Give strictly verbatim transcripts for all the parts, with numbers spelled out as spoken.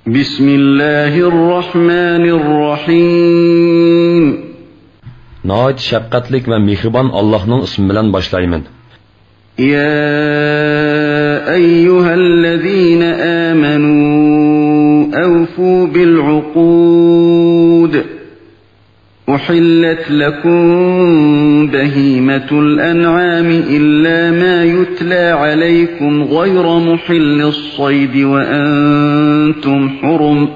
بسم الله الرحمن الرحيم. ناھايىتى شەپقەتلىك ۋە مېھرىبان ئاللاھنىڭ ئىسمى بىلەن باشلايمەن. يا أيها الذين آمنوا أوفوا بالعقود. أحلت لكم بهيمة الأنعام إلا ما يتلى عليكم غير محل الصيد وأنتم حرم.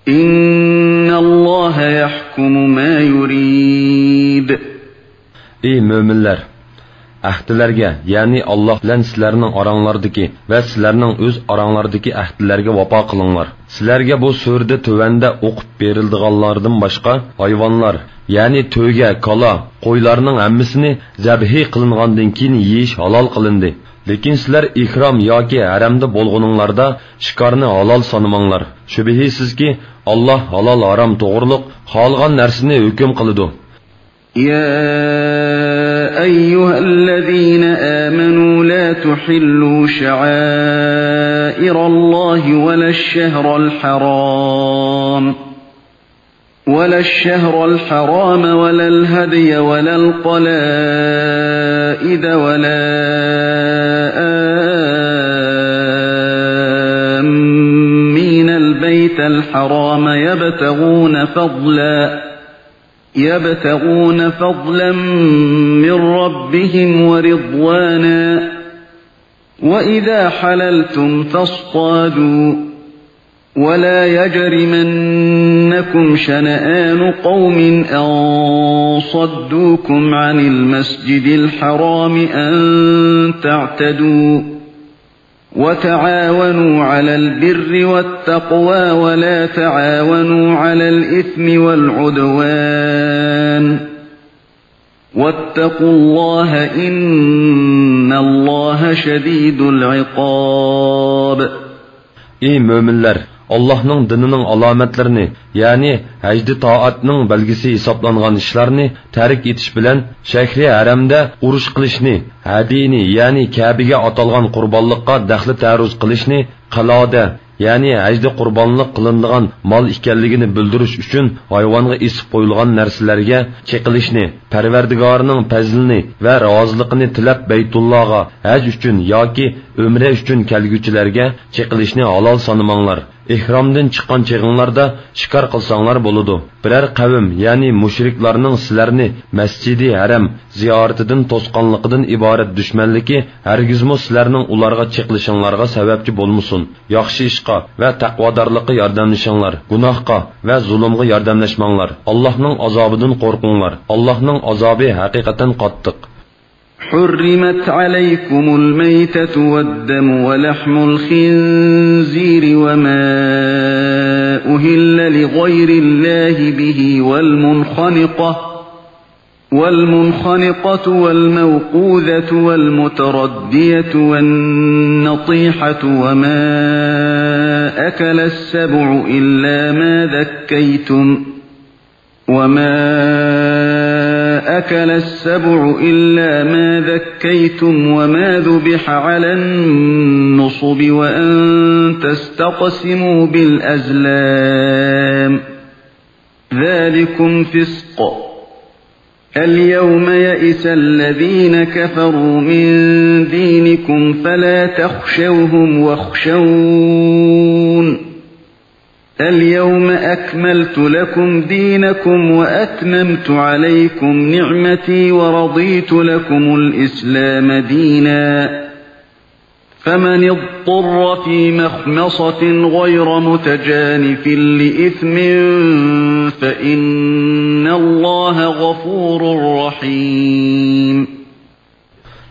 إن الله يحكم ما يريد. ئى مۆمىنلەر! ئەھدىلەرگە، يەنى ئاللاھ بىلەن سىلەرنىڭ ئاراڭلاردىكى ۋە سىلەرنىڭ ئۆز ئاراڭلاردىكى ئەھدىلەرگە ۋاپا قىلىڭلار. سىلەرگە بۇ سۈرىدە تۆۋەندە ئوقۇپ بېرىلىدىغانلاردىن باشقا ھايۋانلار، يەنى تۆگە، كالا، قويلارنىڭ ھەممىسىنى زەبھى قىلىنغاندىن كېيىن يېيىش ھالال قىلىندى. لېكىن سىلەر ئېھرام ياكى ھەرەمدە بولغىنىڭلاردا شىكارنى ھالال سانىماڭلار. شۈبھىسىزكى، ئاللاھ ھالال-ھارام توغرۇلۇق خالىغان نەرسىنى ھۆكۈم قىلىدۇ. يا أيها الذين آمنوا لا تحلوا شعائر الله ولا الشهر الحرام ولا الشهر الحرام ولا الهدي ولا القلائد ولا آمين البيت الحرام يبتغون فضلا يبتغون فضلا من ربهم ورضوانا، وإذا حللتم فاصطادوا، ولا يجرمنكم شنآن قوم أن صدوكم عن المسجد الحرام أن تعتدوا، وتعاونوا على البر والتقوى ولا تعاونوا على الإثم والعدوان، واتقوا الله إن الله شديد العقاب. ئى مۆمىنلەر! ئاللاھنىڭ دىنىنىڭ ئالامەتلىرىنى، يەنى ھەجدە تائەتنىڭ بەلگىسى ھېسابلانغان ئىشلارنى تەرك ئېتىش بىلەن، شەھرى ھەرەمدە ئۇرۇش قىلىشنى، ھەدىيىنى، يەنى كەبىگە ئاتالغان قۇربانلىققا دەخلى-تەرۇز قىلىشنى، قەلئادە، يەنى ھەجدە قۇربانلىق قىلىنىدىغان مال ئىكەنلىكىنى بىلدۈرۈش ئۈچۈن ھايۋانغا ئېسىپ قويۇلغان نەرسىلەرگە چېقىلىشنى، پەرۋەردىگارىنىڭ پەزلىنى ۋە رازىلىقىنى تىلەپ بەيتۇللاغا ھەج ئۈچۈن ياكى ئۆمرە ئۈچۈن كەلگۈچىلەرگە چېقىلىشنى ھالال سانىماڭلار. ئېھرامدىن چىققان چېغىڭلاردا شىكار قىلساڭلار بولىدۇ. بىرەر قەۋم، يەنى مۇشرىكلارنىڭ سىلەرنى مەسجىدى ھەرەم زىيارىتىدىن توسقانلىقىدىن ئىبارەت دۈشمەنلىكى ھەرگىزمۇ سىلەرنىڭ ئۇلارغا چېقىلىشىڭلارغا سەۋەبچى بولمىسۇن. ياخشى ئىشقا ۋە تەقۋادارلىققا ياردەملىشىڭلار، گۇناھقا ۋە زۇلۇمغا ياردەملەشمەڭلار. ئاللاھنىڭ ئازابىدىن قورقۇڭلار. ئاللاھنىڭ ئازابى ھەقىقەتەن قاتتىق. حرمت عليكم الميتة والدم ولحم الخنزير وما أهل لغير الله به والمنخنقة والمنخنقة والموقوذة والمتردية والنطيحة وما أكل السبع إلا ما ذكيتم، وما أكل السبع إلا ما ذكيتم وما ذبح على النصب وأن تستقسموا بالأزلام، ذلكم فسق. اليوم يئس الذين كفروا من دينكم فلا تخشوهم واخشون. اليوم أكملت لكم دينكم وأتممت عليكم نعمتي ورضيت لكم الإسلام دينا. فمن اضطر في مخمصة غير متجانف لإثم فإن الله غفور رحيم.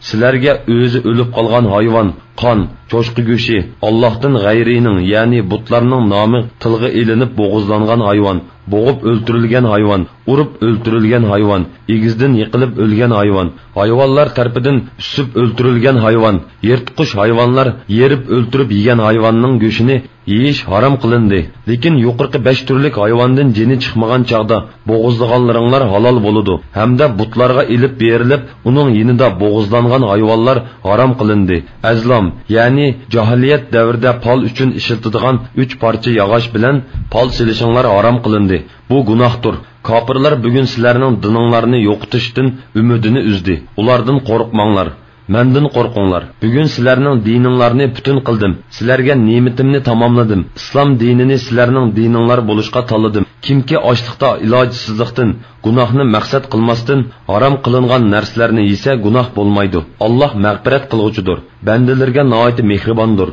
سىلەرگە ئۆزى ئۆلۈپ قالغان ھايۋان، قان، چوشقا گۆشى، ئاللاھتىن غەيرىنىڭ، يەنى بۇتلارنىڭ نامى تىلغا ئېلىنىپ بوغۇزلانغان ھايۋان، بوغۇپ ئۆلتۈرۈلگەن ھايۋان، ئۇرۇپ ئۆلتۈرۈلگەن ھايۋان، ئېگىزدىن يىقىلىپ ئۆلگەن ھايۋان، ھايۋانلار تەرىپىدىن ئۈسۈپ ئۆلتۈرۈلگەن ھايۋان، يىرتقۇچ ھايۋانلار يېرىپ ئۆلتۈرۈپ يېگەن ھايۋاننىڭ گۆشىنى يېيىش ھارام قىلىندى. لېكىن يۇقىرىقى بەش تۈرلۈك ھايۋاندىن جېنى چىقمىغان چاغدا بوغۇزلىغانلىرىڭلار ھالال بولىدۇ ھەمدە بۇتلارغا ئېلىپ بېرىلىپ، ئۇنىڭ يېنىدا بوغۇزلانغان ھايۋانلار ھارام قىلىندى. ئەزلام، يەنى جاھىلىيەت دەۋرىدە پال ئۈچۈن ئىشلىتىدىغان ئۈچ پارچە ياغاچ بىلەن پال سېلىشىڭلار ھارام قىلىندى. بۇ گۇناھتۇر. كاپىرلار بۈگۈن سىلەرنىڭ دىنىڭلارنى يوقىتىشتىن ئۈمىدىنى ئۈزدى. ئۇلاردىن قورقماڭلار. مەندىن قورقۇڭلار. بۈگۈن سىلەرنىڭ دىنىڭلارنى پۈتۈن قىلدىم. سىلەرگە نېمىتىمنى تاماملىدىم. ئىسلام دىنىنى سىلەرنىڭ دىنىڭلار بولۇشقا تاللىدىم. كىمكى ئاچلىقتا ئىلاجسىزلىقتىن، گۇناھنى مەقسەت قىلماستىن، ھارام قىلىنغان نەرسىلەرنى يېسە گۇناھ بولمايدۇ. ئاللاھ مەغپىرەت قىلغۇچىدۇر. بەندىلىرىگە ناھايىتى مېھرىباندۇر.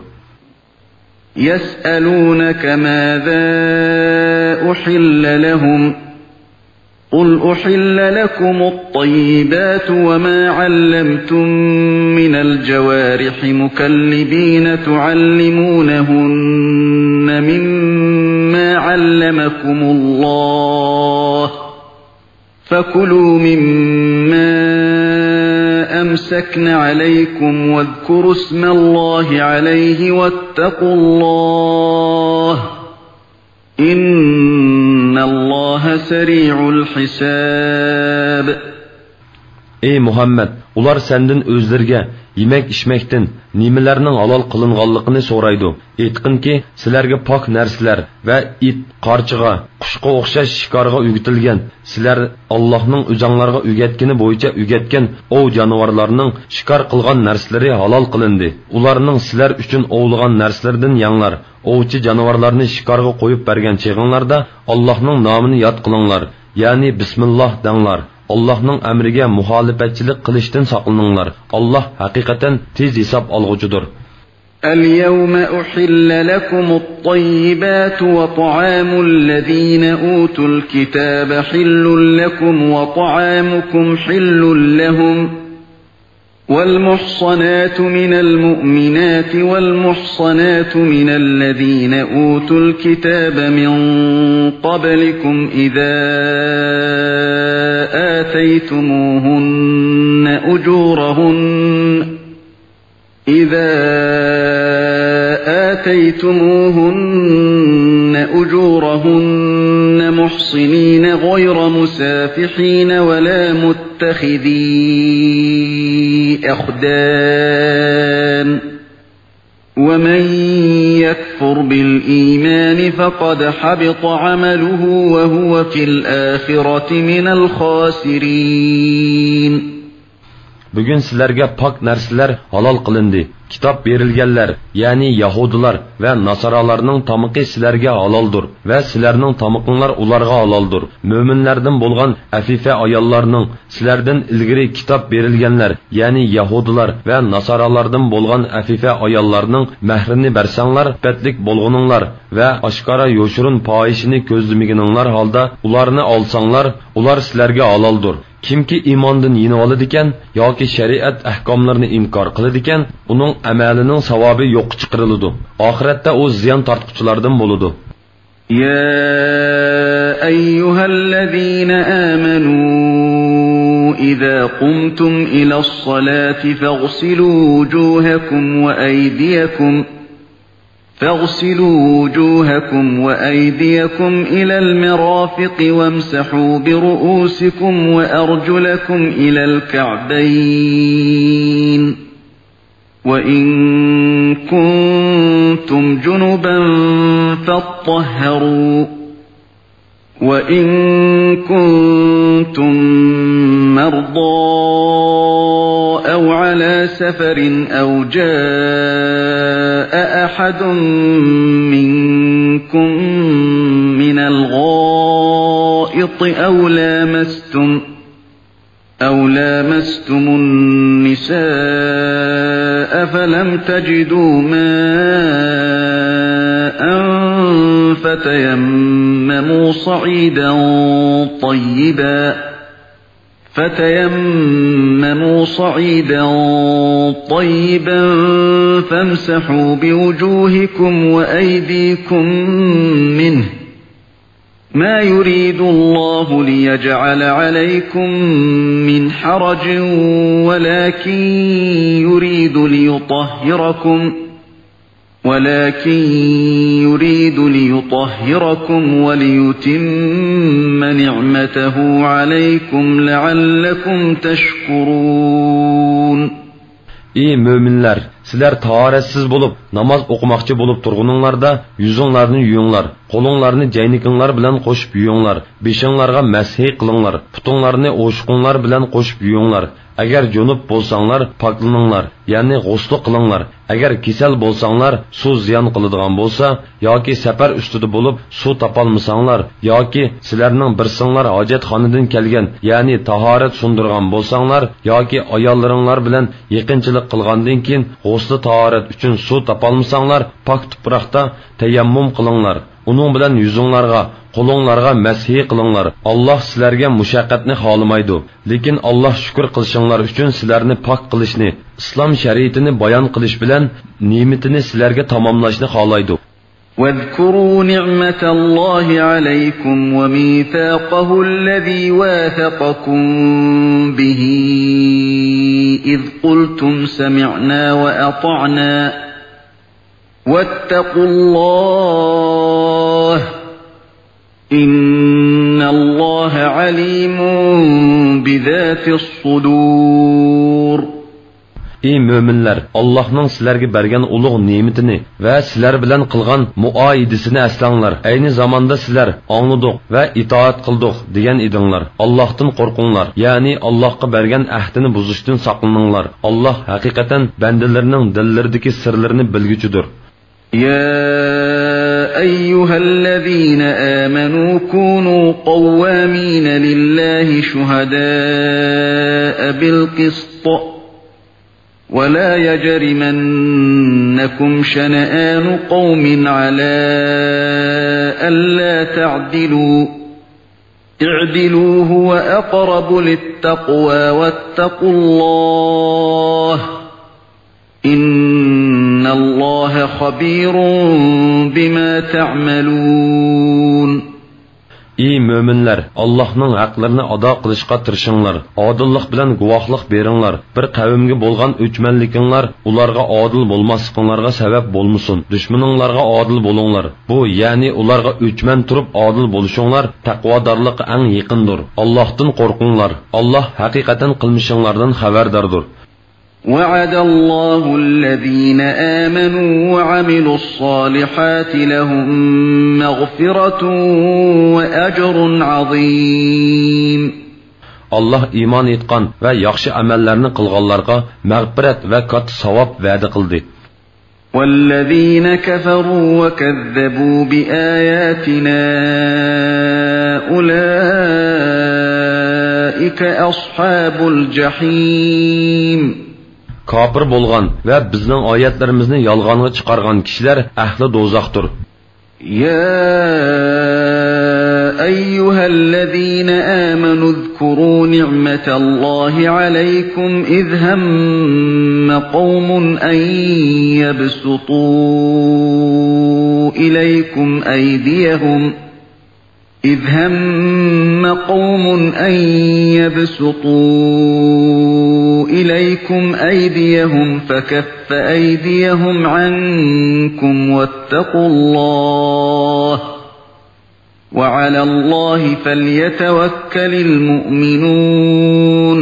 يسألونك ماذا أحل لهم، قل أحل لكم الطيبات وما علمتم من الجوارح مكلبين تعلمونهن مما علمكم الله، فكلوا مما أمسكن عليكم واذكروا اسم الله عليه واتقوا الله، إن الله سريع الحساب. ئەي مۇھەممەد، ئۇلار سەندىن ئۆزلىرىگە يېمەك-ئىچمەكتىن نېمىلەرنىڭ ھالال قىلىنغانلىقىنى سورايدۇ. ئېيتقىنكى، سىلەرگە پاك نەرسىلەر ۋە ئىت، قارچىغا، قۇشقا ئوخشاش شىكارغا ئۆگىتىلگەن، سىلەر ئاللاھنىڭ ئۆزەڭلارغا ئۆگەتكىنى بويىچە ئۆگەتكەن ئوۋ جانىۋارلارنىڭ شىكار قىلغان نەرسىلىرى ھالال قىلىندى. ئۇلارنىڭ سىلەر ئۈچۈن ئوۋلىغان نەرسىلىرىدىن يەڭلار. ئوۋچى جانىۋارلارنى شىكارغا قويۇپ بەرگەن چېغىڭلاردا ئاللاھنىڭ نامىنى ياد قىلىڭلار، يەنى بىسمىللاھ دەڭلار. ئاللاھنىڭ ئەمرىگە مۇخالىپەتچىلىك قىلىشتىن ساقلىنىڭلار. ئاللاھ ھەقىقەتەن تېز ھېساب ئالغۇچىدۇر. اليوم أحل لكم الطيبات وطعام الذين أوتوا الكتاب حل لكم وطعامكم حل لهم، والمحصنات من المؤمنات والمحصنات من الذين أوتوا الكتاب من قبلكم إذا آتيتموهن أجورهن إذا آتيتموهن أجورهن محصنين غير مسافحين ولا متخذي أخدان، ومن يكفر بالإيمان فقد حبط عمله وهو في الآخرة من الخاسرين. بۈگۈن سىلەرگە پاك نەرسىلەر ھالال قىلىندى. كىتاب بېرىلگەنلەر، يەنى يەھۇدىيلار ۋە ناسارالارنىڭ تامىقى سىلەرگە ھالالدۇر ۋە سىلەرنىڭ تامىقىڭلار ئۇلارغا ھالالدۇر. مۆمىنلەردىن بولغان ئەفىفە ئاياللارنىڭ، سىلەردىن ئىلگىرى كىتاب بېرىلگەنلەر، يەنى يەھۇدىيلار ۋە ناسارالاردىن بولغان ئەفىفە ئاياللارنىڭ مەھرىنى بەرسەڭلار، ئىپپەتلىك بولغىنىڭلار ۋە ئاشكارا يوشۇرۇن پاھىشىنى كۆزلىمىگىنىڭلار ھالدا ئۇلارنى ئالساڭلار، ئۇلار سىلەرگە ھالالدۇر. كىمكى ئىماندىن يېنىۋالىدىكەن ياكى شەرىئەت ئەھكاملىرىنى ئىنكار قىلىدىكەن، ئۇنىڭ ئەمەلىنىڭ ساۋابى يوققا چىقىرىلىدۇ. ئاخىرەتتە ئۇ زىيان تارتقۇچىلاردىن بولىدۇ. يا أيها الذين آمنوا إذا قمتم إلى الصلاة فاغسلوا وجوهكم وأيديكم فاغسلوا وجوهكم وأيديكم إلى المرافق وامسحوا برؤوسكم وأرجلكم إلى الكعبين، وإن كنتم جنبا فاطهروا، وإن كنتم مرضى أو على سفر أو جاء أحد منكم من الغائط أو لامستم أو لامستم النساء فلم تجدوا ماء فتيمموا صعيدا طيبا، فتيمموا صعيدا طيبا فامسحوا بوجوهكم وأيديكم منه، ما يريد الله ليجعل عليكم من حرج ولكن يريد ليطهركم، ولكن يريد ليطهركم وليتم نعمته عليكم لعلكم تشكرون. ئى مۆمىنلەر! سىلەر تاھارەتسىز بولۇپ، ناماز ئوقۇماقچى بولۇپ تۇرغىنىڭلاردا، يۈزۈڭلارنى يۇيۇڭلار، قولۇڭلارنى جەينىكىڭلار بىلەن قوشۇپ يۇيۇڭلار، بېشىڭلارغا مەسھى قىلىڭلار، پۇتۇڭلارنى ئوشۇقۇڭلار بىلەن قوشۇپ يۇيۇڭلار. ئەگەر جۇنۇپ بولساڭلار، پاكلىنىڭلار، يەنى غۇسلى قىلىڭلار. ئەگەر كېسەل بولساڭلار، سۇ زىيان قىلىدىغان بولسا ياكى سەپەر ئۈستىدە بولۇپ سۇ تاپالمىساڭلار ياكى سىلەرنىڭ بىرسىڭلار ھاجەتخانىدىن كەلگەن، يەنى تاھارەت سۇندۇرغان بولساڭلار ياكى ئاياللىرىڭلار بىلەن يېقىنچىلىق قىلغاندىن كېيىن غۇسلى تاھارەت ئۈچۈن سۇ تاپالمىساڭلار، پاك تۇپراقتا تەيەممۇم قىلىڭلار. ئۇنىڭ بىلەن يۈزۈڭلارغا، قولۇڭلارغا مەسھى قىلىڭلار. ئاللاھ سىلەرگە مۇشەققەتنى خالىمايدۇ، لېكىن ئاللاھ شۈكۈر قىلىشىڭلار ئۈچۈن سىلەرنى پاك قىلىشنى، ئىسلام شەرىئىتىنى بايان قىلىش بىلەن نېمىتىنى سىلەرگە تاماملاشنى خالايدۇ. واذكروا نعمة الله عليكم وميثاقه الذي واثقكم به إذ قلتم سمعنا وأطعنا واتقوا الله إن الله عليم بذات الصدور. ئى مۆمىنلەر، ئاللاھنىڭ سىلەرگە بەرگەن ئۇلۇغ نېمىتىنى ۋە سىلەر بىلەن قىلغان مۇئاھىدىسىنى ئەسلەڭلار. ئەينى زاماندا سىلەر «ئاڭلىدۇق ۋە ئىتائەت قىلدۇق» دېگەن ئىدىڭلار. ئاللاھتىن قورقۇڭلار، يەنى ئاللاھقا بەرگەن ئەھدىنى بۇزۇشتىن ساقلىنىڭلار. ئاللاھ ھەقىقەتەن بەندىلىرىنىڭ دىللىرىدىكى سىرلىرىنى بىلگۈچىدۇر. يا أيها الذين آمنوا كونوا قوامين لله شهداء بالقسط ولا يجرمنكم شنآن قوم على ألا تعدلوا اعدلوا هو أقرب للتقوى واتقوا الله إن الله خبير بما تعملون. ئى مۆمىنلەر، ئاللاھنىڭ ھەقلىرىنى ئادا قىلىشقا تىرىشىڭلار. ئادىللىق بىلەن گۇۋاھلىق بېرىڭلار. بىر قەۋمگە بولغان ئۆچمەنلىكىڭلار ئۇلارغا ئادىل بولماسلىقىڭلارغا سەۋەب بولمىسۇن. دۈشمىنىڭلارغا ئادىل بولۇڭلار. بۇ، يەنى ئۇلارغا ئۆچمەن تۇرۇپ ئادىل بولۇشۇڭلار تەقۋادارلىققا ئەڭ يېقىندۇر. ئاللاھتىن قورقۇڭلار. ئاللاھ ھەقىقەتەن قىلمىشىڭلاردىن خەۋەرداردۇر. وعد الله الذين آمنوا وعملوا الصالحات لهم مغفرة وأجر عظيم. ئاللاھ ئىمان ئېيتقان ۋە ياخشى ئەمەللەرنى قىلغانلارغا مەغپىرەت ۋە كاتتا ساۋاب ۋەدە قىلدى. والذين كفروا وكذبوا بآياتنا أولئك أصحاب الجحيم. كاپىر بولغان ۋە بىزنىڭ ئايەتلىرىمىزنى يالغانغا چىقارغان كىشىلەر ئەھلى دوزاختۇر. يا أيها الذين آمنوا اذكروا نعمة الله عليكم إذ هم قوم أن يبسطوا إليكم أيديهم إذ هم قوم أن يبسطوا إليكم أيديهم فكف أيديهم عنكم واتقوا الله وعلى الله فليتوكل المؤمنون.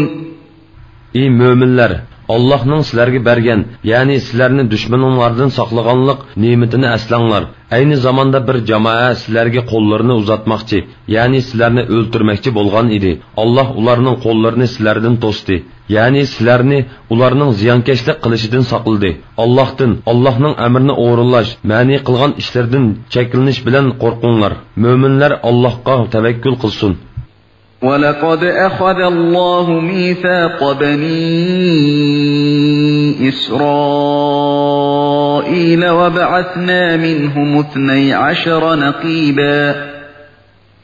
ئى مۆمىنلەر، ئاللاھنىڭ سىلەرگە بەرگەن، يەنى سىلەرنى دۈشمىنىڭلاردىن ساقلىغانلىق نېمىتىنى ئەسلەڭلار. ئەينى زاماندا بىر جامائە سىلەرگە قوللىرىنى ئۇزاتماقچى، يەنى سىلەرنى ئۆلتۈرمەكچى بولغان ئىدى. ئاللاھ ئۇلارنىڭ قوللىرىنى سىلەردىن توستى. يەنى سىلەرنى ئۇلارنىڭ زىيانكەشلىك قىلىشىدىن ساقلىدى. ئاللاھتىن، ئاللاھنىڭ ئەمرىنى ئورۇنلاش، مەنئى قىلغان ئىشلىرىدىن چەكلىنىش بىلەن قورقۇڭلار. مۆمىنلەر ئاللاھقا تەۋەككۈل قىلسۇن. ولقد أخذ الله ميثاق بني إسرائيل وبعثنا منهم اثني عشر نقيبا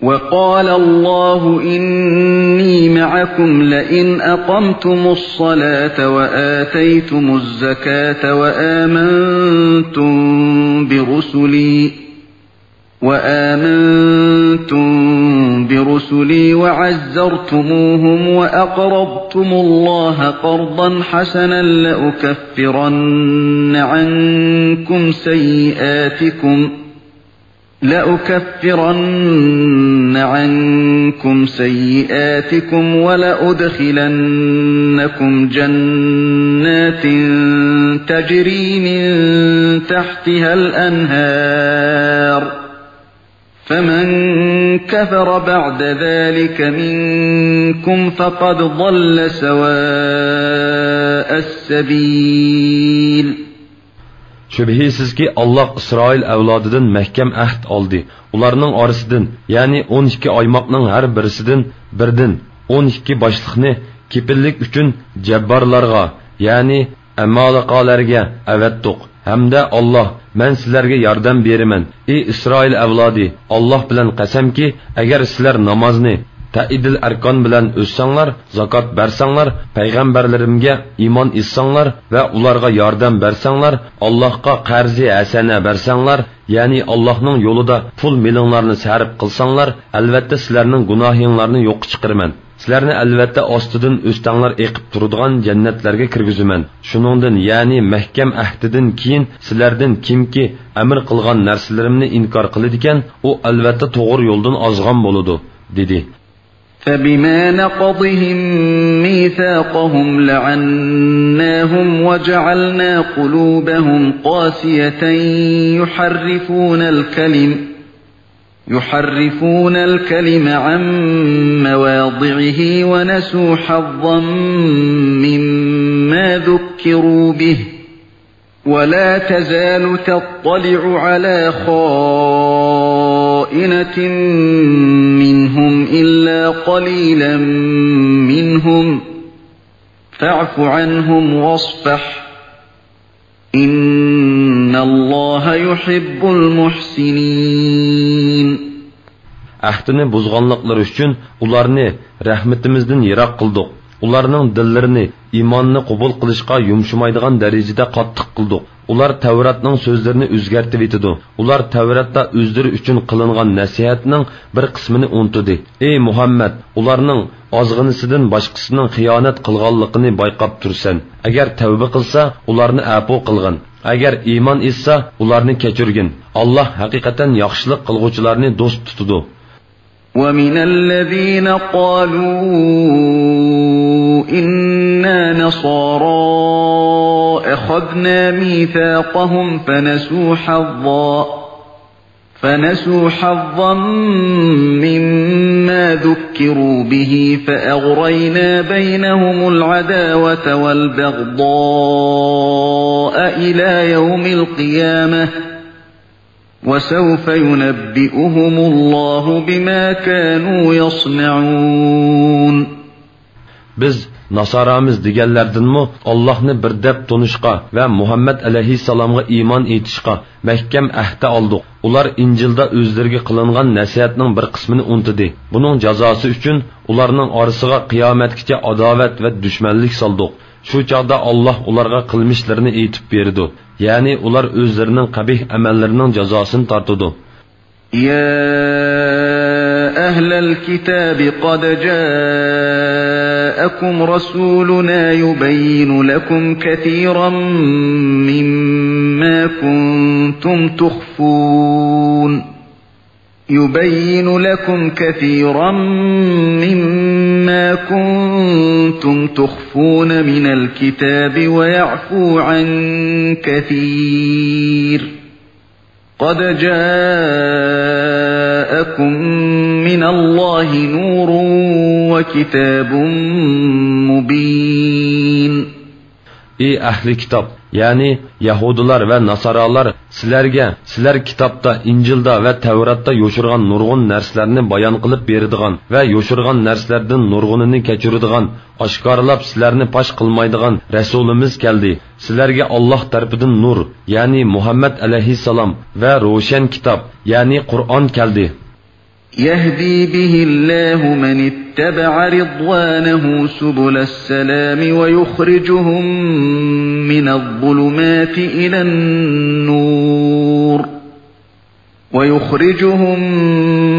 وقال الله إني معكم لئن أقمتم الصلاة وآتيتم الزكاة وآمنتم برسلي وآمنتم برسلي وعزرتموهم وأقرضتم الله قرضا حسنا لأكفرن عنكم سيئاتكم لَأُكَفِّرَنَّ عَنكُمْ سَيِّئَاتِكُمْ وَلَأُدْخِلَنَّكُمْ جَنَّاتٍ تَجْرِي مِن تَحْتِهَا الْأَنْهَارُ، فَمَن كَفَرَ بَعْدَ ذَلِكَ مِنكُمْ فَقَدْ ضَلَّ سَوَاءَ السَّبِيلِ. شۈبھىسىزكى، ئاللاھ ئىسرائىل ئەۋلادىدىن مەھكەم ئەھد ئالدى. ئۇلارنىڭ ئارىسىدىن، يەنى ئون ئىككى ئايماقنىڭ ھەر بىرسىدىن بىردىن ئون ئىككى باشلىقنى كېپىللىك ئۈچۈن جەببارلارغا، يەنى ئەمالىقالەرگە ئەۋەتتۇق. ھەمدە ئاللاھ، مەن سىلەرگە ياردەم بېرىمەن، ئى ئىسرائىل ئەۋلادى، ئاللاھ بىلەن قەسەمكى، ئەگەر سىلەر نامازنى تەئىدىل ئەركان بىلەن ئۆتسەڭلار، زاكات بەرسەڭلار، پەيغەمبەرلىرىمگە ئىمان ئېيتساڭلار ۋە ئۇلارغا ياردەم بەرسەڭلار، ئاللاھقا قەرزى ھەسەنە بەرسەڭلار، يەنى ئاللاھنىڭ يولىدا پۇل مېلىڭلارنى سەرپ قىلساڭلار، ئەلۋەتتە سىلەرنىڭ گۇناھىڭلارنى يوققا چىقىرىمەن. سىلەرنى ئەلۋەتتە ئاستىدىن ئۆستەڭلار ئېقىپ تۇرىدىغان جەننەتلەرگە كىرگۈزىمەن. شۇنىڭدىن، يەنى مەھكەم ئەھدىدىن كېيىن سىلەردىن كىمكى ئەمىر قىلغان نەرسىلىرىمنى ئىنكار قىلىدىكەن، ئۇ ئەلۋەتتە توغرا يولدىن ئازغان بولىدۇ، دېدى. فَبِمَا نَقْضِهِم مِّيثَاقَهُمْ لَعَنَّاهُمْ وَجَعَلْنَا قُلُوبَهُمْ قَاسِيَةً يُحَرِّفُونَ الْكَلِمَ يُحَرِّفُونَ الْكَلِمَ عَن مَّوَاضِعِهِ وَنَسُوا حَظًّا مِّمَّا ذُكِّرُوا بِهِ، وَلَا تَزَالُ تَطَّلِعُ عَلَىٰ خَائِنَةٍ مِّنْهُمْ إِلَّا قَلِيلًا مِّنْهُمْ، فَاعْفُ عَنْهُمْ وَاصْفَحْ، إِنَّ اللَّهَ يُحِبُّ الْمُحْسِنِينَ. ئەھدىنى بۇزغانلىقلىرى ئۈچۈن ئۇلارنى رەھمىتىمىزدىن يىراق قىلدۇق. ئۇلارنىڭ دىللىرىنى ئىماننى قوبۇل قىلىشقا يۇمشىمايدىغان دەرىجىدە قاتتىق قىلدۇق. ئۇلار تەۋراتنىڭ سۆزلىرىنى ئۆزگەرتىۋېتىدۇ. ئۇلار تەۋراتتا ئۆزلىرى ئۈچۈن قىلىنغان نەسىھەتنىڭ بىر قىسمىنى ئۇنتۇدى. ئەي مۇھەممەد، ئۇلارنىڭ ئازغىنىسىدىن باشقىسىنىڭ خىيانەت قىلغانلىقىنى بايقاپ تۇرىسەن. ئەگەر تەۋبە قىلسا، ئۇلارنى ئەپۇ قىلغىن. ئەگەر ئىمان ئېيتسا، ئۇلارنى كەچۈرگىن. ئاللاھ ھەقىقەتەن ياخشىلىق قىلغۇچىلارنى دوست تۇتىدۇ. وَمِنَ الَّذِينَ قَالُوا إِنَّا نَصَارَىٰ أَخَذْنَا مِيثَاقَهُمْ فَنَسُوا حَظًّا فَنَسُوا حَظًّا مِّمَّا ذُكِّرُوا بِهِ فَأَغْرَيْنَا بَيْنَهُمُ الْعَدَاوَةَ وَالْبَغْضَاءَ إِلَىٰ يَوْمِ الْقِيَامَةِ، وَسَوْفَ يُنَبِّئُهُمُ اللَّهُ بِمَا كَانُوا يَصْنَعُونَ. بىز ناسارامىز دېگەنلەردىنمۇ ئاللاھنى بىر دەپ تونۇشقا ۋە مۇھەممەد ئەلەيھىسسالامغا ئىمان ئېيتىشقا مەھكەم ئەھدە ئالدۇق. ئۇلار ئىنجىلدا ئۆزلىرىگە قىلىنغان نەسىھەتنىڭ بىر قىسمىنى ئۇنتۇدى. بۇنىڭ جازاسى ئۈچۈن ئۇلارنىڭ ئارىسىغا قىيامەتكىچە ئاداۋەت ۋە دۈشمەنلىك سالدۇق. شۇ چاغدا ئاللاھ ئۇلارغا قىلمىشلىرىنى ئېيتىپ بېرىدۇ. يەنى ئۇلار ئۆزلىرىنىڭ قەبىھ ئەمەللىرىنىڭ جازاسىنى تارتىدۇ. يَا أَهْلَ الْكِتَابِ قَدْ جَاءَكُمْ رَسُولُنَا يُبَيِّنُ لَكُمْ كَثِيرًا مِّمَّا كُنتُمْ تُخْفُونَ يُبَيِّنُ لَكُمْ كَثِيرًا مِّمَّا كُنتُمْ تُخْفُونَ مِنَ الْكِتَابِ وَيَعْفُو عَن كَثِيرٍ، قَدْ جَاءَكُم مِّنَ اللَّهِ نُورٌ وَكِتَابٌ مُّبِينٌ. ئى ئەھلى كىتاب، يەنى يەھۇدىيلار ۋە ناسارالار سىلەرگە، سىلەر كىتابتا، ئىنجىلدا ۋە تەۋراتتا يوشۇرغان نۇرغۇن نەرسىلەرنى بايان قىلىپ بېرىدىغان ۋە يوشۇرغان نەرسىلەردىن نۇرغۇنىنى كەچۈرىدىغان، ئاشكارىلاپ سىلەرنى پاش قىلمايدىغان رەسۇلىمىز كەلدى. سىلەرگە ئاللاھ تەرىپىدىن نۇر، يەنى مۇھەممەد ئەلەيھىسسالام ۋە روشەن كىتاب، يەنى قۇرئان كەلدى. يَهْدِي بِهِ اللَّهُ مَنِ اتَّبَعَ رِضْوَانَهُ سُبُلَ السَّلَامِ وَيُخْرِجُهُم مِّنَ الظُّلُمَاتِ إِلَى النُّورِ، وَيُخْرِجُهُم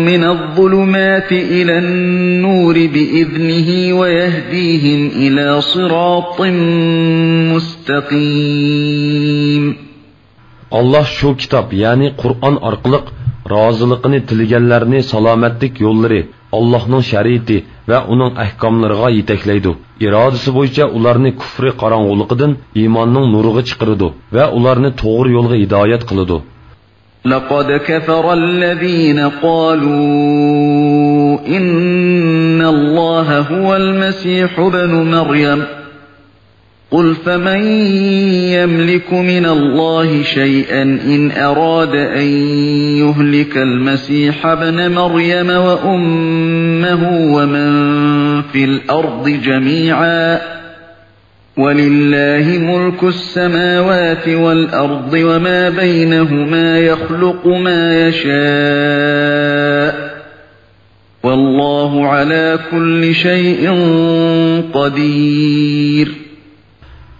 مِّنَ الظُّلُمَاتِ إِلَى النُّورِ بِإِذْنِهِ وَيَهْدِيهِمْ إِلَىٰ صِرَاطٍ مُّسْتَقِيمٍ. ئاللاھ شۇ كىتاب، يەنى قۇرئان ئارقىلىق رازىلىقىنى تىلىگەنلەرنى سالامەتلىك يوللىرى، ئاللاھنىڭ شەرىئىتى ۋە ئۇنىڭ ئەھكاملىرىغا يېتەكلەيدۇ. ئىرادىسى بويىچە ئۇلارنى كۇفرى قاراڭغۇلۇقىدىن ئىماننىڭ نۇرىغا چىقىرىدۇ ۋە ئۇلارنى توغرا يولغا ھىدايەت قىلىدۇ. لقد كفر الذين قالوا إن الله هو المسيح ابن مريم قل فمن يملك من الله شيئا إن أراد أن يهلك المسيح ابن مريم وأمه ومن في الأرض جميعا ولله ملك السماوات والأرض وما بينهما يخلق ما يشاء والله على كل شيء قدير.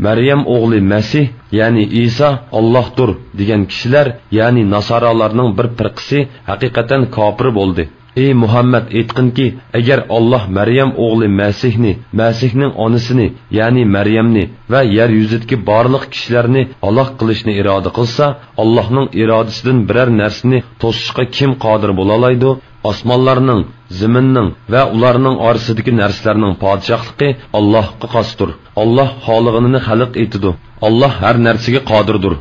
مەريەم ئوغلى مەسىھ، يەنى ئىسا ئاللاھتۇر دېگەن كىشىلەر، يەنى ناسارالارنىڭ بىر پىرقىسى ھەقىقەتەن كاپىر بولدى. ئى مۇھەممەد، ئېيتقىنكى، ئەگەر ئاللاھ مەريەم ئوغلى مەسىھنى، مەسىھنىڭ ئانىسىنى، يەنى مەريەمنى ۋە يەر يۈزىدىكى بارلىق كىشىلەرنى ھالاك قىلىشنى ئىرادە قىلسا، ئاللاھنىڭ ئىرادىسىدىن بىرەر نەرسىنى توسۇشقا كىم قادىر بولالايدۇ؟ ئاسمانلارنىڭ، زېمىننىڭ ۋە ئۇلارنىڭ ئارىسىدىكى نەرسىلەرنىڭ پادىشاھلىقى ئاللاھقا خاستۇر. ئاللاھ خالىغىنىنى خەلق ئېتىدۇ. ئاللاھ ھەر نەرسىگە قادىردۇر.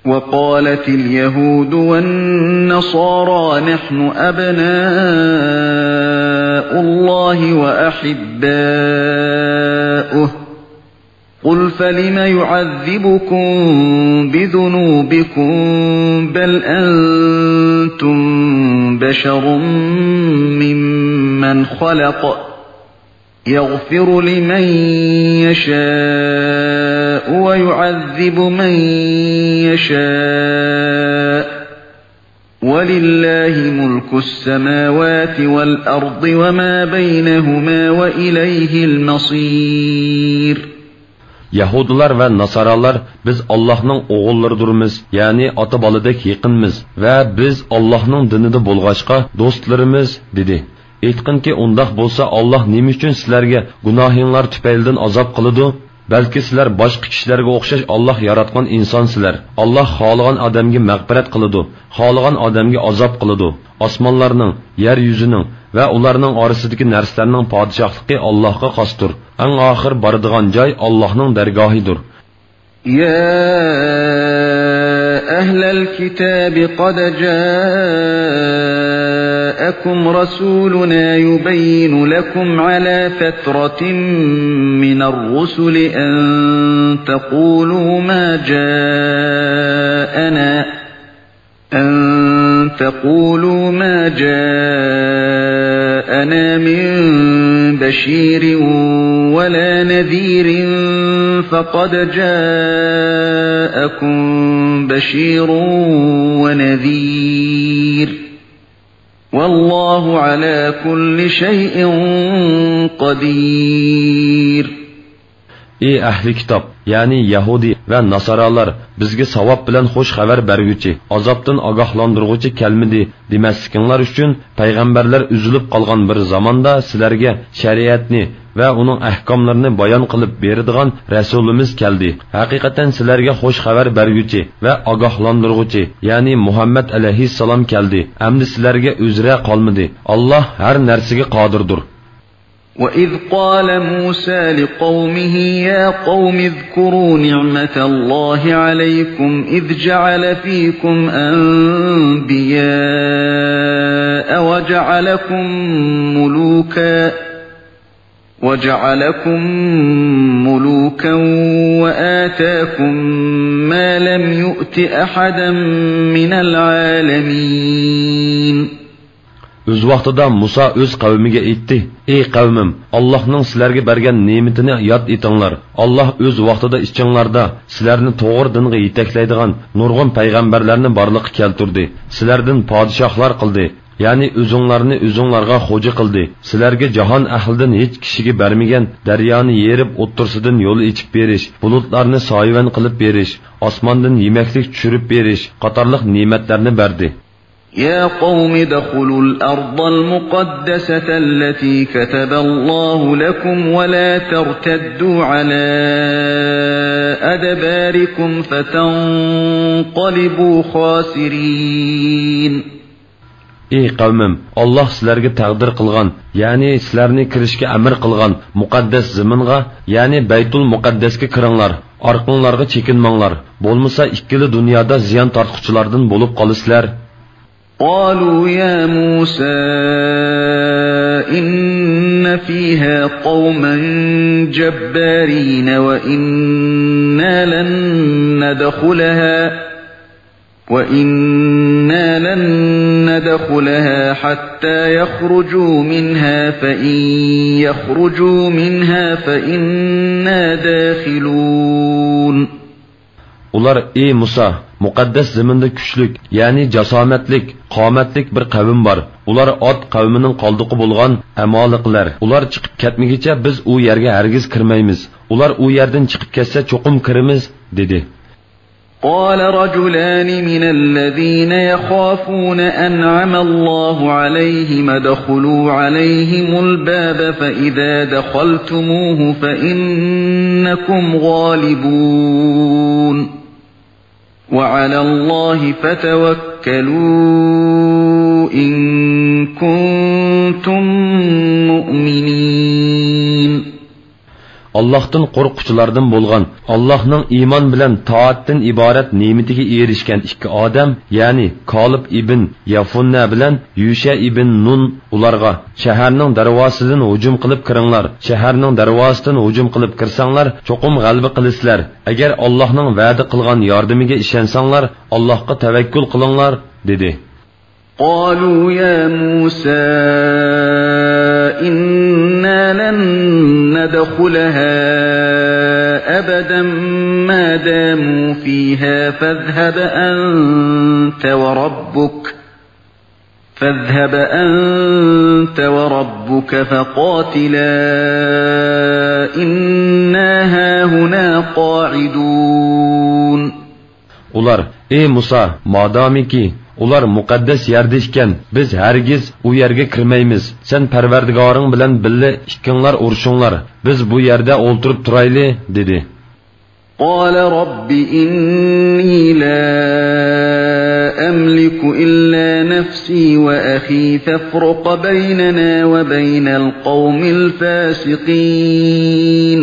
وقالت اليهود والنصارى نحن أبناء الله وأحباؤه قل فلم يعذبكم بذنوبكم بل أنتم بشر ممن خلق يغفر لمن يشاء ويعذب من يشاء ولله ملك السماوات والأرض وما بينهما وإليه المصير. يەھۇدىيلار ۋە ناسارالار، بىز ئاللاھنىڭ ئوغۇللىرىدۇرمىز، يەنى ئاتا-بالىدەك يېقىنمىز ۋە بىز ئاللاھنىڭ دىنىدا بولغاچقا دوستلىرىمىز، دېدى. ئېيتقىنكى، ئۇنداق بولسا، ئاللاھ نېمە ئۈچۈن سىلەرگە گۇناھىڭلار تۈپەيلىدىن ئازاب قىلىدۇ؟ بەلكى سىلەر باشقا كىشىلەرگە ئوخشاش ئاللاھ ياراتقان ئىنسانسىلەر. ئاللاھ خالىغان ئادەمگە مەغپىرەت قىلىدۇ، خالىغان ئادەمگە ئازاب قىلىدۇ. ئاسمانلارنىڭ، يەر يۈزىنىڭ ۋە ئۇلارنىڭ ئارىسىدىكى نەرسىلەرنىڭ پادىشاھلىقى ئاللاھقا خاستۇر. ئەڭ ئاخىر بارىدىغان جاي ئاللاھنىڭ دەرگاھىدۇر. يا أهل الكتاب قد جاءكم رسولنا يبين لكم على فترة من الرسل أن تقولوا ما جاءنا أن تقولوا ما جاءنا من بشير ولا نذير فقد جاءكم بشير ونذير والله على كل شيء قدير. ئى ئەھلى كىتاب، يەنى يەھۇدىي ۋە ناسارالار، بىزگە ساۋاب بىلەن خوش خەۋەر بەرگۈچى، ئازابتىن ئاگاھلاندۇرغۇچى كەلمىدى دېمەسلىكىڭلار ئۈچۈن، پەيغەمبەرلەر ئۈزۈلۈپ قالغان بىر زاماندا سىلەرگە شەرىئەتنى ۋە ئۇنىڭ ئەھكاملىرىنى بايان قىلىپ بېرىدىغان رەسۇلىمىز كەلدى. ھەقىقەتەن سىلەرگە خوش خەۋەر بەرگۈچى ۋە ئاگاھلاندۇرغۇچى، يەنى مۇھەممەد ئەلەيھىسسالام كەلدى. ئەمدى سىلەرگە ئۆزرە قالمىدى. ئاللاھ ھەر نەرسىگە قادىردۇر. وإذ قال موسى لقومه يا قوم اذكروا نعمة الله عليكم إذ جعل فيكم أنبياء وجعلكم ملوكا وجعلكم ملوكا وآتاكم ما لم يؤت أحدا من العالمين. ئۆز ۋاقتىدا مۇسا ئۆز قەۋمىگە ئېيتتى: ئى قەۋمىم، ئاللاھنىڭ سىلەرگە بەرگەن نېمىتىنى ياد ئېتىڭلار. ئاللاھ ئۆز ۋاقتىدا ئىچىڭلاردا سىلەرنى توغرا دىنغا يېتەكلەيدىغان نۇرغۇن پەيغەمبەرلەرنى بارلىققا كەلتۈردى. سىلەردىن پادىشاھلار قىلدى، يەنى ئۆزۈڭلارنى ئۆزۈڭلارغا خوجا قىلدى. سىلەرگە جاھان ئەھلىدىن ھېچ كىشىگە بەرمىگەن دەريانى يېرىپ ئوتتۇرىسىدىن يول ئېچىپ بېرىش، بۇلۇتلارنى سايىۋەن قىلىپ بېرىش، ئاسماندىن يېمەكلىك چۈشۈرۈپ بېرىش قاتارلىق نېمەتلەرنى بەردى. يا قوم ادخلوا الأرض المقدسة التي كتب الله لكم ولا ترتدوا على أدباركم فتنقلبوا خاسرين. ئى قەۋمىم، ئاللاھ سىلەرگە تەقدىر قىلغان، يەنى سىلەرنى كىرىشكە ئەمىر قىلغان مۇقەددەس زېمىنغا، يەنى بەيتۇل مۇقەددەسكە كىرىڭلار، ئارقىڭلارغا چېكىنمەڭلار، بولمىسا ئىككىلا دۇنيادا زىيان تارتقۇچىلاردىن بولۇپ قالىسىلەر. قالوا يا موسى إن فيها قوما جبارين وإنا لن ندخلها وإنا لن ندخلها حتى يخرجوا منها فإن يخرجوا منها فإنا داخلون. ئۇلار: ئى مۇسا، مۇقەددەس زېمىندا كۈچلۈك، يەنى جاسامەتلىك، قامەتلىك بىر قەۋم بار. ئۇلار ئاد قەۋمىنىڭ قالدۇقى بولغان ئەمالىقلەر. ئۇلار چىقىپ كەتمىگىچە بىز ئۇ يەرگە ھەرگىز كىرمەيمىز. ئۇلار ئۇ يەردىن چىقىپ كەتسە چوقۇم كىرىمىز، دېدى. قال رجلان من الذين يخافون أنعم الله عليهم ادخلوا عليهم الباب فإذا دخلتموه فإنكم غالبون. وعلى الله فتوكلوا إن كنتم مؤمنين. ئاللاھتىن قورققۇچىلاردىن بولغان، ئاللاھنىڭ ئىمان بىلەن تائەتتىن ئىبارەت نېمىتىگە ئېرىشكەن ئىككى ئادەم، يەنى كالىب ئىبن يەفۇننە بىلەن يۈشە ئىبن نۇن ئۇلارغا: شەھەرنىڭ دەرۋازىسىدىن ھۇجۇم قىلىپ كىرىڭلار، شەھەرنىڭ دەرۋازىسىدىن ھۇجۇم قىلىپ كىرسەڭلار، چوقۇم غەلىبە قىلىسىلەر، ئەگەر ئاللاھنىڭ ۋەدە قىلغان ياردىمىگە ئىشەنسەڭلار، ئاللاھقا تەۋەككۈل قىلىڭلار، دېدى. قالوا يا موسى إنا لن ندخلها أبدا ما داموا فيها فاذهب أنت وربك فاذهب أنت وربك فقاتلا إنا هاهنا قاعدون. ئۇلار: ئى مۇسا، مادامىكى ئۇلار مۇقەددەس يەردە ئىكەن، بىز ھەرگىز ئۇ يەرگە كىرمەيمىز. سەن پەرۋەردىگارىڭ بىلەن بىللە ئىككىڭلار ئۇرۇشۇڭلار، بىز بۇ يەردە ئولتۇرۇپ تۇرايلى، دېدى. قال رب إني لا أملك إلا نفسي وأخي فافرق بيننا وبين القوم الفاسقين.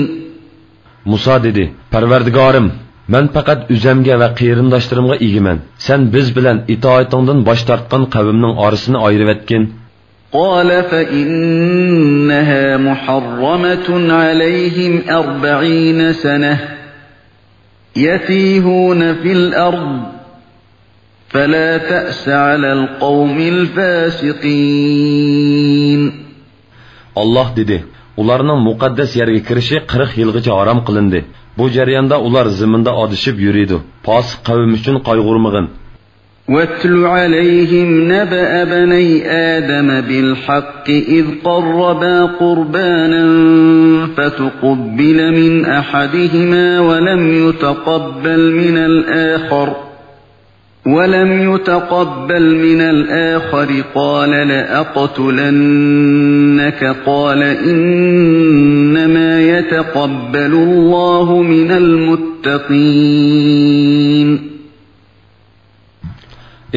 مۇسا دېدى: پەرۋەردىگارىم، مەن پەقەت ئۆزەمگە ۋە قېرىنداشلىرىمغا ئىگىمەن. سەن بىز بىلەن ئىتائىتىڭدىن باش تارتقان قەۋمنىڭ ئارىسىنى ئايرىۋەتكىن. قال فإنها محرمة عليهم أربعين سنة يتيهون في الأرض فلا تأس على القوم الفاسقين. ئاللاھ دېدى: ئۇلارنىڭ مۇقەددەس يەرگە كىرىشى قىرىق يىلغىچە ھارام قىلىندى. بۇ جەرياندا ئۇلار زېمىندا ئادىشىپ يۈرىدۇ. پاسىق قەۋم ئۈچۈن قايغۇرمىغىن. واتل عليهم نبأ ابني آدم بالحق إذ قربا قربانا فتقبل من أحدهما ولم يتقبل من الآخر ولم يتقبل من الآخر قال لأقتلنك قال إنما يتقبل الله من المتقين.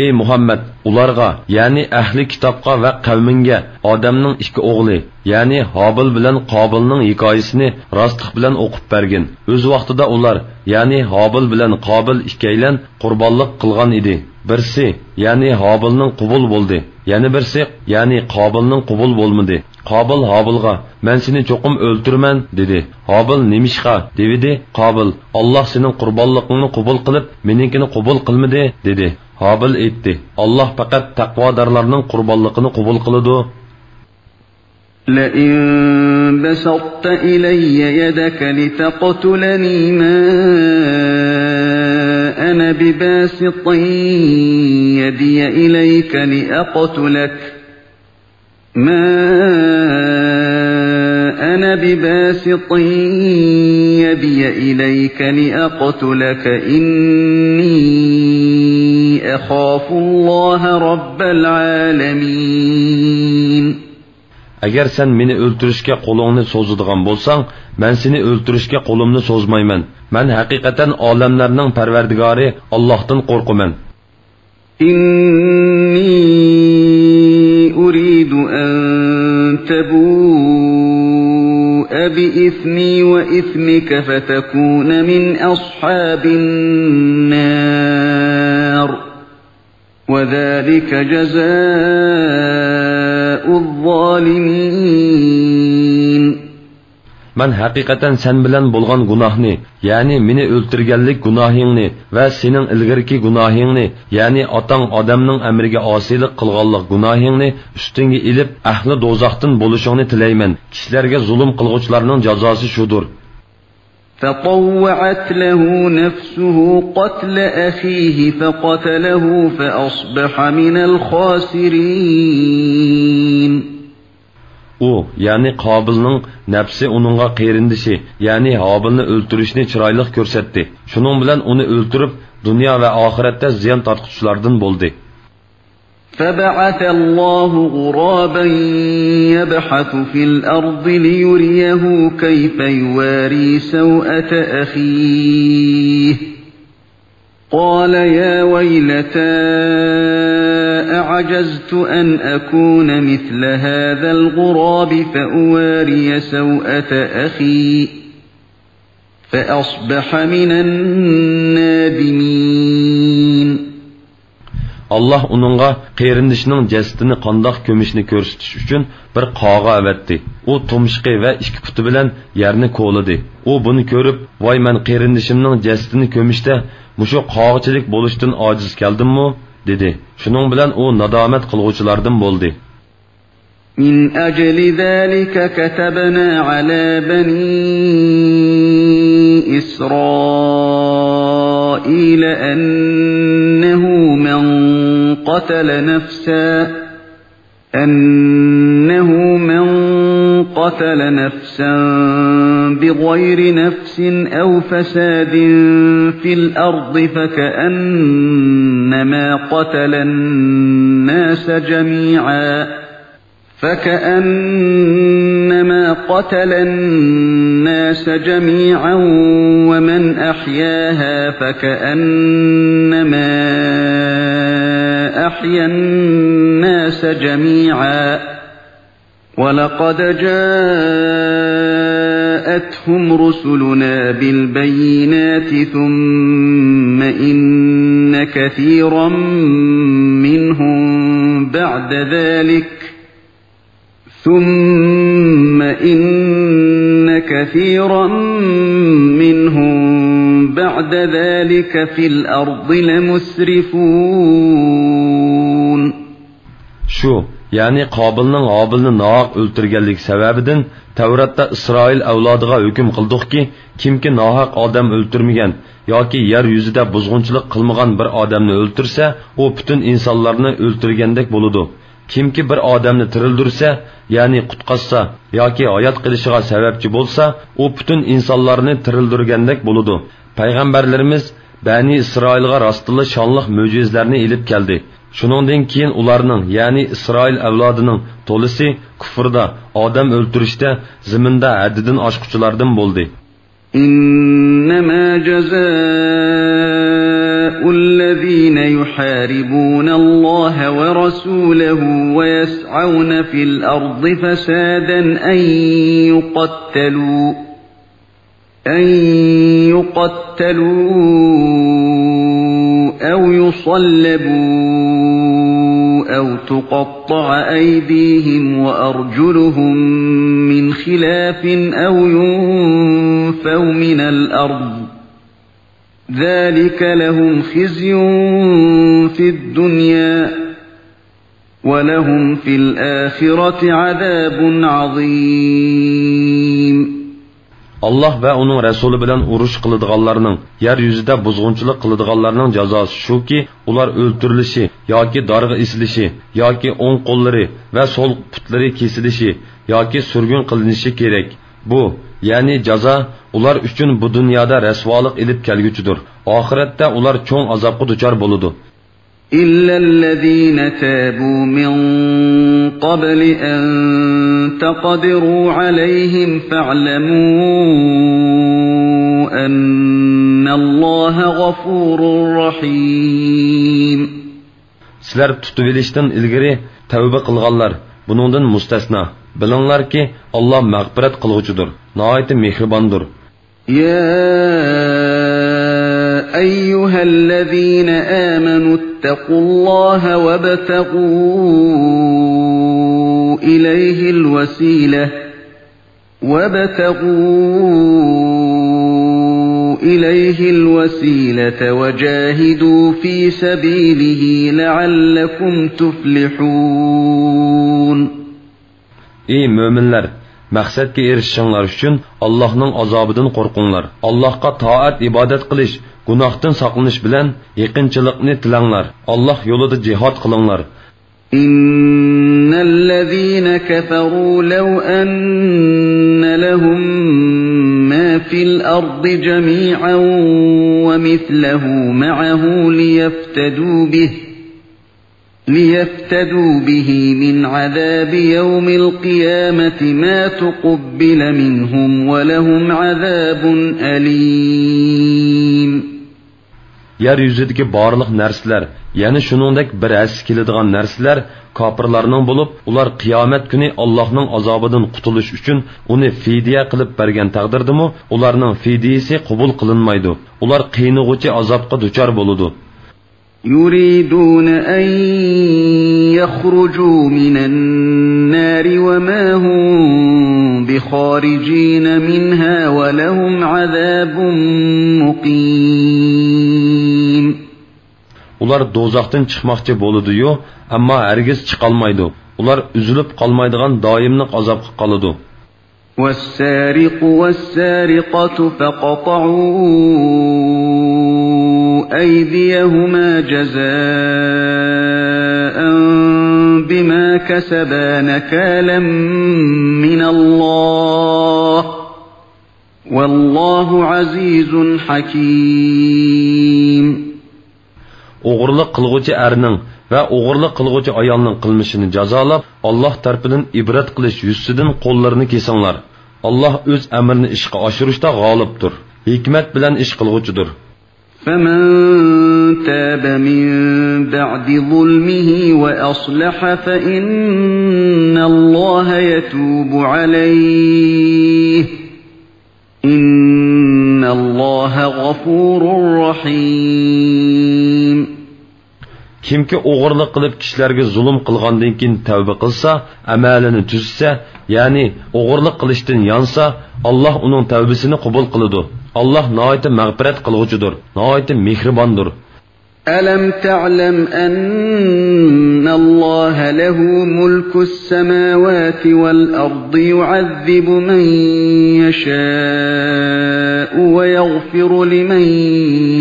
ئى مۇھەممەد، ئۇلارغا، يەنى ئەھلى كىتابقا ۋە قەۋمىڭگە ئادەمنىڭ ئىككى ئوغلى، يەنى ھابىل بىلەن قابىلنىڭ ھېكايىسىنى راستلىق بىلەن ئوقۇپ بەرگىن. ئۆز ۋاقتىدا ئۇلار، يەنى ھابىل بىلەن قابىل ئىككىيلەن قۇربانلىق قىلغان ئىدى. بىرسى، يەنى ھابىلنىڭ قوبۇل بولدى، يەنە بىرسى، يەنى قابىلنىڭ قوبۇل بولمىدى. قابىل ھابىلغا: مەن سېنى چوقۇم ئۆلتۈرىمەن، دېدى. ھابىل: نېمىشقا؟ دېۋىدى. قابىل: ئاللاھ سېنىڭ قۇربانلىقىڭنى قوبۇل قىلىپ، مېنىڭكىنى قوبۇل قىلمىدى، دېدى. ھابىل ئېيتتى: ئاللاھ پەقەت تەقۋادارلارنىڭ قۇربانلىقىنى قوبۇل قىلىدۇ. لئن بسطت إلي يدك لتقتلني ما أنا بباسط يدي إليك لأقتلك ما أنا بباسط يدي إليك لأقتلك إني أخاف الله رب العالمين. ئەگەر سەن مېنى ئۆلتۈرۈشكە قولۇڭنى سوزىدىغان بولساڭ، مەن سېنى ئۆلتۈرۈشكە قولۇمنى سوزمايمەن. مەن ھەقىقەتەن ئالەملەرنىڭ پەرۋەردىگارى ئاللاھتىن قورقىمەن. إني تبوء بإثمي وإثمك فتكون من أصحاب النار، وذلك جزاء الظالمين. مەن ھەقىقەتەن سەن بىلەن بولغان گۇناھنى، يەنى مېنى ئۆلتۈرگەنلىك گۇناھىڭنى ۋە سېنىڭ ئىلگىرىكى گۇناھىڭنى، يەنى ئاتاڭ ئادەمنىڭ ئەمرىگە ئاسىيلىق قىلغانلىق گۇناھىڭنى ئۈستۈڭگە ئېلىپ، ئەھلى دوزاختىن بولۇشۇڭنى تىلەيمەن. كىشىلەرگە زۇلۇم قىلغۇچىلارنىڭ جازاسى شۇدۇر. فطوعت له نفسه قتل أخيه فقتله فأصبح من الخاسرين. ئۇ، يەنى قابىلنىڭ نەپسى ئۇنىڭغا قېرىندىشى، يەنى ھابىلنى ئۆلتۈرۈشنى چىرايلىق كۆرسەتتى. شۇنىڭ بىلەن ئۇنى ئۆلتۈرۈپ، دۇنيا ۋە ئاخىرەتتە زىيان تارتقۇچىلاردىن بولدى. فبعث الله غرابا يبحث في الأرض ليريه كيف يواري سوءة أخيه. قال يا ويلتى أعجزت أن أكون مثل هذا الغراب فأواري سوءة أخي فأصبح من النادمين. ئاللاھ ئۇنىڭغا قېرىندىشىنىڭ جەسىتىنى قانداق كۆمۈشنى كۆرسىتىش ئۈچۈن بىر قاغا ئەۋەتتى. ئۇ تۇمشۇقى ۋە ئىككى پۇتى بىلەن يەرنى كولىدى. ئۇ بۇنى كۆرۈپ، ۋاي، مەن قېرىندىشىمنىڭ جەسىتىنى كۆمۈشتە مۇشۇ قاغىچىلىك بولۇشتىن ئاجىز كەلدىممۇ؟ دېدى. شۇنىڭ بىلەن ئۇ نادامەت قىلغۇچىلاردىن بولدى. من أجل ذلك كتبنا على بني إسرائيل أنه من قتل نفسا، أنه من قتل نفسا بغير نفس أو فساد في الأرض فكأنما قتل الناس جميعا فكأنما قتل الناس جميعا ومن أحياها فكأنما أحيا الناس جميعا ولقد جاءتهم رسلنا بالبينات ثم إن كثيرا منهم بعد ذلك ثم إن كثيرا منهم بعد ذلك في الأرض لمسرفون. شۇ، يەنى قابىلنىڭ ھابىلنى ناھەق ئۆلتۈرگەنلىكى سەۋەبىدىن تەۋراتتا ئىسرائىل ئەۋلادىغا ھۆكۈم قىلدۇقكى، كىمكى ناھەق ئادەم ئۆلتۈرمىگەن ياكى يەر يۈزىدە بۇزغۇنچىلىق قىلمىغان بىر ئادەمنى ئۆلتۈرسە، ئۇ پۈتۈن ئىنسانلارنى ئۆلتۈرگەندەك بولىدۇ. كىمكى بىر ئادەمنى تىرىلدۈرسە، يەنى قۇتقازسا ياكى ھايات قېلىشىغا سەۋەبچى بولسا، ئۇ پۈتۈن ئىنسانلارنى تىرىلدۈرگەندەك بولىدۇ. پەيغەمبەرلىرىمىز بەنى ئىسرائىلغا راستتىنلا شانلىق مۆجىزىلەرنى ئېلىپ كەلدى. شۇنىڭدىن كېيىن ئۇلارنىڭ، يەنى ئىسرائىل ئەۋلادىنىڭ تولىسى كۇفردا، ئادەم ئۆلتۈرۈشتە، زېمىندا ھەددىدىن ئاشقۇچىلاردىن بولدى. إنما جزاء الذين يحاربون الله ورسوله ويسعون في الأرض فسادا أن يقتلوا أن يقتلوا أو يصلبوا أو تقطع أيديهم وأرجلهم من خلاف أو ينفوا من الأرض ذلك لهم خزي في الدنيا ولهم في الآخرة عذاب عظيم. ئاللاھ ۋە ئۇنىڭ رەسۇلى بىلەن ئۇرۇش قىلىدىغانلارنىڭ، يەر يۈزىدە بۇزغۇنچىلىق قىلىدىغانلارنىڭ جازاسى شۇكى، ئۇلار ئۆلتۈرۈلۈشى ياكى دارغا ئېسىلىشى ياكى ئوڭ قوللىرى ۋە سول پۇتلىرى كېسىلىشى ياكى سۈرگۈن قىلىنىشى كېرەك. بۇ، يەنى جازا، ئۇلار ئۈچۈن بۇ دۇنيادا رەسۋالىق ئېلىپ كەلگۈچىدۇر. ئاخىرەتتە ئۇلار چوڭ ئازابقا دۇچار بولىدۇ. إلا الذين تابوا من قبل أن تقدروا عليهم فاعلموا أن الله غفور رحيم. سىلەر تۇتۇۋېلىشتىن ئىلگىرى تەۋبە قىلغانلار، بۇنىڭدىن مۇستەسنا. بىلىڭلاركى، ئاللا مەغپىرەت قىلغۇچىدۇر، ناھايىتى مېھرىباندۇر. يا أيها الذين آمنوا اتقوا الله وابتغوا إليه الوسيلة، وابتغوا إليه الوسيلة وجاهدوا في سبيله لعلكم تفلحون. ئى مۆمىنلەر! مەقسەتكە ئېرىشىشىڭلار ئۈچۈن ئاللاھنىڭ ئازابىدىن قورقۇڭلار. ئاللاھقا تائەت-ئىبادەت قىلىش، گۇناھتىن ساقلىنىش بىلەن يېقىنچىلىقنى تىلەڭلار. ئاللاھ يولىدا جىھاد قىلىڭلار. إن الذين كفروا لو أن لهم ما في الأرض جميعا ومثله معه ليفتدوا به، ليفتدوا به من عذاب يوم القيامة ما تقبل منهم ولهم عذاب أليم. يەر يۈزىدىكى بارلىق نەرسىلەر، يەنى شۇنىڭدەك بىر ھەسسە كېلىدىغان نەرسىلەر كاپىرلارنىڭ بولۇپ، ئۇلار قىيامەت كۈنى ئاللاھنىڭ ئازابىدىن قۇتۇلۇش ئۈچۈن ئۇنى فىدىيە قىلىپ بەرگەن تەقدىردىمۇ، ئۇلارنىڭ فىدىيىسى قوبۇل قىلىنمايدۇ. ئۇلار قىينىغۇچى ئازابقا دۇچار بولىدۇ. يريدون أن يخرجوا من النار وما هم بخارجين منها ولهم عذاب مقيم. ئۇلار دوزاختىن چىقماقچى بولىدۇ-يۇ، ئەمما ھەرگىز چىقالمايدۇ. ئۇلار ئۈزۈلۈپ قالمايدىغان دائىملىق ئازابقا قالىدۇ. والسارق والسارقة فاقطعوا أيديهما جزاء بما كسبا نكالا من الله، والله عزيز حكيم. ئوغرىلىق قىلغۇچى ئەرنىڭ ۋە ئوغرىلىق قىلغۇچى ئايالنىڭ قىلمىشىنى جازالاپ، ئاللاھ تەرىپىدىن ئىبرەت قىلىش يۈزىسىدىن قوللىرىنى كېسىڭلار. ئاللاھ ئۆز ئەمرىنى ئىشقا ئاشۇرۇشتا غالىبتۇر، ھېكمەت بىلەن ئىش قىلغۇچىدۇر. فمن تاب من بعد ظلمه وأصلح فإن الله يتوب عليه، إن الله غفور رحيم. كىمكى ئوغرىلىق قىلىپ كىشىلەرگە زۇلۇم قىلغاندىن كېيىن تەۋبە قىلسا، ئەمەلىنى تۈزىسە، يەنى ئوغرىلىق قىلىشتىن يانسا، ئاللاھ ئۇنىڭ تەۋبىسىنى قوبۇل قىلىدۇ. ئاللاھ ناھايىتى مەغپىرەت قىلغۇچىدۇر، ناھايىتى مېھرىباندۇر. ألم تعلم أن الله له ملك السماوات والأرض يعذب من يشاء ويغفر لمن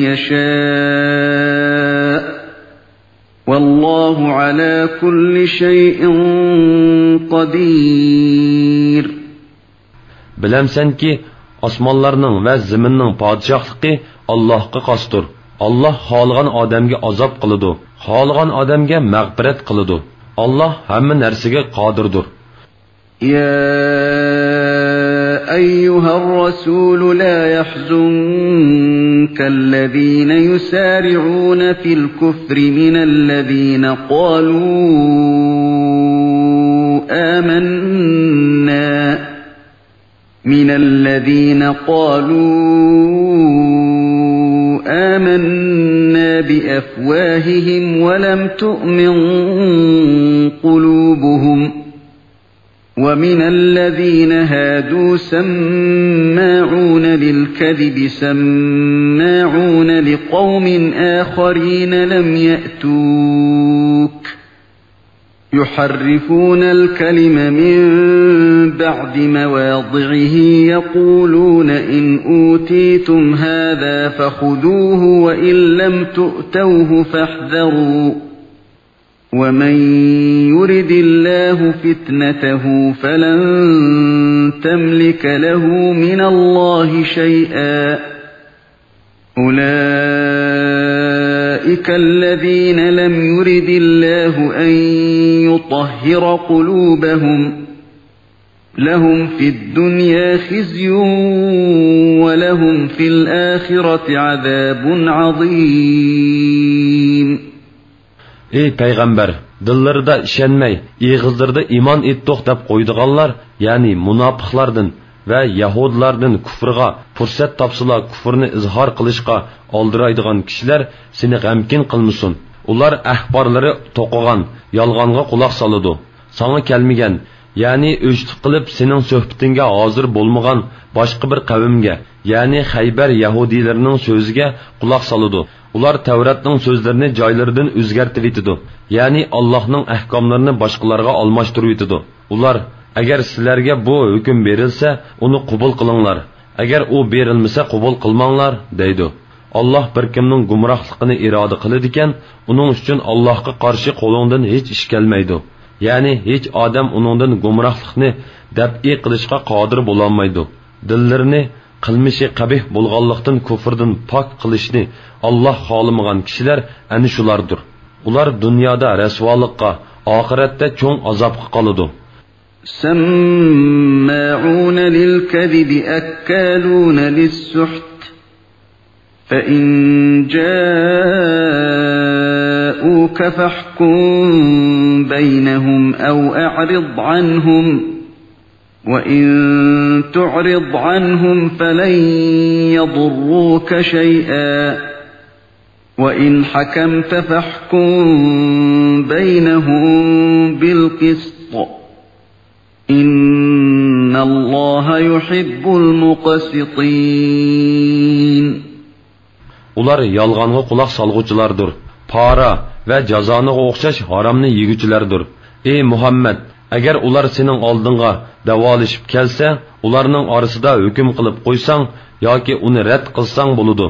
يشاء، والله على كل شيء قدير. بىلەمسەنكى، ئاسمانلارنىڭ ۋە زېمىننىڭ پادىشاھلىقى ئاللاھقا خاستۇر. ئاللاھ خالىغان ئادەمگە ئازاب قىلىدۇ، خالىغان ئادەمگە مەغپىرەت قىلىدۇ. ئاللاھ ھەممە نەرسىگە قادىردۇر. يا أيها الرسول لا يحزنك الذين يسارعون في الكفر من الذين قالوا آمنا من الذين قالوا آمنا بأفواههم ولم تؤمن قلوبهم، ومن الذين هادوا سماعون للكذب سماعون لقوم آخرين لم يأتوك، يحرفون الكلم من بعد مواضعه يقولون إن أوتيتم هذا فخذوه وإن لم تؤتوه فاحذروا، ومن يرد الله فتنته فلن تملك له من الله شيئا، أولئك الذين لم يرد الله أن يطهر قلوبهم، لهم في الدنيا خزي ولهم في الآخرة عذاب عظيم. ئەي پەيغەمبەر، دىللىرىدا ئىشەنمەي، ئېغىزلىرىدا ئىمان ئېيتتۇق دەپ قويىدىغانلار، يەنى مۇناپىقلاردىن ۋە يەھۇدىيلاردىن كۇفرغا پۇرسەت تاپسىلا كۇفرنى ئىزھار قىلىشقا ئالدىرايدىغان كىشىلەر سېنى غەمكىن قىلمىسۇن. ئۇلار ئەخبارلىرى توقۇغان، يالغانغا قۇلاق سالىدۇ. ساڭا كەلمىگەن، يەنى ئۆچلۈك قىلىپ سېنىڭ سۆھبىتىڭگە ھازىر بولمىغان باشقا بىر قەۋمگە، يەنى خەيبەر يەھۇدىيلىرىنىڭ سۆزىگە قۇلاق سالىدۇ. ئۇلار تەۋراتنىڭ سۆزلىرىنى جايلىرىدىن ئۆزگەرتىۋېتىدۇ، يەنى ئاللاھنىڭ ئەھكاملىرىنى باشقىلارغا ئالماشتۇرۇۋېتىدۇ. ئۇلار، ئەگەر سىلەرگە بۇ ھۆكۈم بېرىلسە، ئۇنى قوبۇل قىلىڭلار، ئەگەر ئۇ بېرىلمىسە، قوبۇل قىلماڭلار، دەيدۇ. ئاللاھ بىر كىمنىڭ گۇمراھلىقىنى ئىرادە قىلىدىكەن، ئۇنىڭ ئۈچۈن ئاللاھقا قارشى قولۇڭدىن ھېچ ئىش كەلمەيدۇ. يەنى ھېچ ئادەم ئۇنىڭدىن گۇمراھلىقنى دەپئى قىلىشقا قادىر بولالمايدۇ. دىللىرىنى قىلمىشى قەبىھ بولغانلىقتىن كۇفردىن پاك قىلىشنى ئاللاھ خالىمىغان كىشىلەر ئەنە شۇلاردۇر. ئۇلار دۇنيادا رەسۋالىققا، ئاخىرەتتە چوڭ ئازابقا قالىدۇ. سماعون للكذب أكالون للسحت فإن جاءوك فاحكم بينهم أو أعرض عنهم وإن تعرض عنهم فلن يضروك شيئا وإن حكمت فاحكم بينهم بالقسط إن الله يحب المقسطين. ئۇلار يالغانغا قۇلاق سالغۇچىلاردۇر. پارا ۋە جازانىغا ئوخشاش ھارامنى يېگۈچىلەردۇر. ئى مۇھەممەد، ئەگەر ئۇلار سېنىڭ ئالدىڭغا دەۋالىشىپ كەلسە، ئۇلارنىڭ ئارىسىدا ھۆكۈم قىلىپ قويساڭ ياكى ئۇنى رەت قىلساڭ بولىدۇ.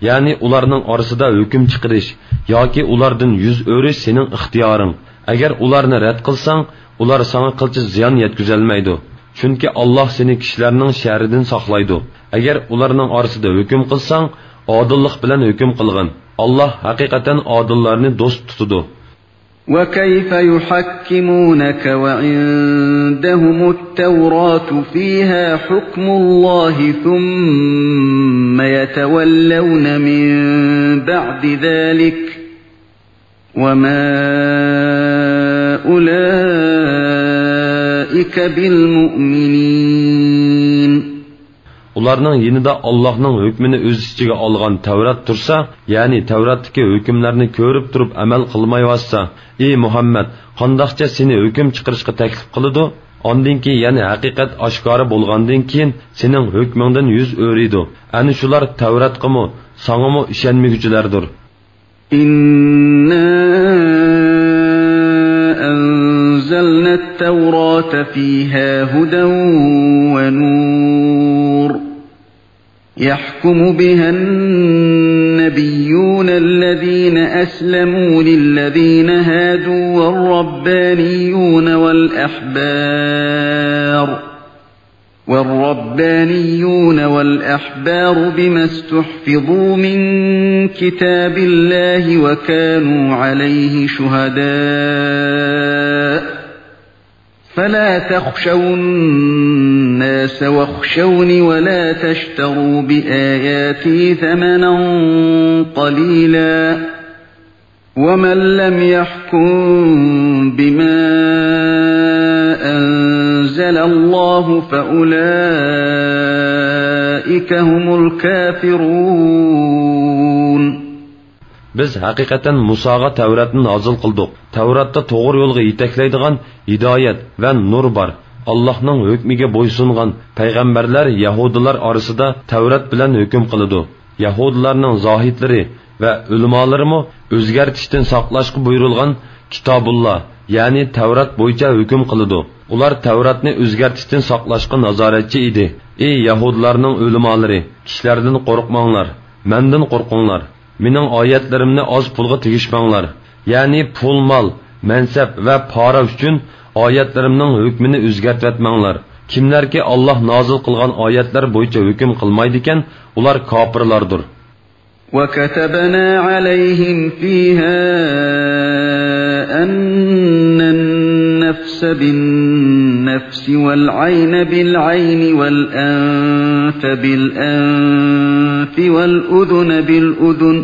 يەنى ئۇلارنىڭ ئارىسىدا ھۆكۈم چىقىرىش ياكى ئۇلاردىن يۈز ئۆرۈش سېنىڭ ئىختىيارىڭ. ئەگەر ئۇلارنى رەت قىلساڭ، ئۇلار ساڭا قىلچە زىيان يەتكۈزەلمەيدۇ. چۈنكى ئاللاھ سېنى كىشىلەرنىڭ شەررىدىن ساقلايدۇ. ئەگەر ئۇلارنىڭ ئارىسىدا ھۆكۈم قىلساڭ، ئادىللىق بىلەن ھۆكۈم قىلغىن. ئاللاھ ھەقىقەتەن ئادىللارنى دوست تۇتىدۇ. وكيف يحكمونك وعندهم التوراة فيها حكم الله ثم يتولون من بعد ذلك وما أولئك بالمؤمنين. ئۇلارنىڭ يېنىدا ئاللاھنىڭ ھۆكمىنى ئۆز ئىچىگە ئالغان تەۋرات تۇرسا، يەنى تەۋراتتىكى ھۆكۈملەرنى كۆرۈپ تۇرۇپ ئەمەل قىلمايۋاتسا، ئى مۇھەممەد، قانداقچە سېنى ھۆكۈم چىقىرىشقا تەكلىپ قىلىدۇ؟ ئاندىن كېيىن يەنە ھەقىقەت ئاشكارا بولغاندىن كېيىن سېنىڭ ھۆكمۈڭدىن يۈز ئۆرۈيدۇ. ئەنە شۇلار تەۋراتقىمۇ، ساڭىمۇ ئىشەنمىگۈچىلەردۇر. إنا أنزلنا التوراة فيها هدى ونور يحكم بها النبيون الذين أسلموا للذين هادوا والربانيون والأحبار والربانيون والأحبار بما استحفظوا من كتاب الله وكانوا عليه شهداء فلا تخشوا الناس واخشوني ولا تشتروا بآياتي ثمنا قليلا ومن لم يحكم بما أنزل الله فأولئك هم الكافرون. بىز ھەقىقەتەن مۇساغا تەۋراتنى نازىل قىلدۇق. تەۋراتتا توغرا يولغا يېتەكلەيدىغان ھىدايەت ۋە نۇر بار. ئاللاھنىڭ ھۆكمىگە بويسۇنغان پەيغەمبەرلەر يەھۇدىيلار ئارىسىدا تەۋرات بىلەن ھۆكۈم قىلىدۇ. يەھۇدىيلارنىڭ زاھىدلىرى ۋە ئۆلىمالىرىمۇ ئۆزگەرتىشتىن ساقلاشقا بۇيرۇلغان كىتابۇللا، يەنى تەۋرات بويىچە ھۆكۈم قىلىدۇ. ئۇلار تەۋراتنى ئۆزگەرتىشتىن ساقلاشقا نازارەتچى ئىدى. ئى يەھۇدىيلارنىڭ ئۆلىمالىرى، كىشىلەردىن قورقماڭلار، مەندىن قورقۇڭلار. مېنىڭ ئايەتلىرىمنى ئاز پۇلغا تېگىشمەڭلار. يەنى پۇل-مال، مەنسەپ ۋە پارا ئۈچۈن ئايەتلىرىمنىڭ ھۆكمىنى ئۆزگەرتىۋەتمەڭلار. كىملەركى ئاللاھ نازىل قىلغان ئايەتلەر بويىچە ھۆكۈم قىلمايدىكەن، ئۇلار كاپىرلاردۇر. وكتبنا عليهم فيها أن النفس بالنفس والعين بالعين والأنف بالأنف والأذن بالأذن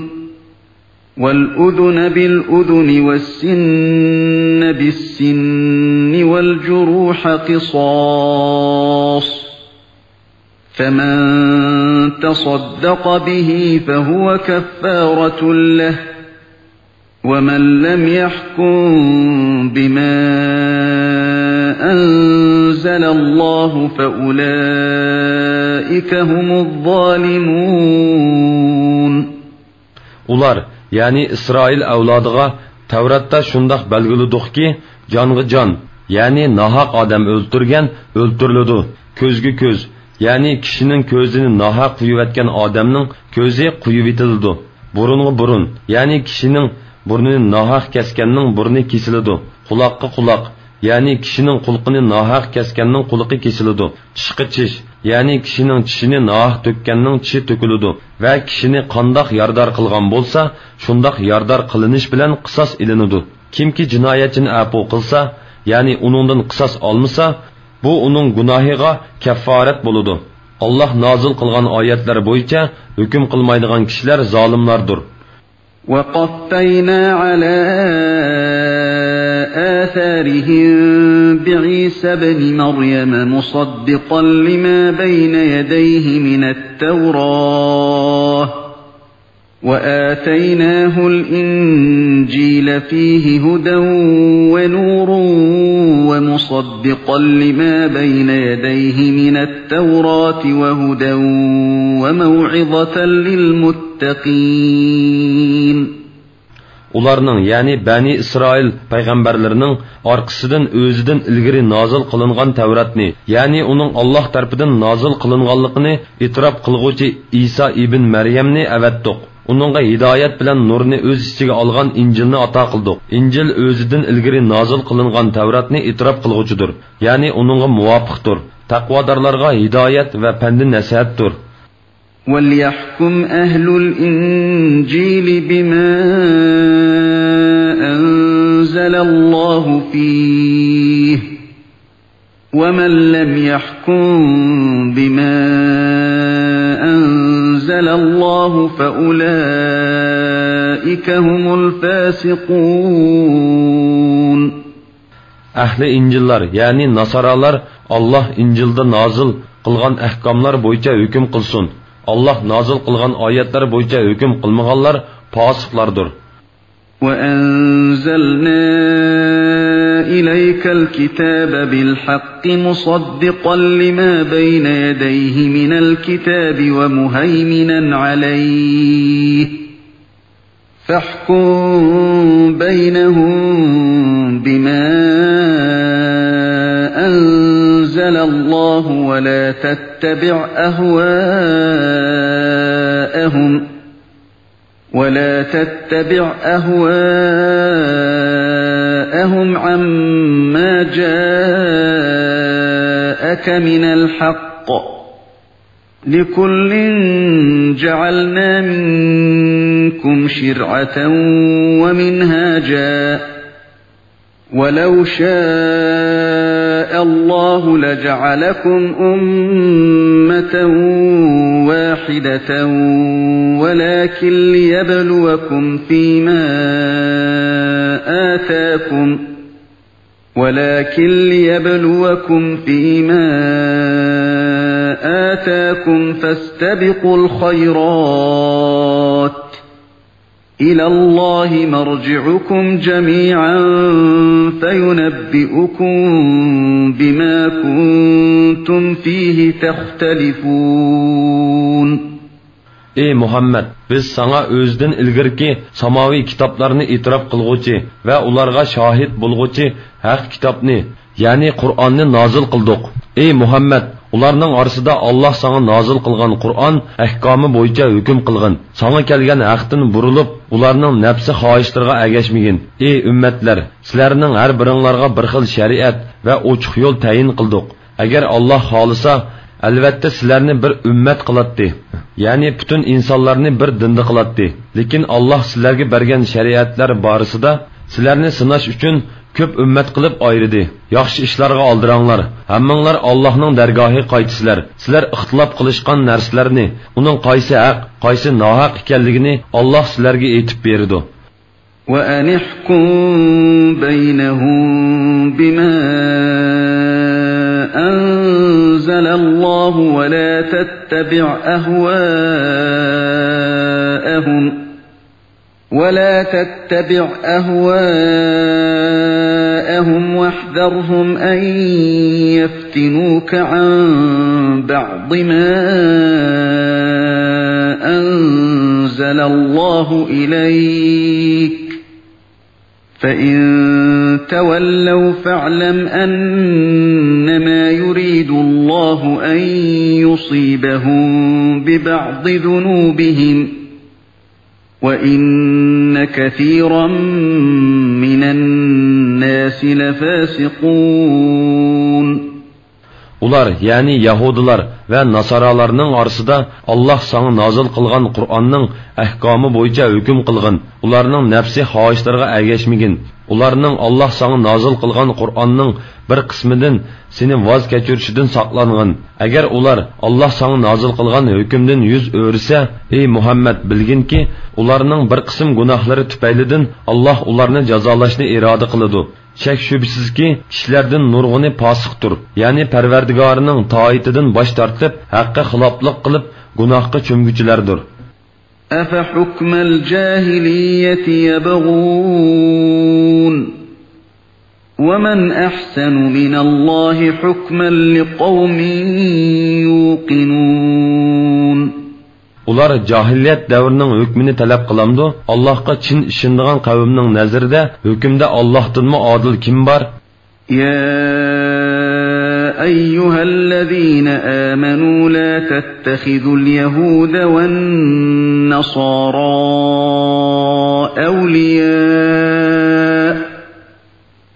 والأذن بالأذن والسن بالسن والجروح قصاص، فمن تصدق به فهو كفارة له، ومن لم يحكم بما أنزل الله فأولئك هم الظالمون. ئۇلار، يەنى ئىسرائىل ئەۋلادىغا تەۋراتتا شۇنداق بەلگىلىدۇقكى، جانغا جان، يەنى ناھەق ئادەم ئۆلتۈرگەن ئۆلتۈرۈلىدۇ، كۆزگە كۆز، يەنى كىشىنىڭ كۆزىنى ناھەق قويۇۋەتكەن ئادەمنىڭ كۆزى قويۇۋېتىلىدۇ، بۇرۇنغا بۇرۇن، يەنى كىشىنىڭ بۇرنىنى ناھەق كەسكەننىڭ بۇرنى كېسىلىدۇ، قۇلاققا قۇلاق، يەنى كىشىنىڭ قۇلىقىنى ناھەق كەسكەننىڭ قۇلىقى كېسىلىدۇ. چىشقا چىش، يەنى كىشىنىڭ چىشىنى ناھەق تۆككەننىڭ چىشى تۆكۈلىدۇ ۋە كىشىنى قانداق يارىدار قىلغان بولسا، شۇنداق يارىدار قىلىنىش بىلەن قىساس ئېلىنىدۇ. كىمكى جىنايەتچىنى ئەپۇ قىلسا، يەنى ئۇنىڭدىن قىساس ئالمىسا، بۇ ئۇنىڭ گۇناھىغا كەففارەت بولىدۇ. ئاللاھ نازىل قىلغان ئايەتلەر بويىچە ھۆكۈم قىلمايدىغان كىشىلەر زالىملاردۇر. وقفينا على آثارهم بعيسى ابن مريم مصدقا لما بين يديه من التوراة وآتيناه الإنجيل فيه هدى ونور ومصدقا لما بين يديه من التوراة وهدى وموعظة للمتقين. ئۇلارنىڭ، يەنى بەنى ئىسرائىل پەيغەمبەرلىرىنىڭ ئارقىسىدىن ئۆزىدىن ئىلگىرى نازىل قىلىنغان تەۋراتنى، يەنى ئۇنىڭ ئاللاھ تەرىپىدىن نازىل قىلىنغانلىقىنى ئېتىراپ قىلغۇچى ئىسا ئىبن مەريەمنى ئەۋەتتۇق. ئۇنىڭغا ھىدايەت بىلەن نۇرنى ئۆز ئىچىگە ئالغان ئىنجىلنى ئاتا قىلدۇق. ئىنجىل ئۆزىدىن ئىلگىرى نازىل قىلىنغان تەۋراتنى ئېتىراپ قىلغۇچىدۇر، يەنى ئۇنىڭغا مۇۋاپىقتۇر. تەقۋادارلارغا ھىدايەت ۋە پەندى نەسىھەتتۇر. وليحكم أهل الإنجيل بما أنزل الله فيه، ومن لم يحكم بما أنزل الله فأولئك هم الفاسقون. ئەھلى ئىنجىللار، يەنى ناسارالار، ئاللاھ ئىنجىلدا نازىل قىلغان ئەھكاملار بويىچە ھۆكۈم قىلسۇن. ئاللاھ نازىل قىلغان ئايەتلەر بويىچە ھۆكۈم قىلمىغانلار پاسىقلاردۇر. وأنزلنا إليك الكتاب بالحق مصدقا لما بين يديه من الكتاب ومهيمنا عليه، فاحكم بينهم بما أنزل الله ولا تتبع أهواءهم، ولا تتبع أهواءهم عما جاءك من الحق، لكل جعلنا منكم شرعة ومنهاجا، ولو شاء الله لجعلكم أمة واحدة ولكن ليبلوكم فيما آتاكم، ولكن ليبلوكم فيما آتاكم فاستبقوا الخيرات، إلى الله مرجعكم جميعا فينبئكم بما كنتم فيه تختلفون. ئى مۇھەممەد، بىز ساڭا ئۆزىدىن ئىلگىرىكى ساماۋىي كىتابلارنى ئېتىراپ قىلغۇچى ۋە ئۇلارغا شاھىت بولغۇچى ھەق كىتابنى، يەنى قۇرئاننى نازىل قىلدۇق. ئى مۇھەممەد، ئۇلارنىڭ ئارىسىدا ئاللاھ ساڭا نازىل قىلغان قۇرئان ئەھكامى بويىچە ھۆكۈم قىلغىن. ساڭا كەلگەن ھەقتىن بۇرۇلۇپ، ئۇلارنىڭ نەپسى خاھىشلىرىغا ئەگەشمىگىن. ئى ئۈممەتلەر، سىلەرنىڭ ھەر بىرىڭلارغا بىر خىل شەرىئەت ۋە ئوچۇق يول تەيىن قىلدۇق. ئەگەر ئاللاھ خالىسا، ئەلۋەتتە سىلەرنى بىر ئۈممەت قىلاتتى، يەنى پۈتۈن ئىنسانلارنى بىر دىندا قىلاتتى. لېكىن ئاللاھ سىلەرگە بەرگەن شەرىئەتلەر بارىسىدا سىلەرنى سىناش ئۈچۈن كۆپ ئۈممەت قىلىپ ئايرىدى. ياخشى ئىشلارغا ئالدىراڭلار. ھەممىڭلار ئاللاھنىڭ دەرگاھىغا قايتىسىلەر. سىلەر ئىختىلاپ قىلىشقان نەرسىلەرنى، ئۇنىڭ قايسى ھەق، قايسى ناھەق ئىكەنلىكىنى ئاللاھ سىلەرگە ئېيتىپ بېرىدۇ. وأن احكم بينهم بما أنزل الله ولا تتبع أهواءهم ولا تتبع أهواءهم واحذرهم أن يفتنوك عن بعض ما أنزل الله إليك فإن تولوا فاعلم أنما يريد الله أن يصيبهم ببعض ذنوبهم وإن كثيرا من الناس لفاسقون. ئۇلار، يەنى يەھۇدىيلار ۋە ناسارالارنىڭ ئارىسىدا ئاللاھ ساڭا نازىل قىلغان قۇرئاننىڭ ئەھكامى بويىچە ھۆكۈم قىلغىن. ئۇلارنىڭ نەپسى خاھىشلىرىغا ئەگەشمىگىن. ئۇلارنىڭ ئاللاھ ساڭا نازىل قىلغان قۇرئاننىڭ بىر قىسمىدىن سېنى ۋاز كەچۈرۈشىدىن ساقلانغىن. ئەگەر ئۇلار ئاللاھ ساڭا نازىل قىلغان ھۆكۈمدىن يۈز ئۆرۈسە، ئەي مۇھەممەد، بىلگىنكى، ئۇلارنىڭ بىر قىسىم گۇناھلىرى تۈپەيلىدىن ئاللاھ ئۇلارنى جازالاشنى ئىرادە قىلىدۇ. شەك-شۈبھىسىزكى، كىشىلەردىن نۇرغۇنى پاسىقتۇر، يەنى پەرۋەردىگارىنىڭ تائىتىدىن باش تارتىپ، ھەققە خىلاپلىق قىلىپ، گۇناھقا چۆمگۈچىلەردۇر. أفحكم الجاهلية يبغون ومن أحسن من الله حكما لقوم يوقنون. ئۇلار جاھىلىيەت دەۋرىنىڭ ھۆكمىنى تەلەپ قىلامدۇ؟ ئاللاھقا چىن ئىشىنىدىغان قەۋمنىڭ نەزىرىدە ھۆكۈمدە ئاللاھتىنمۇ ئادىل كىم بار؟ يا أيها الذين آمنوا لا تتخذوا اليهود والنصارى أولياء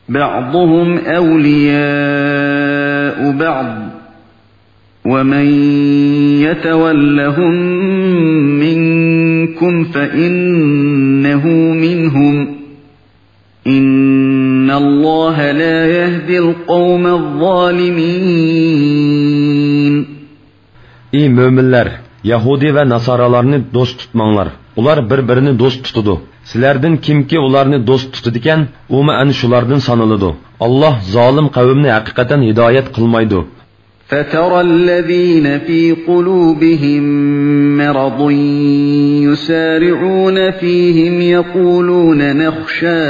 بعضهم أولياء بعض ومن يتولهم منكم فإنه منهم إن الله لا يهدي القوم الظالمين. ئى مۆمىنلەر، يەھۇدىي ۋە ناسارالارنى دوست تۇتماڭلار. ئۇلار بىر-بىرىنى دوست تۇتىدۇ. سىلەردىن كىمكى ئۇلارنى دوست تۇتىدىكەن، ئۇمۇ ئەنە شۇلاردىن سانىلىدۇ. ئاللاھ زالىم قەۋمنى ھەقىقەتەن ھىدايەت قىلمايدۇ. فترى الذين في قلوبهم مرض يسارعون فيهم يقولون نخشى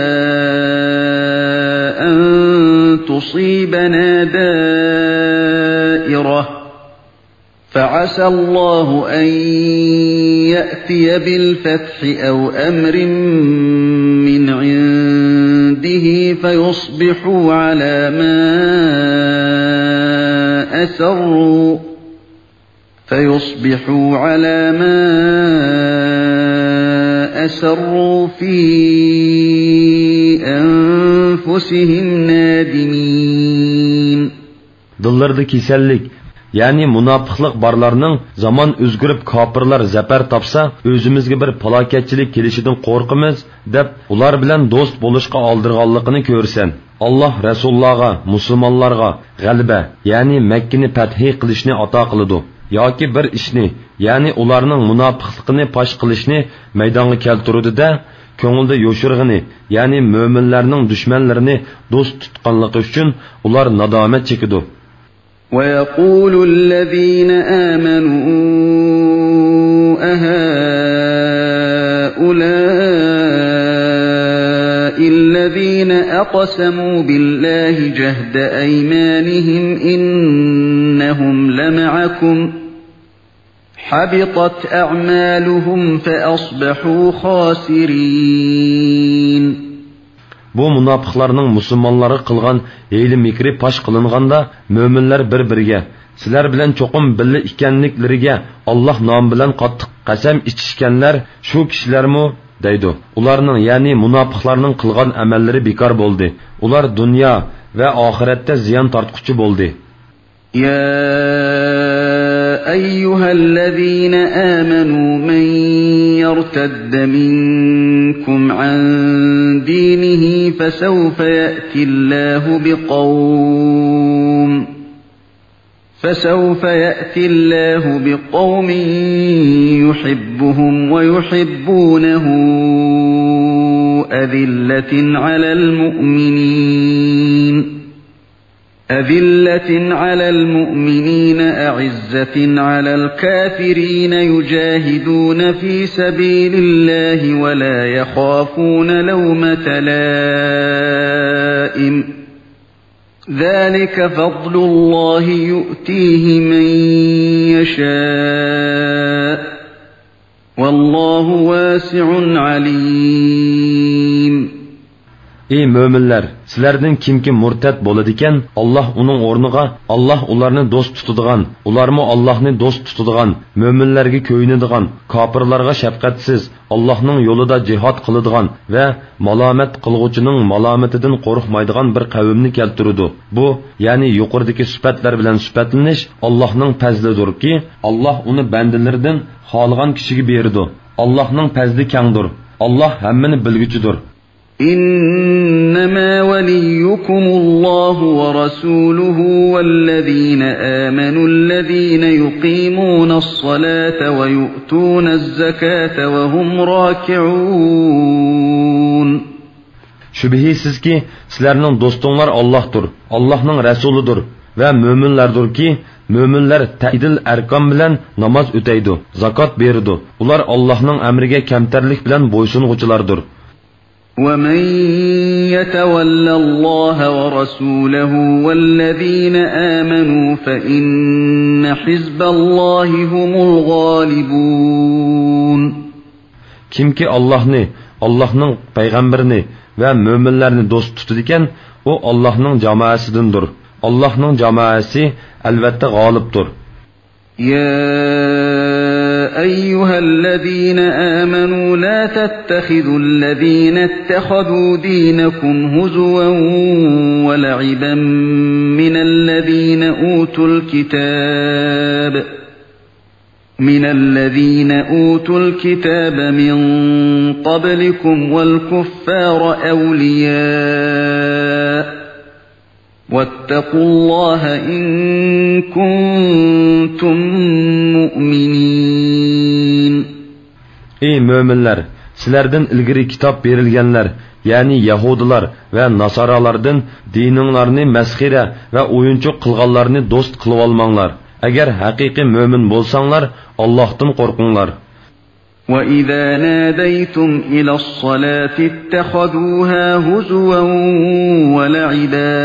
أن تصيبنا دائرة فعسى الله أن يأتي بالفتح أو أمر من عنده فيصبحوا على ما أسروا فيصبحوا على ما أسروا في أنفسهم نادمين. دىللىرىدا كېسەللىك، يەنى مۇناپىقلىق بارلارنىڭ زامان ئۆزگىرىپ كاپىرلار زەپەر تاپسا، ئۆزىمىزگە بىر پالاكەتچىلىك كېلىشىدىن قورقىمىز، دەپ ئۇلار بىلەن دوست بولۇشقا ئالدىرىغانلىقىنى كۆرىسەن. ئاللاھ رەسۇللارغا، مۇسۇلمانلارغا غەلىبە، يەنى مەككىنى پەتھى قىلىشنى ئاتا قىلىدۇ. ياكى بىر ئىشنى، يەنى ئۇلارنىڭ مۇناپىقلىقىنى پاش قىلىشنى مەيدانغا كەلتۈرىدۇ-دە، كۆڭلىدە يوشۇرغىنى، يەنى مۆمىنلەرنىڭ دۈشمەنلىرىنى دوست تۇتقانلىقى ئۈچۈن ئۇلار نادامەت چېكىدۇ. ويقول الذين آمنوا أهؤلاء الذين أقسموا بالله جهد أيمانهم إنهم لمعكم حبطت أعمالهم فأصبحوا خاسرين. بۇ مۇناپىقلارنىڭ مۇسۇلمانلارغا قىلغان ھىيلە-مىكرى پاش قىلىنغاندا، مۆمىنلەر بىر-بىرىگە، سىلەر بىلەن چوقۇم بىللە ئىكەنلىكلىرىگە ئاللاھ نامى بىلەن قاتتىق قەسەم ئىچىشكەنلەر شۇ كىشىلەرمۇ؟ دەيدۇ. ئۇلارنىڭ، يەنى مۇناپىقلارنىڭ قىلغان ئەمەللىرى بىكار بولدى. ئۇلار دۇنيا ۋە ئاخىرەتتە زىيان تارتقۇچى بولدى. يا أيها الذين آمنوا من يرتد منكم عن دينه فسوف يأتي الله بقوم، فسوف يأتي الله بقوم يحبهم ويحبونه أذلة على المؤمنين، أذلة على المؤمنين أعزة على الكافرين يجاهدون في سبيل الله ولا يخافون لومة لائم، ذلك فضل الله يؤتيه من يشاء، والله واسع عليم. ئى مۆمىنلەر، سىلەردىن كىمكى مۇرتەت بولىدىكەن، ئاللاھ ئۇنىڭ ئورنىغا، ئاللاھ ئۇلارنى دوست تۇتىدىغان، ئۇلارمۇ ئاللاھنى دوست تۇتىدىغان، مۆمىنلەرگە كۆيۈنىدىغان، كاپىرلارغا شەپقەتسىز، ئاللاھنىڭ يولىدا جىھاد قىلىدىغان ۋە مالامەت قىلغۇچىنىڭ مالامىتىدىن قورقمايدىغان بىر قەۋمنى كەلتۈرىدۇ. بۇ، يەنى يۇقىرىدىكى سۈپەتلەر بىلەن سۈپەتلىنىش ئاللاھنىڭ پەزلىدۇركى، ئاللاھ ئۇنى بەندىلىرىدىن خالىغان كىشىگە بېرىدۇ. ئاللاھنىڭ پەزلى كەڭدۇر. ئاللاھ ھەممىنى بىلگۈچىدۇر. إنما وليكم الله ورسوله والذين آمنوا الذين يقيمون الصلاة ويؤتون الزكاة وهم راكعون. شۈبھىسىزكى، سىلەرنىڭ دوستۇڭلار ئاللاھتۇر، ئاللاھنىڭ رەسۇلىدۇر ۋە مۆمىنلەردۇركى، مۆمىنلەر تەئيىدىل ئەركان بىلەن ناماز ئۆتەيدۇ، زاكات بېرىدۇ. ئۇلار ئاللاھنىڭ ئەمرىگە كەمتەرلىك بىلەن بويسۇنغۇچىلاردۇر. ومن يتول الله ورسوله والذين آمنوا فإن حزب الله هم الغالبون. كىمكى ئاللاھنى، ئاللاھنىڭ پەيغەمبىرىنى ۋە مۆمىنلەرنى دوست تۇتىدىكەن، ئۇ ئاللاھنىڭ جامائەسىدىندۇر. ئاللاھنىڭ جامائەسى ئەلۋەتتە غالىبتۇر. يا أيها الذين آمنوا لا تتخذوا الذين اتخذوا دينكم هزوا ولعبا من الذين أوتوا الكتاب من الذين أوتوا الكتاب من قبلكم والكفار أولياء، واتقوا الله إن كنتم مؤمنين. ئى مۆمىنلەر، سىلەردىن ئىلگىرى كىتاب بېرىلگەنلەر، يەنى يەھۇدىيلار ۋە ناسارالاردىن دىنىڭلارنى مەسخىرە ۋە ئويۇنچۇق قىلغانلارنى دوست قىلىۋالماڭلار. ئەگەر ھەقىقىي مۆمىن بولساڭلار، ئاللاھتىن قورقۇڭلار. وإذا ناديتم إلى الصلاة اتخذوها هزوا ولعبا،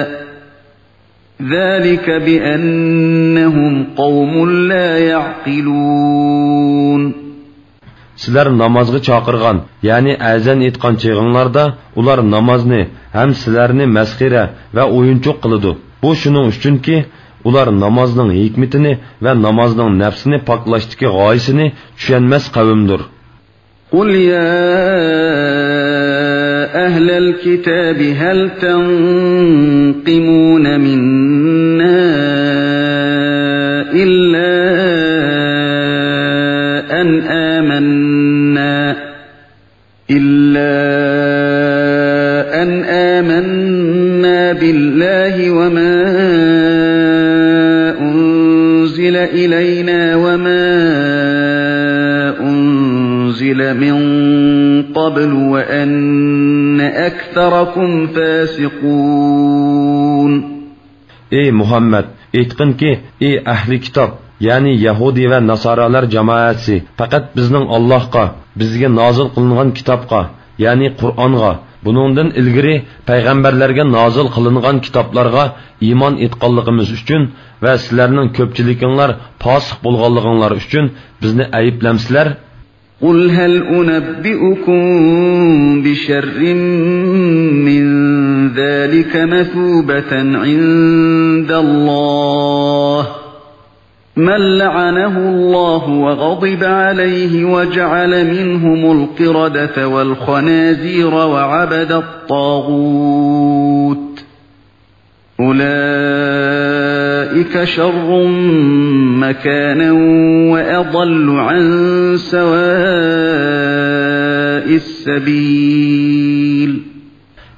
ذلك بأنهم قوم لا يعقلون. سىلەر نامازغا چاقىرغان، يەنى ئەزان ئېيتقان چېغىڭلاردا، ئۇلار نامازنى ھەم سىلەرنى مەسخىرە ۋە ئويۇنچۇق قىلىدۇ. بۇ شۇنىڭ ئۈچۈنكى، ئۇلار نامازنىڭ ھېكمىتىنى ۋە نامازنىڭ نەپسىنى پاكلاشتىكى غايىسىنى چۈشەنمەس قەۋمدۇر. قل يا أهل الكتاب هل تنقمون منا إلا أن آمنا إلا أن آمنا بالله وما أنزل إلينا وما أنزل من قبل وأن أكثركم فاسقون. ئى مۇھەممەد، ئېيتقىنكى، ئى ئەھلى كىتاب، يەنى يەھۇدىي ۋە ناسارالار جامائەسى، پەقەت بىزنىڭ ئاللاھقا، بىزگە نازىل قىلىنغان كىتابقا، يەنى قۇرئانغا، بۇنىڭدىن ئىلگىرى پەيغەمبەرلەرگە نازىل قىلىنغان كىتابلارغا ئىمان ئېيتقانلىقىمىز ئۈچۈن ۋە سىلەرنىڭ كۆپچىلىكىڭلار پاسىق بولغانلىقىڭلار ئۈچۈن بىزنى ئەيىبلەمسىلەر؟ قل هل أنبئكم بشر من ذلك مثوبة عند الله، من لعنه الله وغضب عليه وجعل منهم القردة والخنازير وعبد الطاغوت، أولئك شر مكانا وأضل عن سواء السبيل.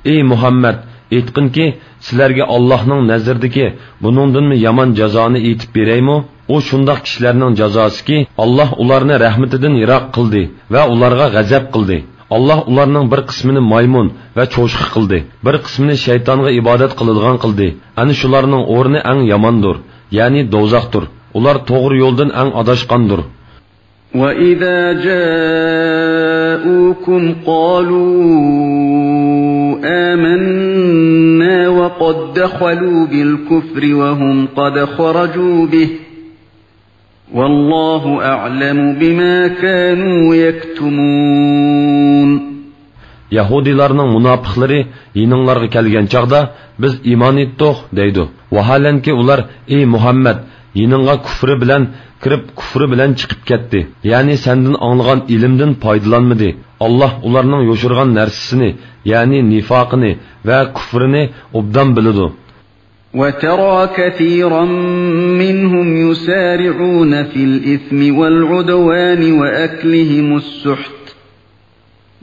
ئەي مۇھەممەد، ئېيتقىنكى، سىلەرگە ئاللاھنىڭ نەزىرىدىكى بۇنىڭدىنمۇ يامان جازانى ئېيتىپ بېرەيمۇ؟ ئۇ شۇنداق كىشىلەرنىڭ جازاسىكى، ئاللاھ ئۇلارنى رەھمىتىدىن يىراق قىلدى ۋە ئۇلارغا غەزەپ قىلدى. ئاللاھ ئۇلارنىڭ بىر قىسمىنى مايمۇن ۋە چوشقا قىلدى، بىر قىسمىنى شەيتانغا ئىبادەت قىلىدىغان قىلدى. ئەنە شۇلارنىڭ ئورنى ئەڭ ياماندۇر، يەنى دوزاختۇر. ئۇلار توغرا يولدىن ئەڭ ئاداشقاندۇر. وَإِذَا جَاءُوكُمْ قَالُوا آمَنَّا وَقَدْ دَخَلُوا بِالْكُفْرِ وَهُمْ قَدْ خَرَجُوا بِهِ، وَاللَّهُ أَعْلَمُ بِمَا كَانُوا يَكْتُمُونَ. يەھۇدىيلارنىڭ مۇناپىقلىرى يېنىڭلارغا كەلگەن چاغدا، بىز ئىمان ئېيتتۇق، دەيدۇ. ۋاھالەنكى ئۇلار، ئەي مۇھەممەد، يېنىڭغا كۇفرى بىلەن كىرىپ، كۇفرى بىلەن چىقىپ كەتتى. يەنى سەندىن ئاڭلىغان ئىلىمدىن پايدىلانمىدى. ئاللاھ ئۇلارنىڭ يوشۇرغان نەرسىسىنى، يەنى نىفاقىنى ۋە كۇفرىنى ئوبدان بىلىدۇ. وَتَرَىٰ كَثِيرًا مِّنْهُمْ يُسَارِعُونَ فِي الْإِثْمِ وَالْعُدْوَانِ وَأَكْلِهِمُ السُّحْتَ،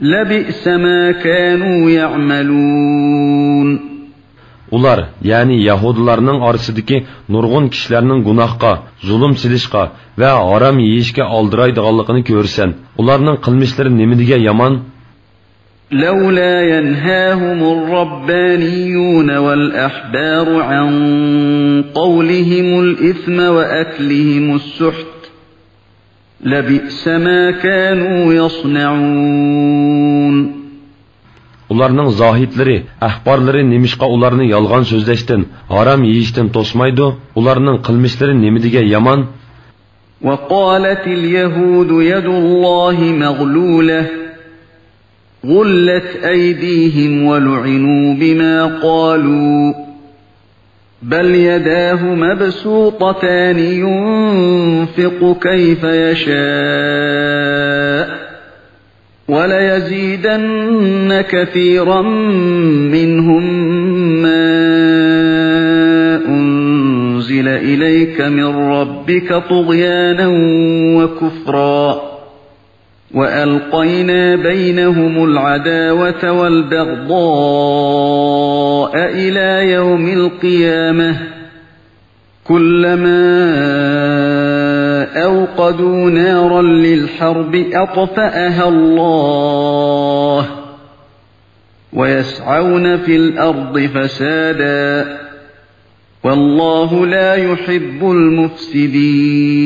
لَبِئْسَ مَا كَانُوا يَعْمَلُونَ. ئۇلار، يەنى يەھۇدىيلارنىڭ ئارىسىدىكى نۇرغۇن كىشىلەرنىڭ گۇناھقا، زۇلۇم سېلىشقا ۋە ھارام يېيىشكە ئالدىرايدىغانلىقىنى كۆرىسەن. ئۇلارنىڭ قىلمىشلىرى نېمىدېگەن يامان! لَوْلَا يَنْهَاهُمُ الرَّبَّانِيُّونَ وَالْأَحْبَارُ عَنْ قَوْلِهِمُ الْإِثْمَ وَأَكْلِهِمُ السُّحْتَ، لَبِئْسَ مَا كَانُوا يَصْنَعُونَ. ئۇلارنىڭ زاھىدلىرى، ئەھبارلىرى نېمىشقا ئۇلارنى يالغان سۆزلەشتىن، ھارام يېيىشتىن توسمايدۇ؟ ئۇلارنىڭ قىلمىشلىرى نېمىدېگەن يامان! وَقَالَتِ الْيَهُودُ يَدُ اللَّهِ مَغْلُولَةٌ، غُلَّتْ أَيْدِيهِمْ وَلُعِنُوا بِمَا قَالُوا، بَلْ يَدَاهُ مَبْسُوطَتَانِ يُنْفِقُ كَيْفَ يَشَاءُ، وَلَيَزِيدَنَّ كَثِيرًا مِّنْهُم مَّا أُنْزِلَ إِلَيْكَ مِن رَّبِّكَ طُغْيَانًا وَكُفْرًا، وَأَلْقَيْنَا بَيْنَهُمُ الْعَدَاوَةَ وَالْبَغْضَاءَ إِلَىٰ يَوْمِ الْقِيَامَةِ، كُلَّمَا أَوْقَدُوا نَارًا لِّلْحَرْبِ أَطْفَأَهَا اللَّهُ، وَيَسْعَوْنَ فِي الْأَرْضِ فَسَادًا، وَاللَّهُ لَا يُحِبُّ الْمُفْسِدِينَ.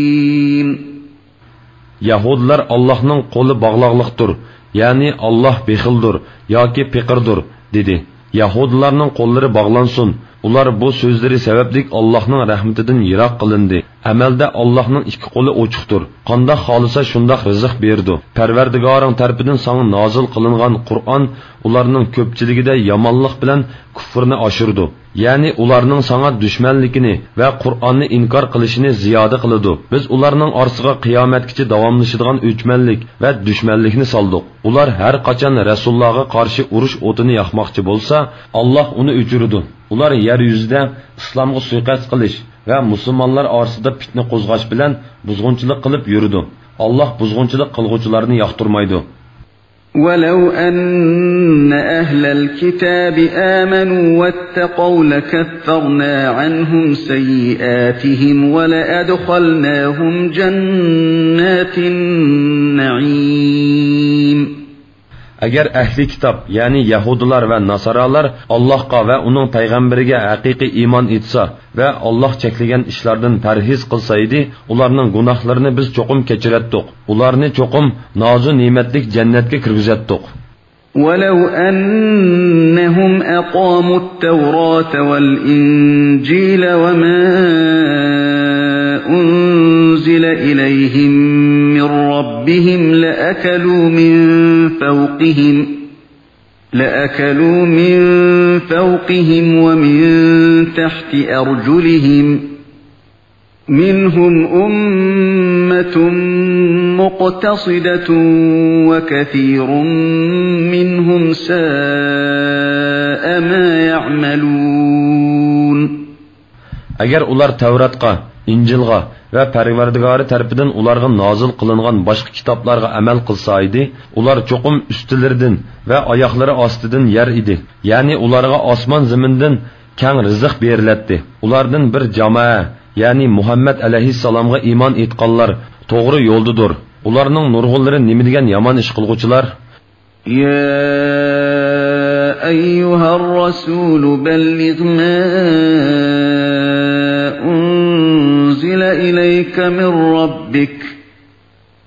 يەھۇدىيلار ئاللاھنىڭ قولى باغلاقلىقتۇر، يەنى ئاللاھ بېخىلدۇر ياكى پېقىردۇر، دېدى. يەھۇدىيلارنىڭ قوللىرى باغلانسۇن! ئۇلار بۇ سۆزلىرى سەۋەبلىك ئاللاھنىڭ رەھمىتىدىن يىراق قىلىندى. ئەمەلدە ئاللاھنىڭ ئىككى قولى ئوچۇقتۇر. قانداق خالىسا شۇنداق رىزىق بېرىدۇ. پەرۋەردىگارىڭ تەرىپىدىن ساڭا نازىل قىلىنغان قۇرئان ئۇلارنىڭ كۆپچىلىكىدە يامانلىق بىلەن كۇفرىنى ئاشۇرىدۇ. يەنى ئۇلارنىڭ ساڭا دۈشمەنلىكىنى ۋە قۇرئاننى ئىنكار قىلىشىنى زىيادە قىلىدۇ. بىز ئۇلارنىڭ ئارىسىغا قىيامەتكىچە داۋاملىشىدىغان ئۆچمەنلىك ۋە دۈشمەنلىكنى سالدۇق. ئۇلار ھەر قاچان رەسۇللارغا قارشى ئۇرۇش ئوتىنى ياقماقچى بولسا، ئاللاھ ئۇنى ئۆچۈرىدۇ. ئۇلار يەر يۈزىدە ئىسلامغا سۇيىقەست قىلىش ۋە مۇسۇلمانلار ئارىسىدا پىتنە قوزغاش بىلەن بۇزغۇنچىلىق قىلىپ يۈرىدۇ. ئاللاھ بۇزغۇنچىلىق قىلغۇچىلارنى ياقتۇرمايدۇ. وَلَوْ أَنَّ أَهْلَ الْكِتَابِ آمَنُوا وَاتَّقَوْا لَكَفَّرْنَا عَنْهُمْ سَيِّئَاتِهِمْ وَلَأَدْخَلْنَاهُمْ جَنَّاتِ النَّعِيمِ. ئەگەر ئەھلى كىتاب، يەنى يەھۇدىيلار ۋە ناسارالار ئاللاھقا ۋە ئۇنىڭ پەيغەمبىرىگە ھەقىقىي ئىمان ئېيتسا ۋە ئاللاھ چەكلىگەن ئىشلاردىن پەرھىز قىلسا ئىدى، ئۇلارنىڭ گۇناھلىرىنى بىز چوقۇم كەچۈرەتتۇق. ئۇلارنى چوقۇم نازۇ نېمەتلىك جەننەتكە كىرگۈزەتتۇق. وَلَوْ أَنَّهُمْ أَقَامُوا التَّوْرَاةَ وَالْإِنْجِيلَ وَمَا أُنْزِلَ إِلَيْهِمْ مِنْ رَبِّهِمْ لَأَكَلُوا مِنْ فَوْقِهِمْ، لَأَكَلُوا مِنْ فَوْقِهِمْ وَمِنْ تَحْتِ أَرْجُلِهِمْ، مِنْهُمْ أُمَّةٌ مُقْتَصِدَةٌ وَكَثِيرٌ مِنْهُمْ سَاءَ مَا يَعْمَلُونَ. ئەگەر ئۇلار تەۋراتقا، ئىنجىلغا، ۋە پەرۋەردىگارى تەرىپىدىن ئۇلارغا نازىل قىلىنغان باشقا كىتابلارغا ئەمەل قىلسا ئىدى، ئۇلار چوقۇم ئۈستىلىرىدىن ۋە ئاياقلىرى ئاستىدىن يەر ئىدى. يەنى ئۇلارغا ئاسمان زېمىندىن كەڭ رىزىق بېرىلەتتى. ئۇلاردىن بىر جامائە، يەنى مۇھەممەد ئەلەيھىسسالامغا ئىمان ئېيتقانلار توغرا يولدىدۇر. ئۇلارنىڭ نۇرغۇنلىرى نېمە دېگەن يامان ئىش قىلغۇچىلار! يا أيها الرسول بلغ ما أنزل إليك من ربك،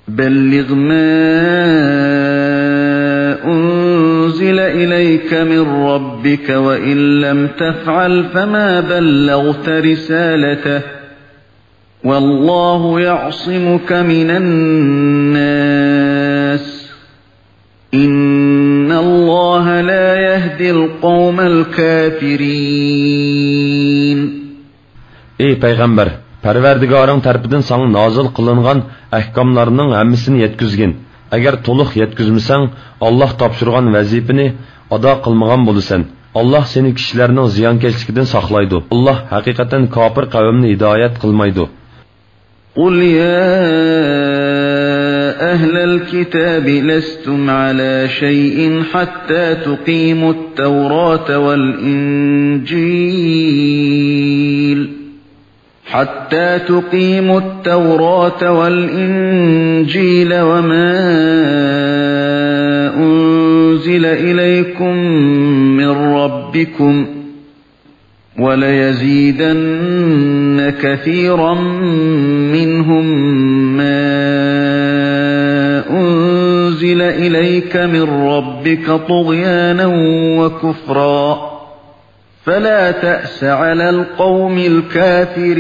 بلغ ما أنزل إليك من ربك، وإن لم تفعل فما بلغت رسالته، والله يعصمك من الناس، إن الله لا يهدي القوم الكافرين. ئى پەيغەمبەر، پەرۋەردىگارىڭ تەرىپىدىن ساڭا نازىل قىلىنغان ئەھكاملارنىڭ ھەممىسىنى يەتكۈزگىن. ئەگەر تولۇق يەتكۈزمىسەڭ، ئاللاھ تاپشۇرغان ۋەزىپىنى ئادا قىلمىغان بولىسەن. ئاللاھ سېنى كىشىلەرنىڭ زىيانكەشلىكىدىن ساقلايدۇ. ئاللاھ ھەقىقەتەن كاپىر قەۋمنى ھىدايەت قىلمايدۇ. قل يا أهل الكتاب لستم على شيء حتى تقيموا التوراة والإنجيل، حتى تقيموا التوراة والإنجيل وما أنزل إليكم من ربكم، وليزيدن كثيرا منهم ما أنزل إليك من ربك طغيانا وكفرا، فلا تأس على القوم الكافرين.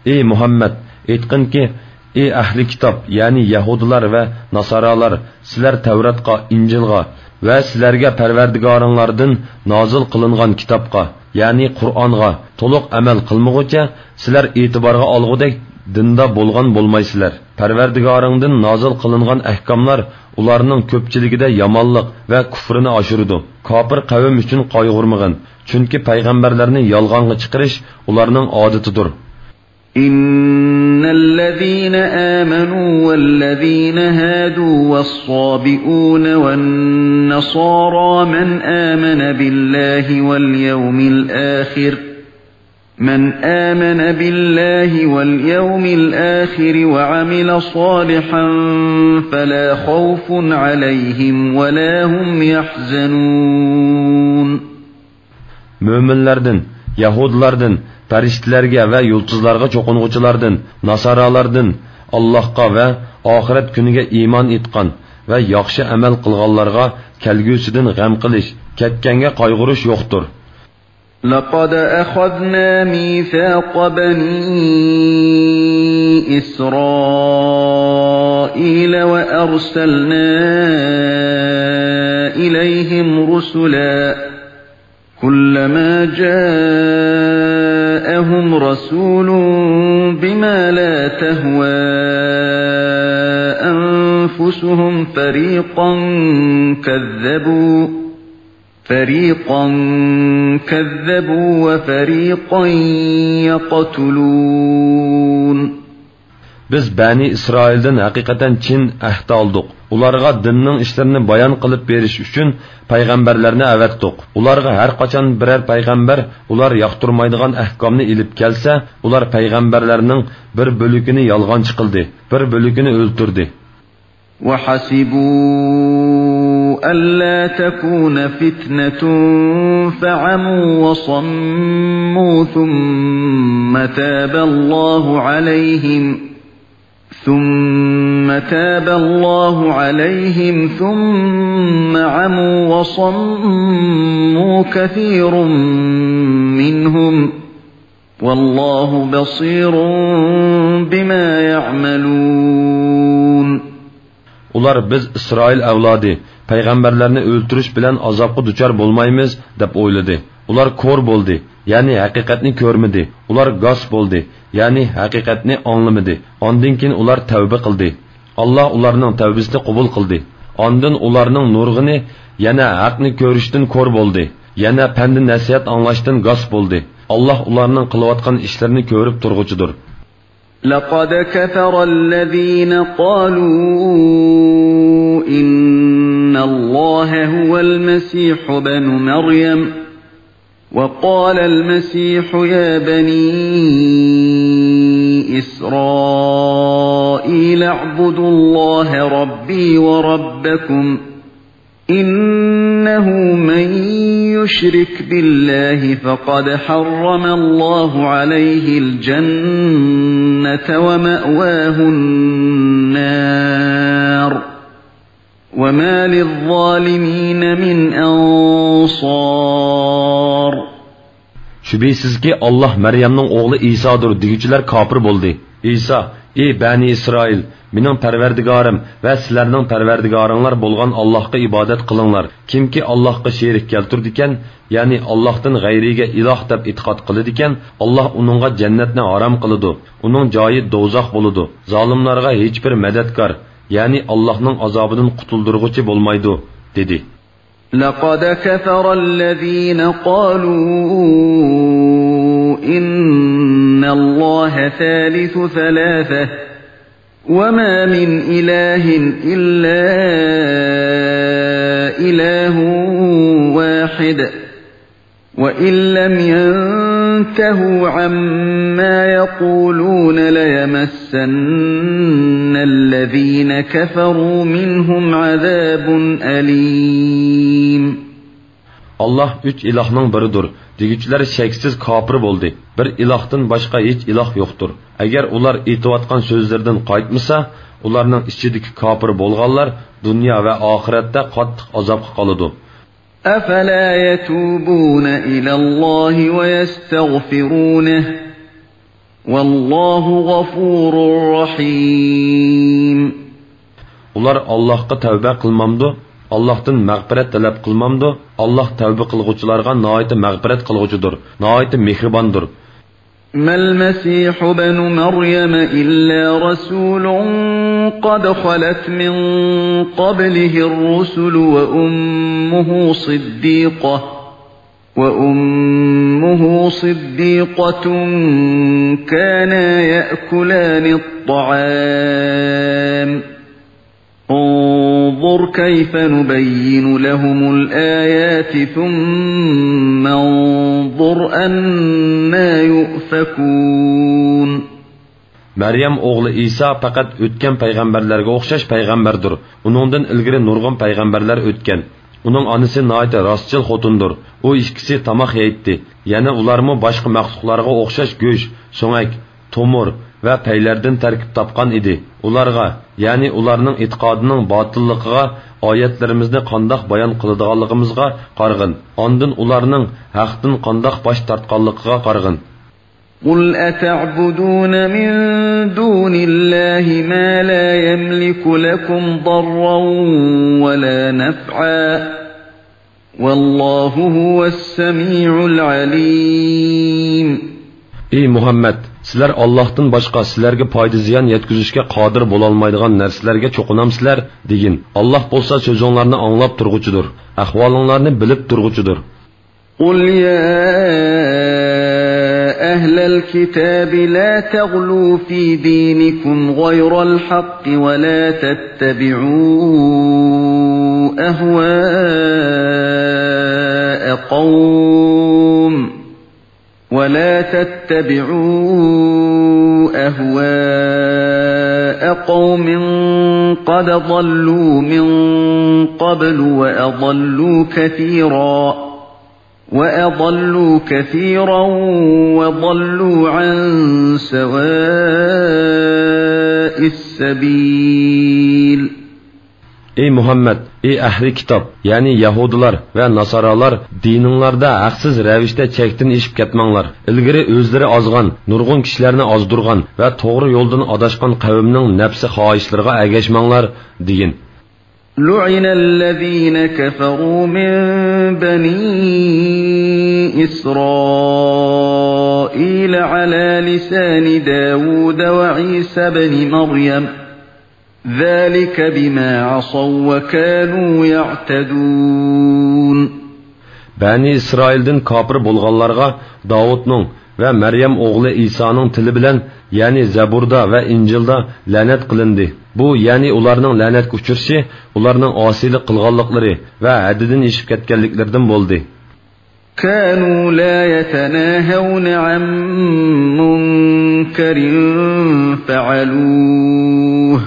ئى مۇھەممەد، ئېيتقىنكى، ئى ئەھلى كىتاب، يەنى يەھۇدىيلار ۋە ناسارالار، سىلەر تەۋراتقا، ئىنجىلغا ۋە سىلەرگە پەرۋەردىگارىڭلاردىن نازىل قىلىنغان كىتابقا، يەنى قۇرئانغا تولۇق ئەمەل قىلمىغۇچە، سىلەر ئېتىبارغا ئالغۇدەك دىندا بولغان بولمايسىلەر. پەرۋەردىگارىڭدىن نازىل قىلىنغان ئەھكاملار ئۇلارنىڭ كۆپچىلىكىدە يامانلىق ۋە كۇفرىنى ئاشۇرىدۇ. كاپىر قەۋم ئۈچۈن قايغۇرمىغىن، چۈنكى پەيغەمبەرلەرنى يالغانغا چىقىرىش ئۇلارنىڭ ئادىتىدۇر. إن الذين آمنوا والذين هادوا والصابئون والنصارى من آمن بالله واليوم الآخر، من آمن بالله واليوم الآخر وعمل صالحا فلا خوف عليهم ولا هم يحزنون. مۆمىنلەردىن، يەھۇدىيلاردىن، پەرىشتىلەرگە ۋە يۇلتۇزلارغا چوقۇنغۇچىلاردىن، ناسارالاردىن، ئاللاھقا ۋە ئاخىرەت كۈنىگە ئىمان ئېيتقان ۋە ياخشى ئەمەل قىلغانلارغا كەلگۈسىدىن غەم قىلىش، كەتكەنگە قايغۇرۇش يوقتۇر. لقد أخذنا ميثاق بني إسرائيل وأرسلنا إليهم رسلا، كلما جاءهم رسول بما لا تهوى أنفسهم فريقا كذبوا، فريقا كذبوا وفريقا يقتلون. بىز بەنى ئىسرائىلدىن ھەقىقەتەن چىن ئەھدى ئالدۇق. ئۇلارغا دىننىڭ ئىشلىرىنى بايان قىلىپ بېرىش ئۈچۈن پەيغەمبەرلەرنى ئەۋەتتۇق. ئۇلارغا ھەر قاچان بىرەر پەيغەمبەر ئۇلار ياقتۇرمايدىغان ئەھكامنى ئېلىپ كەلسە، ئۇلار پەيغەمبەرلەرنىڭ بىر بۆلىكىنى يالغانچى قىلدى، بىر بۆلىكىنى ئۆلتۈردى. وحسبوا ألا تكون فتنة فعموا وصموا ثم تاب الله عليهم، ثم تاب الله عليهم ثم عموا وصموا كثير منهم، والله بصير بما يعملون. ئۇلار، بىز ئىسرائىل ئەۋلادى پەيغەمبەرلەرنى ئۆلتۈرۈش بىلەن ئازابقا دۇچار بولمايمىز، دەپ ئويلىدى. ئۇلار كور بولدى، يەنى ھەقىقەتنى كۆرمىدى. ئۇلار گاس بولدى، يەنى ھەقىقەتنى ئاڭلىمىدى. ئاندىن كېيىن ئۇلار تەۋبە قىلدى. ئاللا ئۇلارنىڭ تەۋبىسىنى قوبۇل قىلدى. ئاندىن ئۇلارنىڭ نۇرغۇنى يەنە ھەقنى كۆرۈشتىن كور بولدى، يەنە پەند-نەسىھەت ئاڭلاشتىن گاس بولدى. ئاللاھ ئۇلارنىڭ قىلىۋاتقان ئىشلىرىنى كۆرۈپ تۇرغۇچىدۇر. لقد كفر الذين قالوا إن الله هو المسيح ابن مريم وقال المسيح يا بني إسرائيل اعبدوا الله ربي وربكم إنه من يشرك بالله فقد حرم الله عليه الجنة ومأواه النار وما للظالمين من أنصار. شۈبھىسىزكى، ئاللاھ مەريەمنىڭ ئوغلى ئىسادۇر دېگۈچىلەر كاپىر بولدى. ئىسا، ئى بەنى ئىسرائىل، مېنىڭ پەرۋەردىگارىم ۋە سىلەرنىڭ پەرۋەردىگارىڭلار بولغان ئاللاھقا ئىبادەت قىلىڭلار. كىمكى ئاللاھقا شېرىك كەلتۈرىدىكەن، يەنى ئاللاھتىن غەيرىگە ئىلاھ دەپ ئېتىقاد قىلىدىكەن، ئاللاھ ئۇنىڭغا جەننەتنى ھارام قىلىدۇ، ئۇنىڭ جايى دوزاخ بولىدۇ، زالىملارغا ھېچبىر مەدەتكار، يەنى ئاللاھنىڭ ئازابىدىن قۇتۇلدۇرغۇچى بولمايدۇ، دېدى. لقد كفر الذين قالوا إن الله ثالث ثلاثة وما من إله إلا إله واحد وإن لم ينتهوا عما يقولون ليمسن الذين كفروا منهم عذاب أليم. ئاللاھ ئۈچ ئىلاھنىڭ بىرىدۇر دېگۈچىلەر شەكسىز كاپىر بولدى. بىر ئىلاھتىن باشقا ھېچ ئىلاھ يوقتۇر. ئەگەر ئۇلار ئېيتىۋاتقان سۆزلىرىدىن قايتمىسا، ئۇلارنىڭ ئىچىدىكى كاپىر بولغانلار دۇنيا ۋە ئاخىرەتتە قاتتىق ئازابقا قالىدۇ. أفلا يتوبون إلى الله ويستغفرونه والله غفور رحيم. ئۇلار ئاللاھقا تەۋبە قىلمامدۇ؟ ئاللاھتىن مەغپىرەت تەلەپ قىلمامدۇ؟ ئاللاھ تەۋبە قىلغۇچىلارغا ناھايىتى مەغپىرەت قىلغۇچىدۇر، ناھايىتى مېھرىباندۇر. ما المسيح ابن مريم إلا رسول قد خلت من قبله الرسل وأمه صديقة وأمه صديقة كانا يأكلان الطعام انظر كيف نبين لهم الآيات ثم انظر أنى يؤفكون. مەريەم ئوغلى ئىسا پەقەت ئۆتكەن پەيغەمبەرلەرگە ئوخشاش پەيغەمبەردۇر. ئۇنىڭدىن ئىلگىرى نۇرغۇن پەيغەمبەرلەر ئۆتكەن. ئۇنىڭ ئانىسى ناھايىتى راستچىل خوتۇندۇر. ئۇ ئىككىسى تاماق يەيتتى. يەنە ئۇلارمۇ باشقا مەخلۇقلارغا ئوخشاش گۆش، سۆڭەك، تومۇر ۋە پەيلەردىن تەركىب تاپقان ئىدى. ئۇلارغا، يەنى ئۇلارنىڭ ئېتىقادىنىڭ باتىللىقىغا ئايەتلىرىمىزنى قانداق بايان قىلىدىغانلىقىمىزغا قارىغىن. ئاندىن ئۇلارنىڭ ھەقتىن قانداق باش تارتقانلىقىغا قارىغىن. قل أتعبدون من دون الله ما لا يملك لكم ضرا ولا نفعا والله هو السميع العليم. ئى مۇھەممەد، سىلەر ئاللاھتىن باشقا سىلەرگە پايدا-زىيان يەتكۈزۈشكە قادىر بولالمايدىغان نەرسىلەرگە چوقۇنامسىلەر؟ دېگىن. ئاللاھ بولسا سۆزۈڭلارنى ئاڭلاپ تۇرغۇچىدۇر، ئەھۋالىڭلارنى بىلىپ تۇرغۇچىدۇر. قل يا أهل الكتاب لا تغلوا في دينكم غير الحق ولا تتبعوا أهواء قوم ولا تتبعوا أهواء قوم قد ضلوا من قبل وأضلوا كثيرا وأضلوا كثيرا وضلوا عن سواء السبيل. ئى مۇھەممەد، ئى ئەھلى كىتاب، يەنى يەھۇدىيلار ۋە ناسارالار، دىنىڭلاردا ھەقسىز رەۋىشتە چەكتىن ئېشىپ كەتمەڭلار. ئىلگىرى ئۆزلىرى ئازغان، نۇرغۇن كىشىلەرنى ئازدۇرغان ۋە توغرا يولدىن ئاداشقان قەۋمنىڭ نەپسى خاھىشلىرىغا ئەگەشمەڭلار، دېگىن. لعن الذين كفروا من بني إسرائيل على لسان داود وعيسى بن مريم ذلك بما عصوا وكانوا يعتدون. بەنى ئىسرائىلدىن كاپىر بولغانلارغا داۋۇتنىڭ ۋە مەريەم ئوغلى ئىسانىڭ تىلى بىلەن، يەنى زەبۇردا ۋە ئىنجىلدا لەنەت قىلىندى. بۇ، يەنى ئۇلارنىڭ لەنەتكە ئۇچرىشى، ئۇلارنىڭ ئاسىيلىق قىلغانلىقلىرى ۋە ھەددىدىن ئېشىپ كەتكەنلىكلىرىدىن بولدى. كانوا لا يتناهون عن منكر فعلوه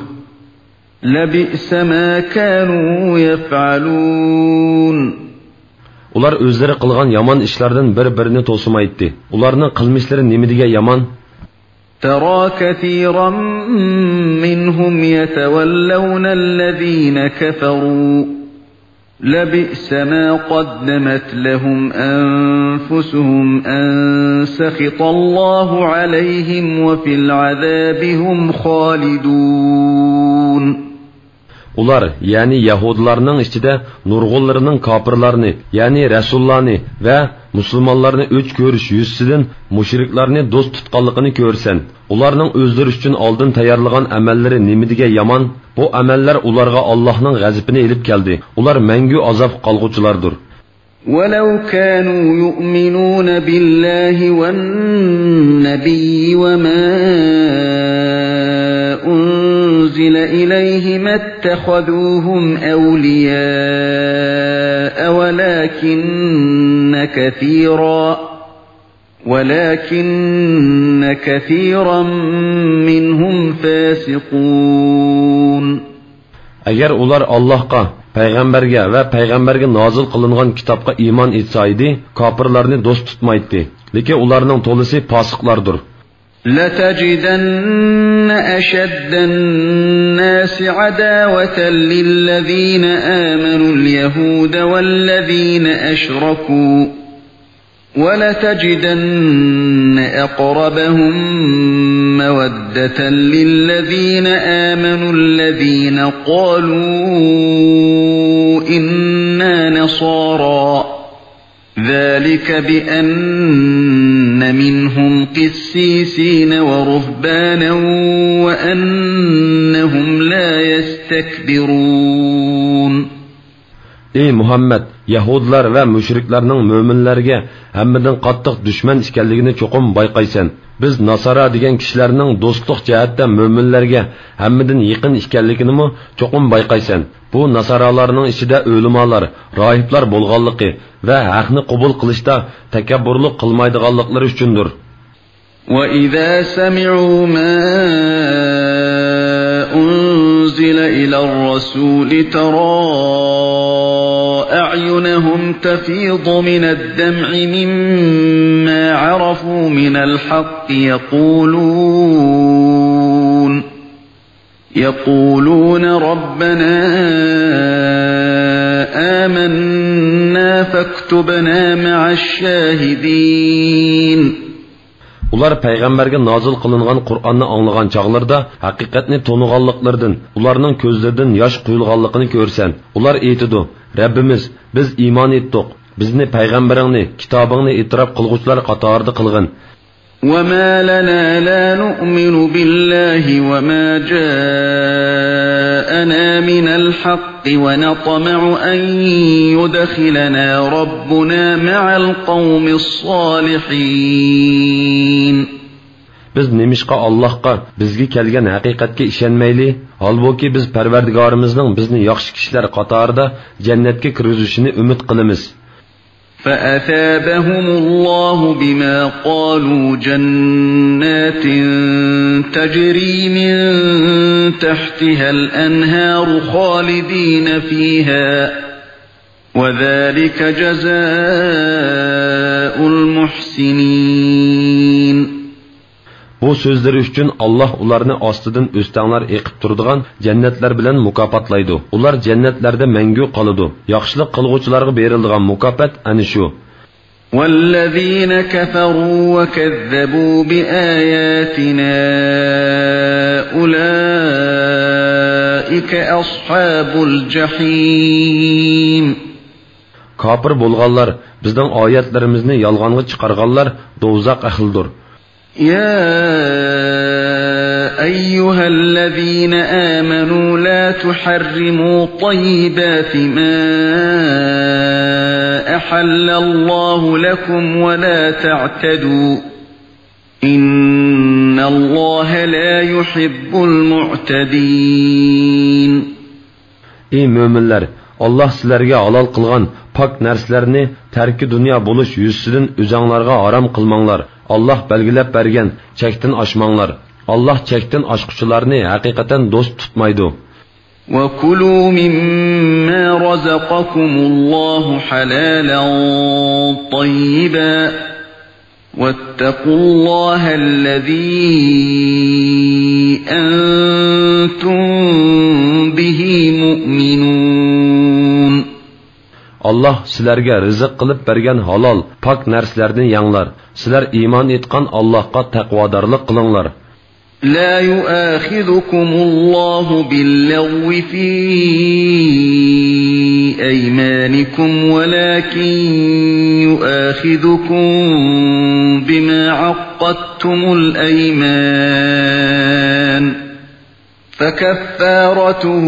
لبئس ما كانوا يفعلون. ئۇلار ئۆزلىرى قىلغان يامان ئىشلاردىن بىر-بىرىنى توسىمايتتى. ئۇلارنىڭ قىلمىشلىرى نېمە دېگەن يامان! ترى كثيرا منهم يتولون الذين كفروا لبئس ما قدمت لهم أنفسهم أن سخط الله عليهم وفي العذاب هم خالدون. ئۇلار، يەنى يەھۇدىيلارنىڭ ئىچىدە نۇرغۇنلىرىنىڭ كاپىرلارنى، يەنى رەسۇللارنى ۋە مۇسۇلمانلارنى ئۆچ كۆرۈش يۈزىسىدىن مۇشرىكلارنى دوست تۇتقانلىقىنى كۆرىسەن. ئۇلارنىڭ ئۆزلىرى ئۈچۈن ئالدىن تەييارلىغان ئەمەللىرى نېمە دېگەن يامان! بۇ ئەمەللەر ئۇلارغا ئاللاھنىڭ غەزىپىنى ئېلىپ كەلدى. ئۇلار مەڭگۈ ئازابقا قالغۇچىلاردۇر. ولو كانوا يؤمنون بالله والنبي وما أنزل إليه ما اتخذوهم أولياء ولكن كثيرا ولكن كثيرا منهم فاسقون. ئەگەر ئۇلار ئاللاھقا، پەيغەمبەرگە ۋە پەيغەمبەرگە نازىل قىلىنغان كىتابقا ئىمان ئېيتسا ئىدى، كاپىرلارنى دوست تۇتمايتتى. لېكىن ئۇلارنىڭ تولىسى پاسىقلاردۇر. لتجدن أشد الناس عداوة للذين آمنوا اليهود والذين أشركوا ولتجدن أقربهم مودة للذين آمنوا الذين قالوا إنا نصارى ذلك بأن منهم قسيسين ورهبانا وأنهم لا يستكبرون. ئى مۇھەممەد، يەھۇدىيلار ۋە مۇشرىكلارنىڭ مۆمىنلەرگە ھەممىدىن قاتتىق دۈشمەن ئىكەنلىكىنى چوقۇم بايقايسەن. بىز ناسارا دېگەن كىشىلەرنىڭ دوستلۇق جەھەتتە مۆمىنلەرگە ھەممىدىن يېقىن ئىكەنلىكىنىمۇ چوقۇم بايقايسەن. بۇ ناسارالارنىڭ ئىچىدە ئۆلىمالار، راھىبلار بولغانلىقى ۋە ھەقنى قوبۇل قىلىشتا تەكەببۇرلۇق قىلمايدىغانلىقلىرى ئۈچۈندۇر. وإذا سمعوا ما أنزل إلى الرسول ترى أعينهم تفيض من الدمع مما عرفوا من الحق يقولون يقولون ربنا آمنا فاكتبنا مع الشاهدين. ئۇلار پەيغەمبەرگە نازىل قىلىنغان قۇرئاننى ئاڭلىغان چاغلىرىدا ھەقىقەتنى تونۇغانلىقلىرىدىن ئۇلارنىڭ كۆزلىرىدىن ياش قۇيۇلغانلىقىنى كۆرىسەن. ئۇلار ئېيتىدۇ، رەببىمىز، بىز ئىمان ئېيتتۇق، بىزنى پەيغەمبىرىڭنى، كىتابىڭنى ئېتىراپ قىلغۇچىلار قاتارىدا قىلغىن. وما لنا لا نؤمن بالله وما جاءنا من الحق ونطمع أن يدخلنا ربنا مع القوم الصالحين. بىز نېمىشقا ئاللاھقا، بىزگە كەلگەن ھەقىقەتكە ئىشەنمەيلى؟ ھالبۇكى، بىز پەرۋەردىگارىمىزنىڭ بىزنى ياخشى كىشىلەر قاتارىدا جەننەتكە كىرگۈزۈشىنى ئۈمىد قىلىمىز. فأثابهم الله بما قالوا جنات تجري من تحتها الأنهار خالدين فيها وذلك جزاء المحسنين. بۇ سۆزلىرى ئۈچۈن ئاللاھ ئۇلارنى ئاستىدىن ئۆستەڭلەر ئېقىپ تۇرىدىغان جەننەتلەر بىلەن مۇكاپاتلايدۇ. ئۇلار جەننەتلەردە مەڭگۈ قالىدۇ. ياخشىلىق قىلغۇچىلارغا بېرىلىدىغان مۇكاپات ئەنە شۇ. والذين كفروا وكذبوا بآياتنا أولئك أصحاب الجحيم. كاپىر بولغانلار، بىزنىڭ ئايەتلىرىمىزنى يالغانغا چىقارغانلار دوزاخ ئەھلىدۇر. يا أيها الذين آمنوا لا تحرموا طيبات ما أحل الله لكم ولا تعتدوا. إن الله لا يحب المعتدين. ئى مۆمىنلەر، ئاللاھ سىلەرگە ھالال قىلغان پاك نەرسىلەرنى تەركى دۇنيا بولۇش يۈزىسىدىن ئۆزەڭلارغا ھارام قىلماڭلار. ئاللاھ بەلگىلەپ بەرگەن چەكتىن ئاشماڭلار. ئاللاھ چەكتىن ئاشقۇچىلارنى ھەقىقەتەن دوست تۇتمايدۇ. وكلوا مما رزقكم الله حلالا طيبا واتقوا الله الذي أنتم به مؤمنون. ئاللاھ سىلەرگە رىزىق قىلىپ بەرگەن ھالال، پاك نەرسىلەردىن يەڭلار. سىلەر ئىمان ئېيتقان ئاللاھقا تەقۋادارلىق قىلىڭلار. لا يؤاخذكم الله باللغو في أيمانكم ولكن يؤاخذكم بما عقدتم الأيمان، فكفارته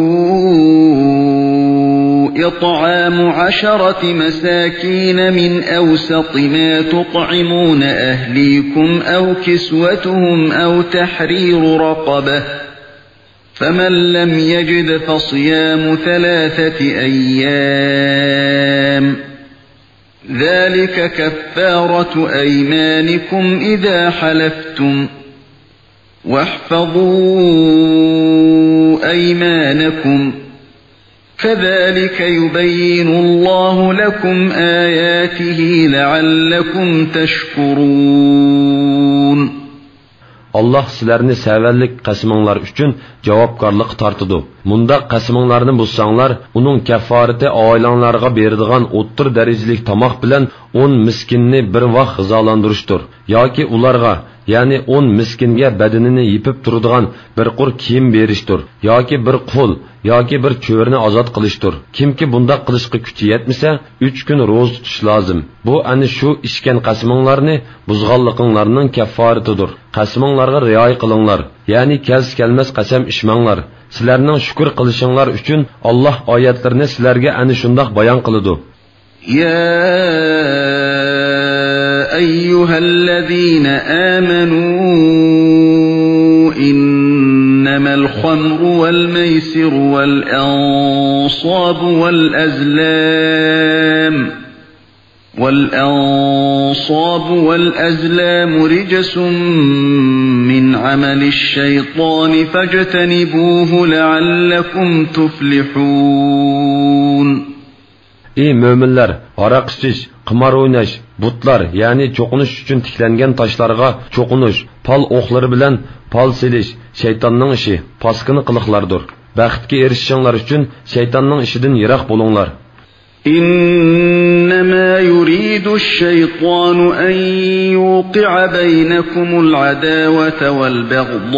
إطعام عشرة مساكين من أوسط ما تطعمون أهليكم أو كسوتهم أو تحرير رقبة، فمن لم يجد فصيام ثلاثة أيام، ذلك كفارة أيمانكم إذا حلفتم، واحفظوا أيمانكم، كذلك يبين الله لكم آياته لعلكم تشكرون. ئاللاھ سىلەرنى سەۋەنلىك قەسىمىڭلار ئۈچۈن جاۋابكارلىققا تارتىدۇ. مۇنداق قەسىمىڭلارنى بۇزساڭلار، ئۇنىڭ كەففارىتى ئائىلەڭلارغا بېرىدىغان ئوتتۇرا دەرىجىلىك تاماق بىلەن ئون مىسكىننى بىر ۋاق غىزالاندۇرۇشتۇر. ياكى ئۇلارغا، يەنى ئون مىسكىنگە بەدىنىنى يېپىپ تۇرىدىغان بىر قۇر كىيىم بېرىشتۇر. ياكى بىر قۇل، ياكى بىر چۆرىنى ئازاد قىلىشتۇر. كىمكى بۇنداق قىلىشقا كۈچى يەتمىسە، ئۈچ كۈن روزا تۇتۇش لازىم. بۇ ئەنە شۇ ئىچكەن قەسىمىڭلارنى بۇزغانلىقىڭلارنىڭ كەففارىتىدۇر. قەسىمىڭلارغا رىئايە قىلىڭلار، يەنى كەلسە كەلمەس قەسەم ئىچمەڭلار. سىلەرنىڭ شۈكۈر قىلىشىڭلار ئۈچۈن ئاللاھ ئايەتلىرىنى سىلەرگە ئەنە شۇنداق بايان قىلىدۇ. يا أيها الذين آمنوا إنما الخمر والميسر والأنصاب والأزلام، والأنصاب والأزلام رجس من عمل الشيطان فاجتنبوه لعلكم تفلحون. ئى مۆمىنلەر، ھاراق ئىچىش، قىمار ئويناش، بۇتلار، يەنى چوقۇنۇش ئۈچۈن تىكلەنگەن تاشلارغا چوقۇنۇش، پال ئوقلىرى بىلەن پال سېلىش شەيتاننىڭ ئىشى، پاسكىنا قىلىقلاردۇر. بەختكە ئېرىشىشىڭلار ئۈچۈن شەيتاننىڭ ئىشىدىن يىراق بولۇڭلار. إنما يريد الشيطان أن يوقع بينكم العداوة والبغضاء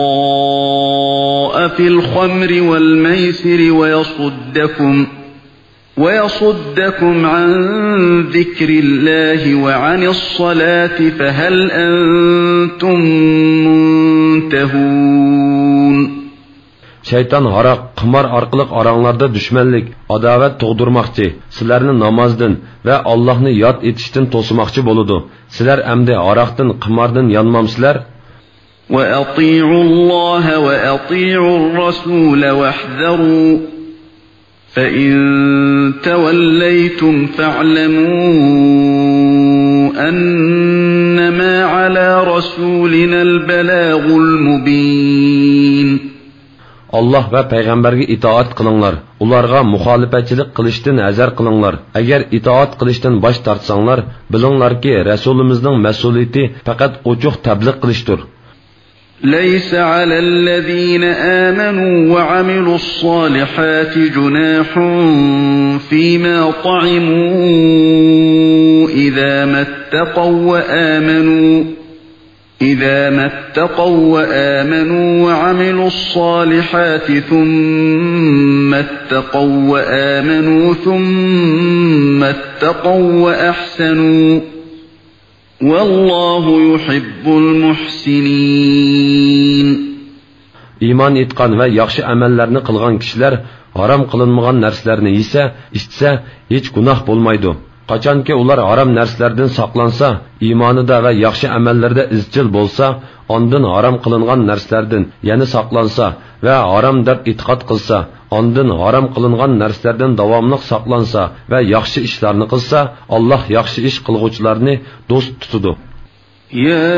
في الخمر والميسر ويصدكم ويصدكم عن ذكر الله وعن الصلاة فهل أنتم منتهون. شەيتان ھاراق، قىمار ئارقىلىق ئاراڭلاردا دۈشمەنلىك، ئاداۋەت تۇغدۇرماقچى، سىلەرنى نامازدىن ۋە ئاللاھنى ياد ئېتىشتىن توسىماقچى بولىدۇ. سىلەر ئەمدى ھاراقتىن، قىماردىن يانمامسىلەر؟ وأطيعوا الله وأطيعوا الرسول واحذروا، فإن توليتم فاعلموا أنما على رسولنا البلاغ المبين. ئاللاھ ۋە پەيغەمبەرگە ئىتائەت قىلىڭلار، ئۇلارغا مۇخالىپەتچىلىك قىلىشتىن ھەزەر قىلىڭلار. ئەگەر ئىتائەت قىلىشتىن باش تارتساڭلار، بىلىڭلاركى، رەسۇلىمىزنىڭ مەسئۇلىيىتى پەقەت ئوچۇق تەبلىغ قىلىشتۇر. ليس على الذين آمنوا وعملوا الصالحات جناح فيما طعموا إذا ما اتقوا وآمنوا، إذا ما اتقوا وآمنوا وعملوا الصالحات ثم اتقوا وآمنوا ثم اتقوا وأحسنوا، والله يحب المحسنين. ئىمان ئېيتقان ۋە ياخشى ئەمەللەرنى قىلغان كىشىلەر ھارام قىلىنمىغان نەرسىلەرنى يېسە، ئىچسە، ھېچ گۇناھ بولمايدۇ. قاچانكى ئۇلار ھارام نەرسىلەردىن ساقلانسا، ئىمانىدا ۋە ياخشى ئەمەللىرىدە ئىزچىل بولسا، ئاندىن ھارام قىلىنغان نەرسىلەردىن يەنە ساقلانسا ۋە ھارام دەپ ئېتىقاد قىلسا، ئاندىن ھارام قىلىنغان نەرسىلەردىن داۋاملىق ساقلانسا ۋە ياخشى ئىشلارنى قىلسا، ئاللاھ ياخشى ئىش قىلغۇچىلارنى دوست تۇتىدۇ. يا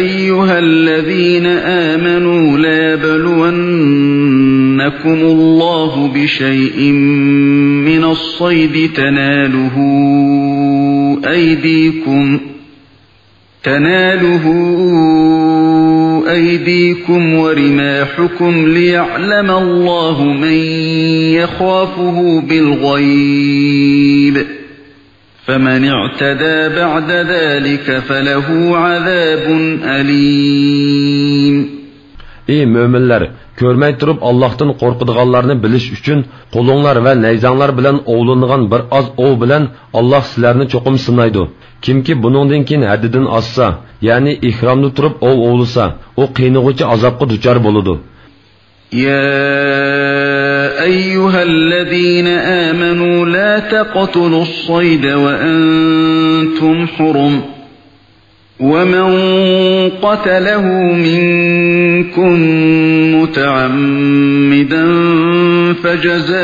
أيها الذين آمنوا ليبلونكم الله بشيء من الصيد تناله أيديكم، تناله أيديكم ورماحكم ليعلم الله من يخافه بالغيب، فمن اعتدى بعد ذلك فله عذاب أليم. ئى مۆمىنلەر، كۆرمەي تۇرۇپ ئاللاھتىن قورقىدىغانلارنى بىلىش ئۈچۈن، قولۇڭلار ۋە نەيزەڭلار بىلەن ئوۋلىنىدىغان بىر ئاز ئوۋ بىلەن ئاللاھ سىلەرنى چوقۇم سىنايدۇ. كىمكى بۇنىڭدىن كېيىن ھەددىدىن ئاشسا، يەنى ئېھرامدا تۇرۇپ ئوۋ ئوۋلىسا، ئۇ قىينىغۇچى ئازابقا دۇچار بولىدۇ. يا أيها الذين آمنوا لا تقتلوا الصيد وأنتم حرم، ومن قتله منكم متعمدا فجزاء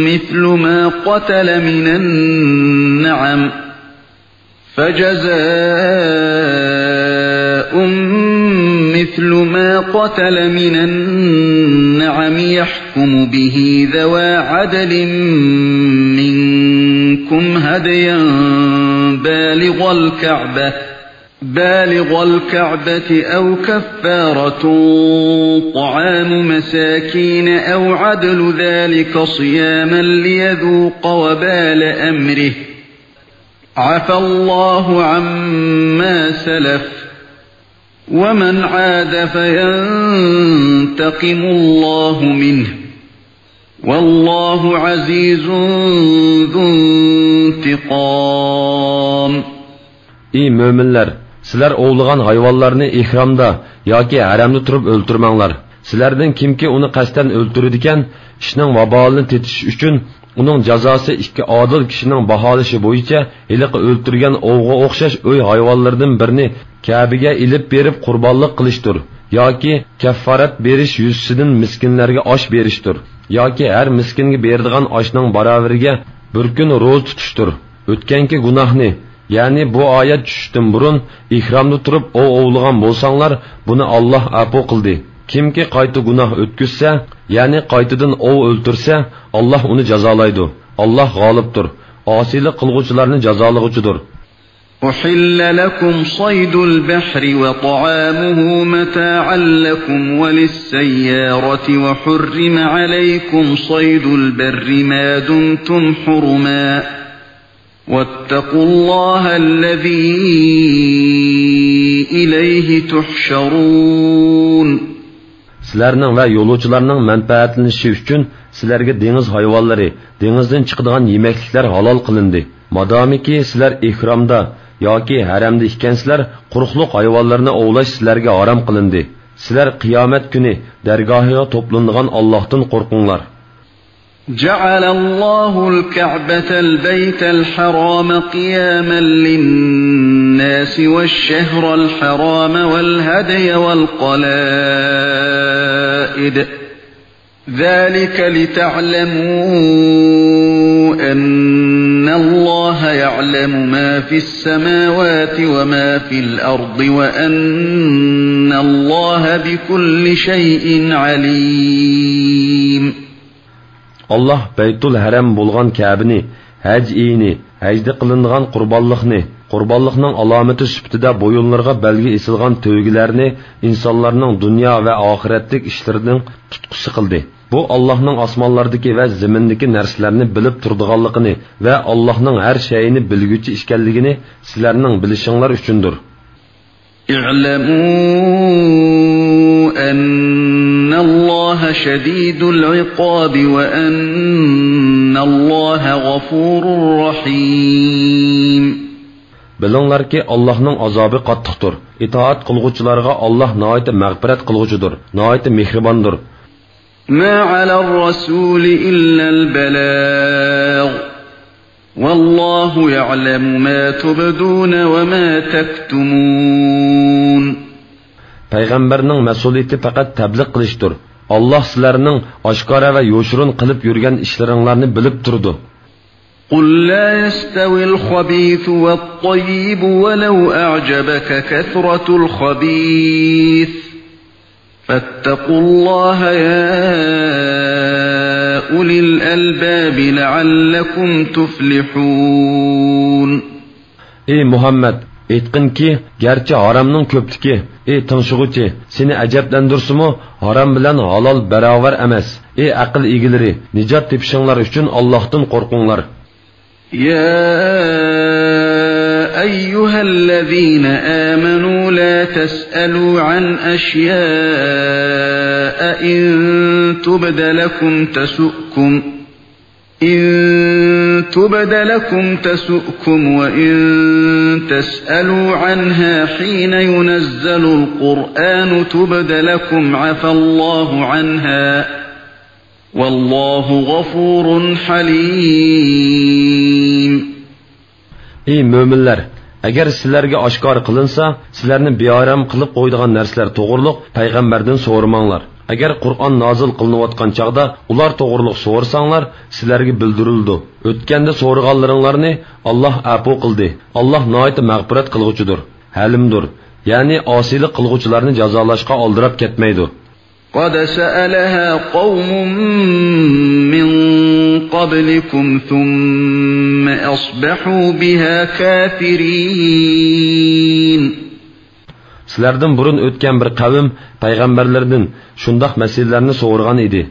مثل ما قتل من النعم، فجزاء مثل ما قتل من النعم يحكم به ذوى عدل منكم هديا بالغ الكعبة، بالغ الكعبة أو كفارة طعام مساكين أو عدل ذلك صياما ليذوق وبال أمره، عفا الله عما سلف، ومن عاد فينتقم الله منه، والله عزيز ذو انتقام. ئى مۆمىنلەر، سىلەر ئوۋلىغان ھايۋانلارنى ئېھرامدا ياكى ھەرەمدە تۇرۇپ ئۆلتۈرمەڭلار. سىلەردىن كىمكى ئۇنى قەستەن ئۆلتۈرىدىكەن، ئىشنىڭ ۋابالىنى تېتىش ئۈچۈن، ئۇنىڭ جازاسى ئىككى ئادىل كىشىنىڭ باھالىشى بويىچە ھېلىقى ئۆلتۈرگەن ئوۋغا ئوخشاش ئۆي ھايۋانلىرىدىن بىرنى كەبىگە ئېلىپ بېرىپ قۇربانلىق قىلىشتۇر، ياكى كەففارەت بېرىش يۈزىسىدىن مىسكىنلەرگە ئاش بېرىشتۇر، ياكى ھەر مىسكىنگە بېرىدىغان ئاشنىڭ باراۋىرىگە بىر كۈن روزا تۇتۇشتۇر. ئۆتكەنكى گۇناھنى، يەنى بۇ ئايەت چۈشۈشتىن بۇرۇن ئېھرامدا تۇرۇپ ئوۋ ئوۋلىغان بولساڭلار، بۇنى ئاللاھ ئەپۇ قىلدى. كىمكى قايتا گۇناھ ئۆتكۈزسە، يەنى قايتىدىن ئوۋ ئۆلتۈرسە، ئاللاھ ئۇنى جازالايدۇ. ئاللاھ غالىبتۇر، ئاسىيلىق قىلغۇچىلارنى جازالىغۇچىدۇر. أحل لكم صيد البحر وطعامه متاعا لكم وللسيارة وحرم عليكم صيد البر ما دمتم حرما واتقوا الله الذي إليه تحشرون. سىلەرنىڭ ۋە يولۇچىلارنىڭ مەنپەئەتلىنىشى ئۈچۈن سىلەرگە دېڭىز ھايۋانلىرى، دېڭىزدىن چىقىدىغان يېمەكلىكلەر ھالال قىلىندى. مادامىكى سىلەر ئېھرامدا ياكى ھەرەمدە ئىكەنسىلەر، قۇرۇقلۇق ھايۋانلىرىنى ئوۋلاش سىلەرگە ھارام قىلىندى. سىلەر قىيامەت كۈنى دەرگاھىغا توپلىنىدىغان ئاللاھتىن قورقۇڭلار. جعل الله الكعبة البيت الحرام قياما للناس والشهر الحرام والهدي والقلائد، ذلك لتعلموا أن الله يعلم ما في السماوات وما في الأرض وأن الله بكل شيء عليم. ئاللاھ بەيتۇل ھەرەم بولغان كەبىنى، ھەج ئېيىنى، ھەجدە قىلىنىدىغان قۇربانلىقنى، قۇربانلىقنىڭ ئالامىتى سۈپىتىدە بويۇنلىرىغا بەلگە ئېسىلغان تۆگىلەرنى ئىنسانلارنىڭ دۇنيا ۋە ئاخىرەتلىك ئىشلىرىنىڭ تۇتقۇسى قىلدى. بۇ ئاللاھنىڭ ئاسمانلاردىكى ۋە زېمىندىكى نەرسىلەرنى بىلىپ تۇرىدىغانلىقىنى ۋە ئاللاھنىڭ ھەر شەيئىنى بىلگۈچى ئىكەنلىكىنى سىلەرنىڭ بىلىشىڭلار ئۈچۈندۇر. اعلموا أن الله شديد العقاب وأن الله غفور رحيم. بىلىڭلاركى، ئاللاھنىڭ ئازابى قاتتىقتۇر. ئىتائەت قىلغۇچىلارغا ئاللاھ ناھايىتى مەغپىرەت قىلغۇچىدۇر، ناھايىتى مېھرىباندۇر. ما على الرسول إلا البلاغ، والله يعلم ما تبدون وما تكتمون. پەيغەمبەرنىڭ مەسئۇلىيىتى پەقەت تەبلىغ قىلىشتۇر. ئاللاھ سىلەرنىڭ ئاشكارا ۋە يوشۇرۇن قىلىپ يۈرگەن ئىشلىرىڭلارنى بىلىپ تۇرىدۇ. قل لا يستوي الخبيث والطيب ولو أعجبك كثرة الخبيث، فاتقوا الله يا أولي الألباب لعلكم تفلحون. ئى مۇھەممەد، ئېيتقىنكى، گەرچە ھارامنىڭ كۆپلۈكى، ئى تىڭشىغۇچى، سېنى ئەجەبلەندۈرسىمۇ، ھارام بىلەن ھالال باراۋەر ئەمەس. ئى ئەقىل ئىگىلىرى، نىجات تېپىشىڭلار ئۈچۈن ئاللاھتىن قورقۇڭلار. يا أيها الذين آمنوا لا تسألوا عن أشياء إن تبد لكم تسؤكم، إن تبد لكم تسؤكم وإن تسألوا عنها حين ينزل القرآن تبد لكم عفا الله عنها، والله غفور حليم. ئى مۆمىنلەر! ئەگەر سىلەرگە ئاشكارا قىلىنسا، سىلەرنى بىئارام قىلىپ قويىدىغان نەرسىلەر توغرۇلۇق پەيغەمبەردىن سورىماڭلار. ئەگەر قۇرئان نازىل قىلىنىۋاتقان چاغدا ئۇلار توغرۇلۇق سورىساڭلار، سىلەرگە بىلدۈرۈلىدۇ. ئۆتكەندە سورىغانلىرىڭلارنى ئاللاھ ئەپۇ قىلدى. ئاللاھ ناھايىتى مەغپىرەت قىلغۇچىدۇر، ھەلىمدۇر، يەنى ئاسىيلىق قىلغۇچىلارنى جازالاشقا ئالدىراپ كەتمەيدۇ. قد سألها قوم من قبلكم ثم أصبحوا بها كافرين. سىلەردىن بۇرۇن ئۆتكەن بىر قەۋم پەيغەمبەرلىرىدىن شۇنداق مەسىلىلەرنى سورىغان ئىدى.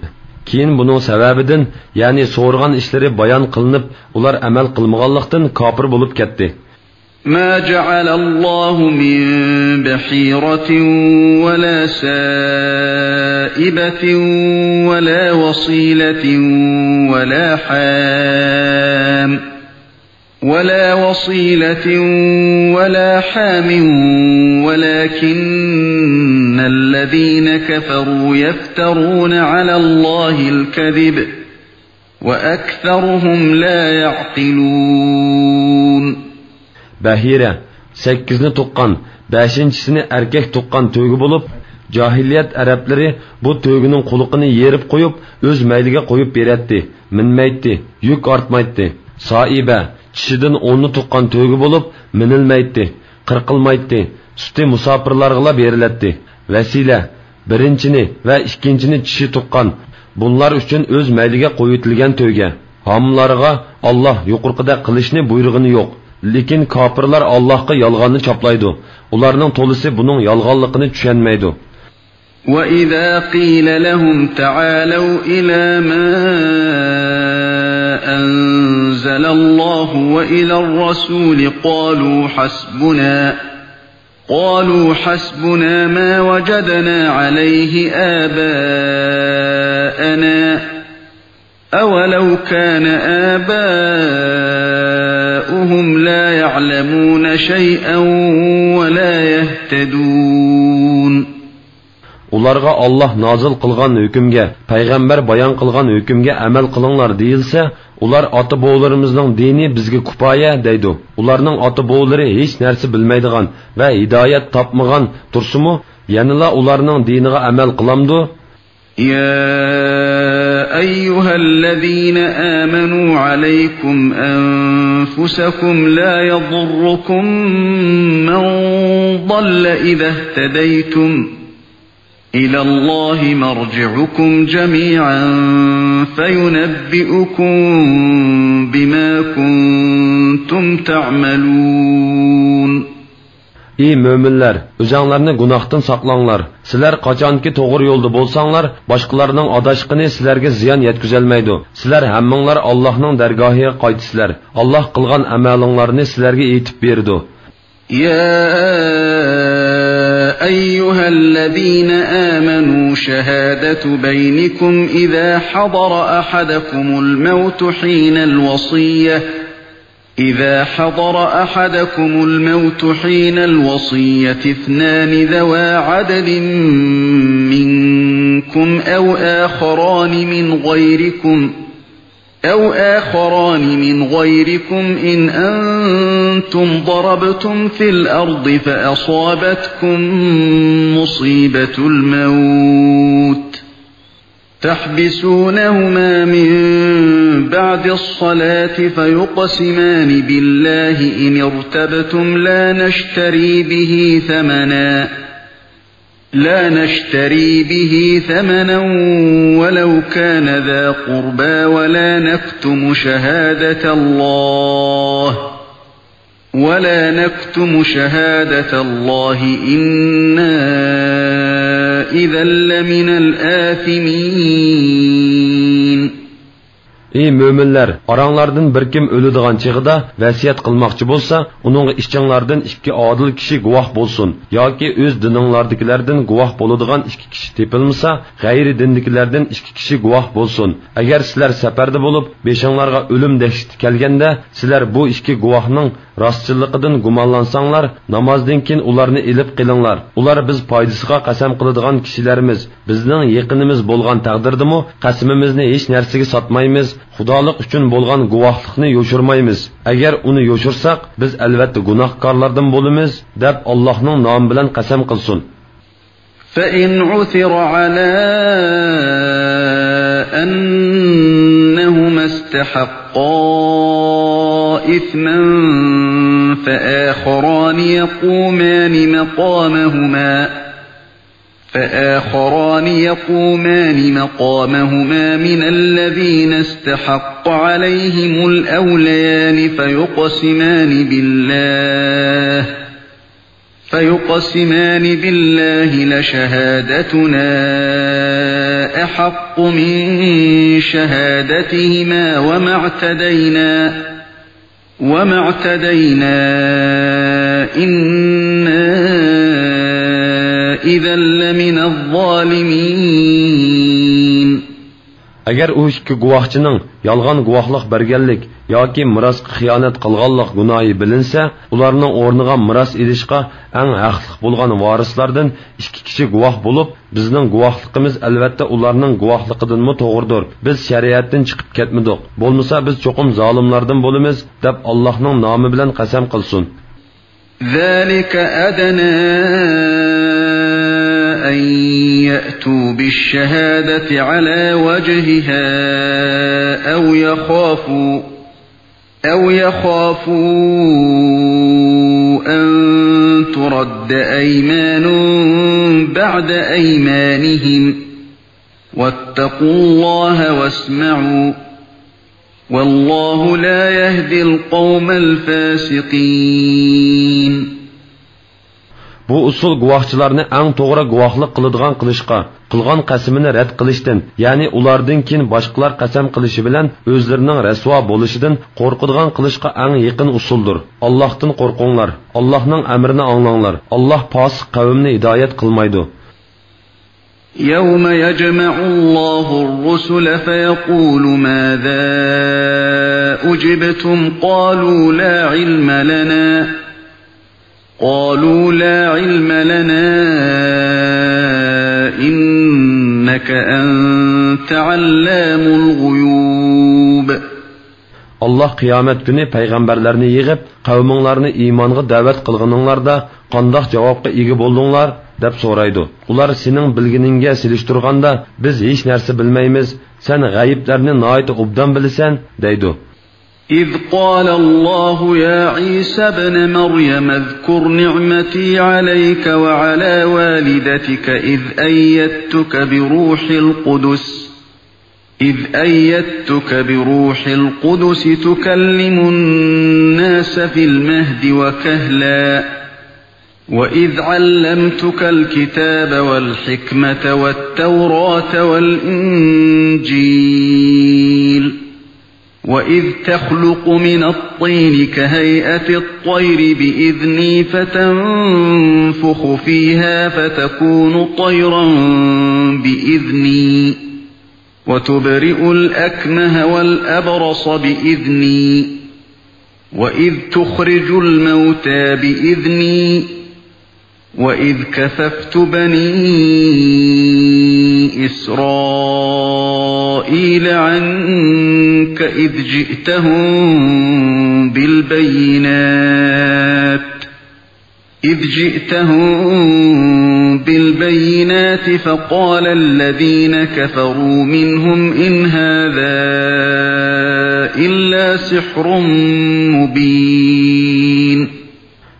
كېيىن بۇنىڭ سەۋەبىدىن، يەنى سورىغان ئىشلىرى بايان قىلىنىپ، ئۇلار ئەمەل قىلمىغانلىقتىن كاپىر بولۇپ كەتتى. ما جعل الله من بحيرة ولا سائبة ولا وصيلة ولا حام، ولا وصيلة ولا حام، ولكن الذين كفروا يفترون على الله الكذب، وأكثرهم لا يعقلون. بەھىرە، سەككىزنى تۇغقان، بەشىنچىسىنى ئەركەك تۇغقان تۆگە بولۇپ، جاھىلىيەت ئەرەبلىرى بۇ تۆگىنىڭ قۇلىقىنى يېرىپ قويۇپ، ئۆز مەيلىگە قويۇپ بېرەتتى، مىنمەيتتى، يۈك ئارتمايتتى. سائىبە، چىشىدىن ئوننى تۇغقان تۆگە بولۇپ، مىنىلمەيتتى، قىرقىلمايتتى، سۈتى مۇساپىرلارغىلا بېرىلەتتى. ۋەسىلە، بىرىنچىنى ۋە ئىككىنچىنى چىشى تۇغقان، بۇلار ئۈچۈن ئۆز مەيلىگە قويۇۋېتىلگەن تۆگە. ھامىلىلارغا ئاللاھ يۇقىرىقىدەك قىلىشنى بۇيرۇغىنى يوق. لېكىن كاپىرلار ئاللاھقا يالغاننى چاپلايدۇ. ئۇلارنىڭ تولىسى بۇنىڭ يالغانلىقىنى چۈشەنمەيدۇ. وإذا قيل لهم تعالوا إلى ما أنزل الله وإلى الرسول قالوا حسبنا، قالوا حسبنا ما وجدنا عليه آباءنا، أولو كان آباؤهم لا يعلمون شيئا ولا يهتدون. ئۇلارغا ئاللاھ نازىل قىلغان ھۆكۈمگە، پەيغەمبەر بايان قىلغان ھۆكۈمگە ئەمەل قىلىڭلار دېيىلسە، ئۇلار ئاتا-بوۋىلىرىمىزنىڭ دىنى بىزگە كۇپايە دەيدۇ. ئۇلارنىڭ ئاتا-بوۋىلىرى ھېچ نەرسە بىلمەيدىغان ۋە ھىدايەت تاپمىغان تۇرسىمۇ، يەنىلا ئۇلارنىڭ دىنىغا ئەمەل قىلامدۇ؟ يا أيها الذين آمنوا عليكم أنفسكم لا يضركم من ضل إذا اهتديتم إلى الله مرجعكم جميعا فينبئكم بما كنتم تعملون. ئى مۆمىنلەر، ئۆزەڭلارنى گۇناھتىن ساقلاڭلار. سىلەر قاچانكى توغرا يولدا بولساڭلار، باشقىلارنىڭ ئاداشقىنى سىلەرگە زىيان يەتكۈزەلمەيدۇ. سىلەر ھەممىڭلار ئاللاھنىڭ دەرگاھىغا قايتىسىلەر. ئاللاھ قىلغان ئەمەلىڭلارنى سىلەرگە ئېيتىپ بېرىدۇ. يا أيها الذين آمنوا شهادة بينكم إذا حضر أحدكم الموت حين الوصية، إذا حضر أحدكم الموت حين الوصية اثنان ذوا عدل منكم أو آخران من غيركم أو آخران من غيركم إن أنتم ضربتم في الأرض فأصابتكم مصيبة الموت تحبسونهما من بعد الصلاة فيقسمان بالله إن ارتبتم لا نشتري به ثمنا لا نشتري به ثمنا ولو كان ذا قربى ولا نكتم شهادة الله ولا نكتم شهادة الله إنا إذا لمن الآثمين. ئى مۆمىنلەر، ئاراڭلاردىن بىر كىم ئۆلىدىغان چېغىدا ۋەسىيەت قىلماقچى بولسا، ئۇنىڭغا ئىچىڭلاردىن ئىككى ئادىل كىشى گۇۋاھ بولسۇن ياكى ئۆز دىنىڭلاردىكىلەردىن گۇۋاھ بولىدىغان ئىككى كىشى تېپىلمىسا، غەيرىي دىندىكىلەردىن ئىككى كىشى گۇۋاھ بولسۇن. ئەگەر سىلەر سەپەردە بولۇپ، بېشىڭلارغا ئۆلۈم دەھشىتى كەلگەندە، سىلەر بۇ ئىككى گۇۋاھنىڭ راستچىللىقىدىن گۇمانلانساڭلار، نامازدىن كېيىن ئۇلارنى ئېلىپ قېلىڭلار. ئۇلار بىز پايدىسىغا قەسەم قىلىدىغان كىشىلەرمىز. بىزنىڭ يېقىنىمىز بولغان تەقدىردىمۇ قەسىمىمىزنى ھېچ نەرسىگە ساتمايمىز، خۇدالىق ئۈچۈن بولغان گۇۋاھلىقنى يوشۇرمايمىز. ئەگەر ئۇنى يوشۇرساق، بىز ئەلۋەتتە گۇناھكارلاردىن بولىمىز، دەپ ئاللاھنىڭ نامى بىلەن قەسەم قىلسۇن. فإن عثر على أنهما استحقا إثما فآخران يقومان مقامهما فآخران يقومان مقامهما من الذين استحق عليهم الأوليان فيقسمان بالله فيقسمان بالله لشهادتنا أحق من شهادتهما وما اعتدينا وما اعتدينا إنا إذا لمن الظالمين. ئەگەر ئۇ ئىككى گۇۋاھچىنىڭ يالغان گۇۋاھلىق بەرگەنلىك ياكى مىراسقا خىيانەت قىلغانلىق گۇناھى بىلىنسە، ئۇلارنىڭ ئورنىغا مىراس ئېلىشقا ئەڭ ھەقلىق بولغان ۋارىسلاردىن ئىككى كىشى گۇۋاھ بولۇپ، بىزنىڭ گۇۋاھلىقىمىز ئەلۋەتتە ئۇلارنىڭ گۇۋاھلىقىدىنمۇ توغرىدۇر. بىز شەرىئەتتىن چىقىپ كەتمىدۇق. بولمىسا بىز چوقۇم زالىملاردىن بولىمىز، دەپ ئاللاھنىڭ نامى بىلەن قەسەم قىلسۇن. ذلك أدنى أن يأتوا بالشهادة على وجهها أو يخافوا أو يخافوا أن ترد أيمان بعد أيمانهم واتقوا الله واسمعوا والله لا يهدي القوم الفاسقين. بۇ ئۇسۇل گۇۋاھچىلارنى ئەڭ توغرا گۇۋاھلىق قىلىدىغان قىلىشقا، قىلغان قەسىمىنى رەت قىلىشتىن، يەنى ئۇلاردىن كېيىن باشقىلار قەسەم قىلىشى بىلەن ئۆزلىرىنىڭ رەسۋا بولۇشىدىن قورقىدىغان قىلىشقا ئەڭ يېقىن ئۇسۇلدۇر. ئاللاھتىن قورقۇڭلار، ئاللاھنىڭ ئەمرىنى ئاڭلاڭلار. ئاللاھ پاسىق قەۋمنى ھىدايەت قىلمايدۇ. يوم يجمع الله الرسل فيقول ماذا أجبتم قالوا لا علم لنا قالوا لا علم لنا إنك أنت علام الغيوب. ئاللاھ قىيامەت كۈنى پەيغەمبەرلەرنى يىغىپ، قەۋمىڭلارنى ئىمانغا دەۋەت قىلغىنىڭلاردا قانداق جاۋابقا ئىگە بولدۇڭلار؟ دەپ سورايدۇ. ئۇلار سېنىڭ بىلگىنىڭگە سېلىشتۇرغاندا بىز ھېچ نەرسە بىلمەيمىز، سەن غەيىبلەرنى ناھايىتى ئوبدان بىلىسەن، دەيدۇ. إذ قال الله يا عيسى ابن مريم اذكر نعمتي عليك وعلى والدتك إذ أيدتك بروح القدس إذ أيدتك بروح القدس تكلم الناس في المهد وكهلا وإذ علمتك الكتاب والحكمة والتوراة والإنجيل وإذ تخلق من الطين كهيئة الطير بإذني فتنفخ فيها فتكون طيرا بإذني وتبرئ الأكمه والأبرص بإذني وإذ تخرج الموتى بإذني وإذ كففت بني إسرائيل عنك إذ جئتهم بالبينات إذ جئتهم بالبينات فقال الذين كفروا منهم إن هذا إلا سحر مبين.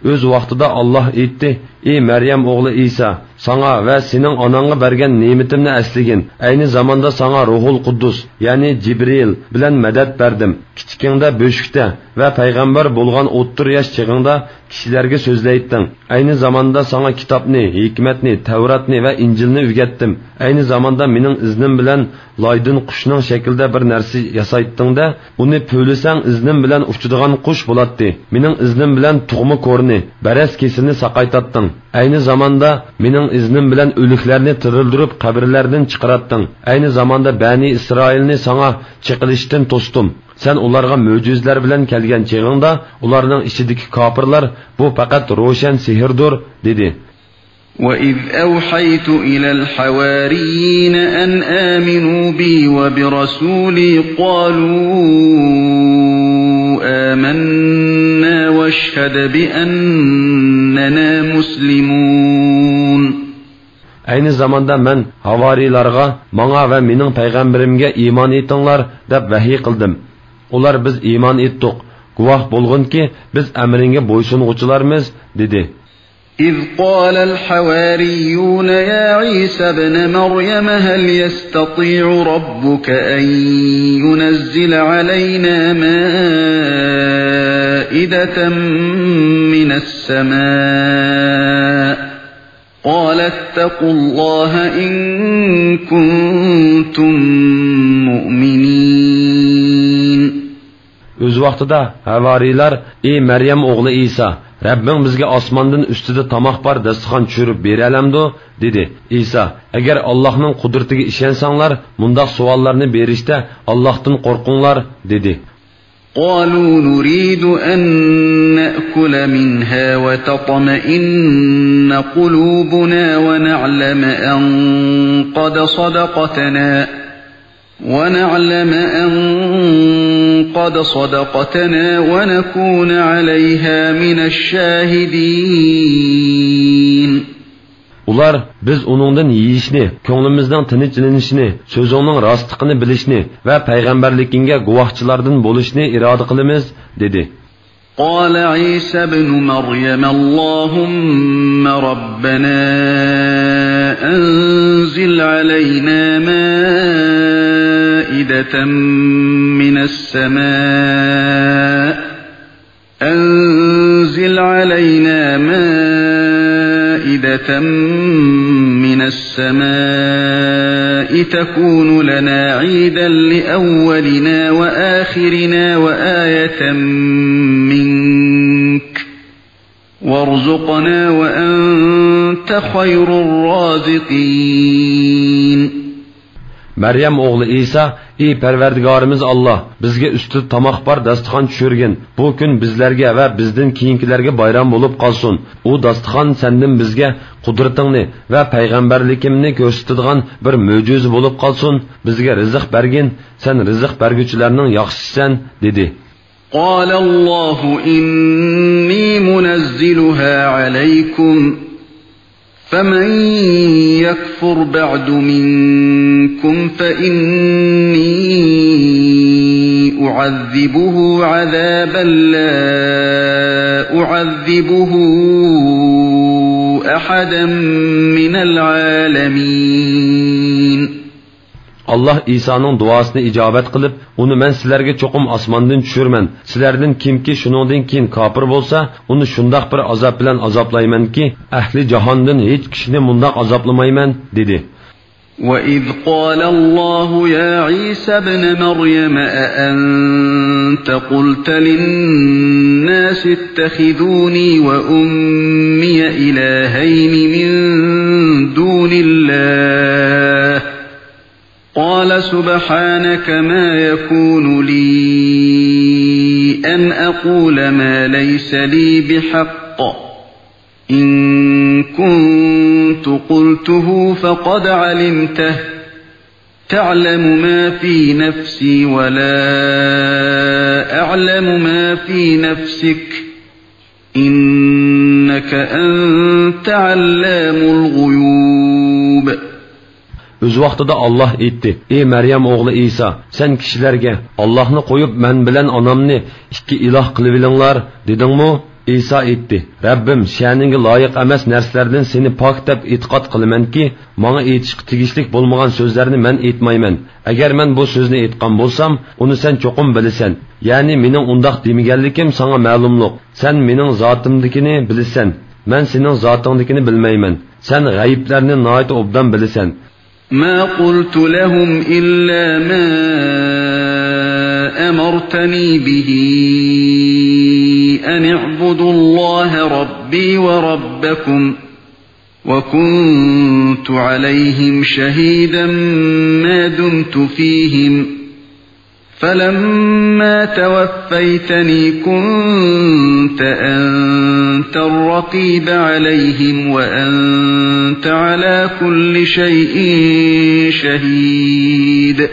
ئۆز ۋاقتىدا ئاللاھ ئېيتتى: ئى مەريەم ئوغلى ئىسا، ساڭا ۋە سېنىڭ ئاناڭغا بەرگەن نېمىتىمنى ئەسلىگىن. ئەينى زاماندا ساڭا روھۇل قۇددۇس، يەنى جىبرىئىل بىلەن مەدەت بەردىم. كىچىكىڭدە بۆشۈكتە ۋە پەيغەمبەر بولغان ئوتتۇرا ياش چېغىڭدا كىشىلەرگە سۆزلەيتتىڭ. ئەينى زاماندا ساڭا كىتابنى، ھېكمەتنى، تەۋراتنى ۋە ئىنجىلنى ئۆگەتتىم. ئەينى زاماندا مېنىڭ ئىزنىم بىلەن لايدىن قۇشنىڭ شەكلىدە بىر نەرسە ياسايتتىڭ-دە، ئۇنى پۈۋلىسەڭ ئىزنىم بىلەن ئۇچىدىغان قۇش بولاتتى. مېنىڭ ئىزنىم بىلەن تۇغما كورىنى، بەرەس كېسىلىنى ساقايتاتتىڭ. ئەينى زاماندا مېنىڭ ئىزنىم بىلەن ئۆلۈكلەرنى تىرىلدۈرۈپ قەبرىلەردىن چىقىراتتىڭ. ئەينى زاماندا بەنى ئىسرائىلنى ساڭا چېقىلىشتىن توستۇم. سەن ئۇلارغا مۆجىزىلەر بىلەن كەلگەن چېغىڭدا، ئۇلارنىڭ ئىچىدىكى كاپىرلار، بۇ پەقەت روشەن سېھىردۇر، دېدى. وإذ أوحيت إلى الحواريين أن آمنوا بي وبرسولي قالوا آمنا واشهد بأننا مسلمون. ئەينى زاماندا مەن ھاۋارىيلارغا، ماڭا ۋە مېنىڭ پەيغەمبىرىمگە ئىمان ئېيتىڭلار، دەپ ۋەھىي قىلدىم. ئۇلار، بىز ئىمان ئېيتتۇق، گۇۋاھ بولغىنكى، بىز ئەمرىڭگە بويسۇنغۇچىلارمىز، دېدى. إذ قال الحواريون يا عيسى ابن مريم هل يستطيع ربك أن ينزل علينا مائدة من السماء قال اتقوا الله إن كنتم مؤمنين. ئۆز ۋاقتىدا ھاۋارىيلار، ئى مەريەم ئوغلى ئىسا، رەببىڭ بىزگە ئاسماندىن ئۈستىدە تاماق بار داستىخان چۈشۈرۈپ بېرەلەمدۇ؟ دېدى. ئىسا، ئەگەر ئاللاھنىڭ قۇدرىتىگە ئىشەنسەڭلار، مۇنداق سوئاللارنى بېرىشتە ئاللاھتىن قورقۇڭلار، دېدى. قالوا نريد أن نأكل منها وتطمئن قلوبنا ونعلم أن قد صدقتنا ونعلم أن قد صدقتنا ونكون عليها من الشاهدين. ئۇلار، بىز ئۇنىڭدىن يېيىشنى، كۆڭلىمىزنىڭ تىنچلىنىشىنى، سۆزۈڭنىڭ راستلىقىنى بىلىشنى ۋە پەيغەمبەرلىكىڭگە گۇۋاھچىلاردىن بولۇشنى ئىرادە قىلىمىز، دېدى. قال عيسى ابن مريم اللهم ربنا أنزل علينا مائدة من السماء أنزل علينا مائدة من السماء تكون لنا عيدا لأولنا وآخرنا وآية منك وارزقنا وأنت خير الرازقين. مەريەم ئوغلى ئىسا، ئى پەرۋەردىگارىمىز ئاللاھ، بىزگە ئۈستىدە تاماق بار داستىخان چۈشۈرگىن. بۇ كۈن بىزلەرگە ۋە بىزدىن كېيىنكىلەرگە بايرام بولۇپ قالسۇن. ئۇ داستىخان سەندىن بىزگە قۇدرىتىڭنى ۋە پەيغەمبەرلىكىمنى كۆرسىتىدىغان بىر مۆجىزە بولۇپ قالسۇن. بىزگە رىزىق بەرگىن، سەن رىزىق بەرگۈچىلەرنىڭ ياخشىسىسەن، دېدى. قال الله إني منزلها عليكم فمن يكفر بعد منكم فإني أعذبه عذابا لا أعذبه أحدا من العالمين. ئاللاھ ئىسانىڭ دۇئاسىنى ئىجابەت قىلىپ، ئۇنى مەن سىلەرگە چوقۇم ئاسماندىن چۈشۈرىمەن. سىلەردىن كىمكى شۇنىڭدىن كېيىن كاپىر بولسا، ئۇنى شۇنداق بىر ئازاب بىلەن ئازابلايمەنكى، ئەھلى جاھاندىن ھېچ كىشىنى مۇنداق ئازابلىمايمەن، دېدى. وإذ قال الله يا عيسى ابن مريم أأنت قلت للناس اتخذوني وأمي إلهين من دون الله قال سبحانك ما يكون لي أن أقول ما ليس لي بحق، إن كنت قلته فقد علمته، تعلم ما في نفسي ولا أعلم ما في نفسك، إنك أنت علام الغيوب. ئۆز ۋاقتىدا ئاللاھ ئېيتتى: «ئى مەريەم ئوغلى ئىسا، سەن كىشىلەرگە، ئاللاھنى قويۇپ، مەن بىلەن ئانامنى ئىككى ئىلاھ قىلىۋېلىڭلار، دېدىڭمۇ؟» ئىسا ئېيتتى: «رەببىم، شەنىڭگە لايىق ئەمەس نەرسىلەردىن سېنى پاك دەپ ئېتىقاد قىلىمەنكى، ماڭا ئېيتىشقا تېگىشلىك بولمىغان سۆزلەرنى مەن ئېيتمايمەن. ئەگەر مەن بۇ سۆزنى ئېيتقان بولسام، ئۇنى سەن چوقۇم بىلىسەن. يەنى مېنىڭ ئۇنداق دېمىگەنلىكىم ساڭا مەلۇملۇق. سەن مېنىڭ زاتىمدىكىنى بىلىسەن، مەن سېنىڭ زاتىڭدىكىنى بىلمەيمەن. سەن غەيىبلەرنى ناھايىتى ئوبدان بىلىسەن.» ما قلت لهم إلا ما أمرتني به أن اعبدوا الله ربي وربكم، وكنت عليهم شهيدا ما دمت فيهم، فلما توفيتني كنت أنت الرقيب عليهم وأنت على كل شيء شهيد.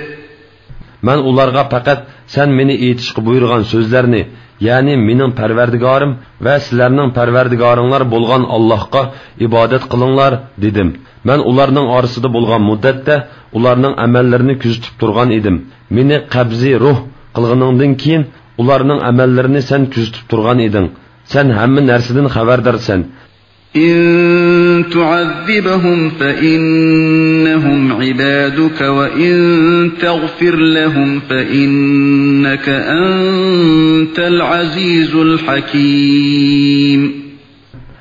مەن ئۇلارغا پەقەت سەن مېنى ئېيتىشقا بۇيرۇغان سۆزلەرنى، يەنى مېنىڭ پەرۋەردىگارىم ۋە سىلەرنىڭ پەرۋەردىگارىڭلار بولغان ئاللاھقا ئىبادەت قىلىڭلار، دېدىم. مەن ئۇلارنىڭ ئارىسىدا بولغان مۇددەتتە ئۇلارنىڭ ئەمەللىرىنى كۆزىتىپ تۇرغان ئىدىم. مېنى قەبزى روھ قىلغىنىڭدىن كېيىن ئۇلارنىڭ ئەمەللىرىنى سەن كۆزىتىپ تۇرغان ئىدىڭ. سەن ھەممە نەرسىدىن خەۋەردارسەن. إن تعذبهم فإنهم عبادك وإن تغفر لهم فإنك أنت العزيز الحكيم.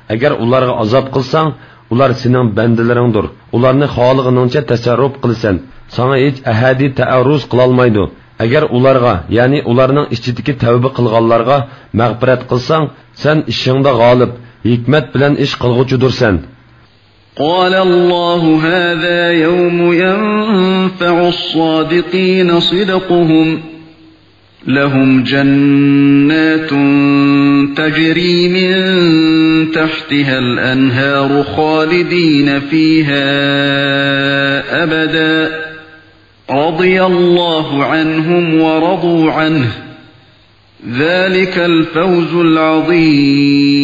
ئەگەر ئۇلارغا ئازاب قىلساڭ، ئۇلار سېنىڭ بەندىلىرىڭدۇر. ئۇلارنى خالىغىنىڭچە تەسەررۇپ قىلىسەن. ساڭا ھېچ ئەھەدى تەئەررۇز قىلالمايدۇ. ئەگەر ئۇلارغا، يەنى ئۇلارنىڭ ئىچىدىكى تەۋبە قىلغانلارغا مەغپىرەت قىلساڭ، سەن ئىشىڭدا غالىب، ھېكمەت بىلەن ئىش قىلغۇچىدۇرسەن. قال الله هذا يوم ينفع الصادقين صدقهم، لهم جنات تجري من تحتها الأنهار خالدين فيها أبدا، رضي الله عنهم ورضوا عنه، ذلك الفوز العظيم.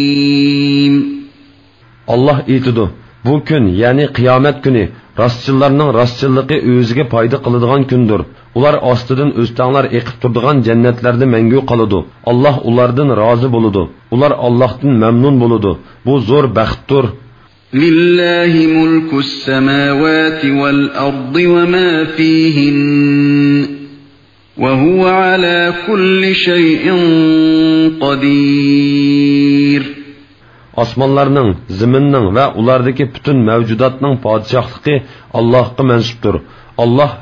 ئاللاھ ئېيتىدۇ: «بۇ كۈن، يەنى قىيامەت كۈنى، راستچىللارنىڭ راستچىللىقى ئۆزىگە پايدا قىلىدىغان كۈندۇر. ئۇلار ئاستىدىن ئۆستەڭلار ئېقىپ تۇرىدىغان جەننەتلەردە مەڭگۈ قالىدۇ. ئاللاھ ئۇلاردىن رازى بولىدۇ. ئۇلار ئاللاھتىن مەمنۇن بولىدۇ. بۇ زور بەختتۇر.» لله ملك السماوات والأرض وما فيهن، وهو على كل شيء قدير. ئاسمانلارنىڭ، زېمىننىڭ ۋە ئۇلاردىكى پۈتۈن مەۋجۇداتنىڭ پادىشاھلىقى ئاللاھقا مەنسۇپتۇر. ئاللاھ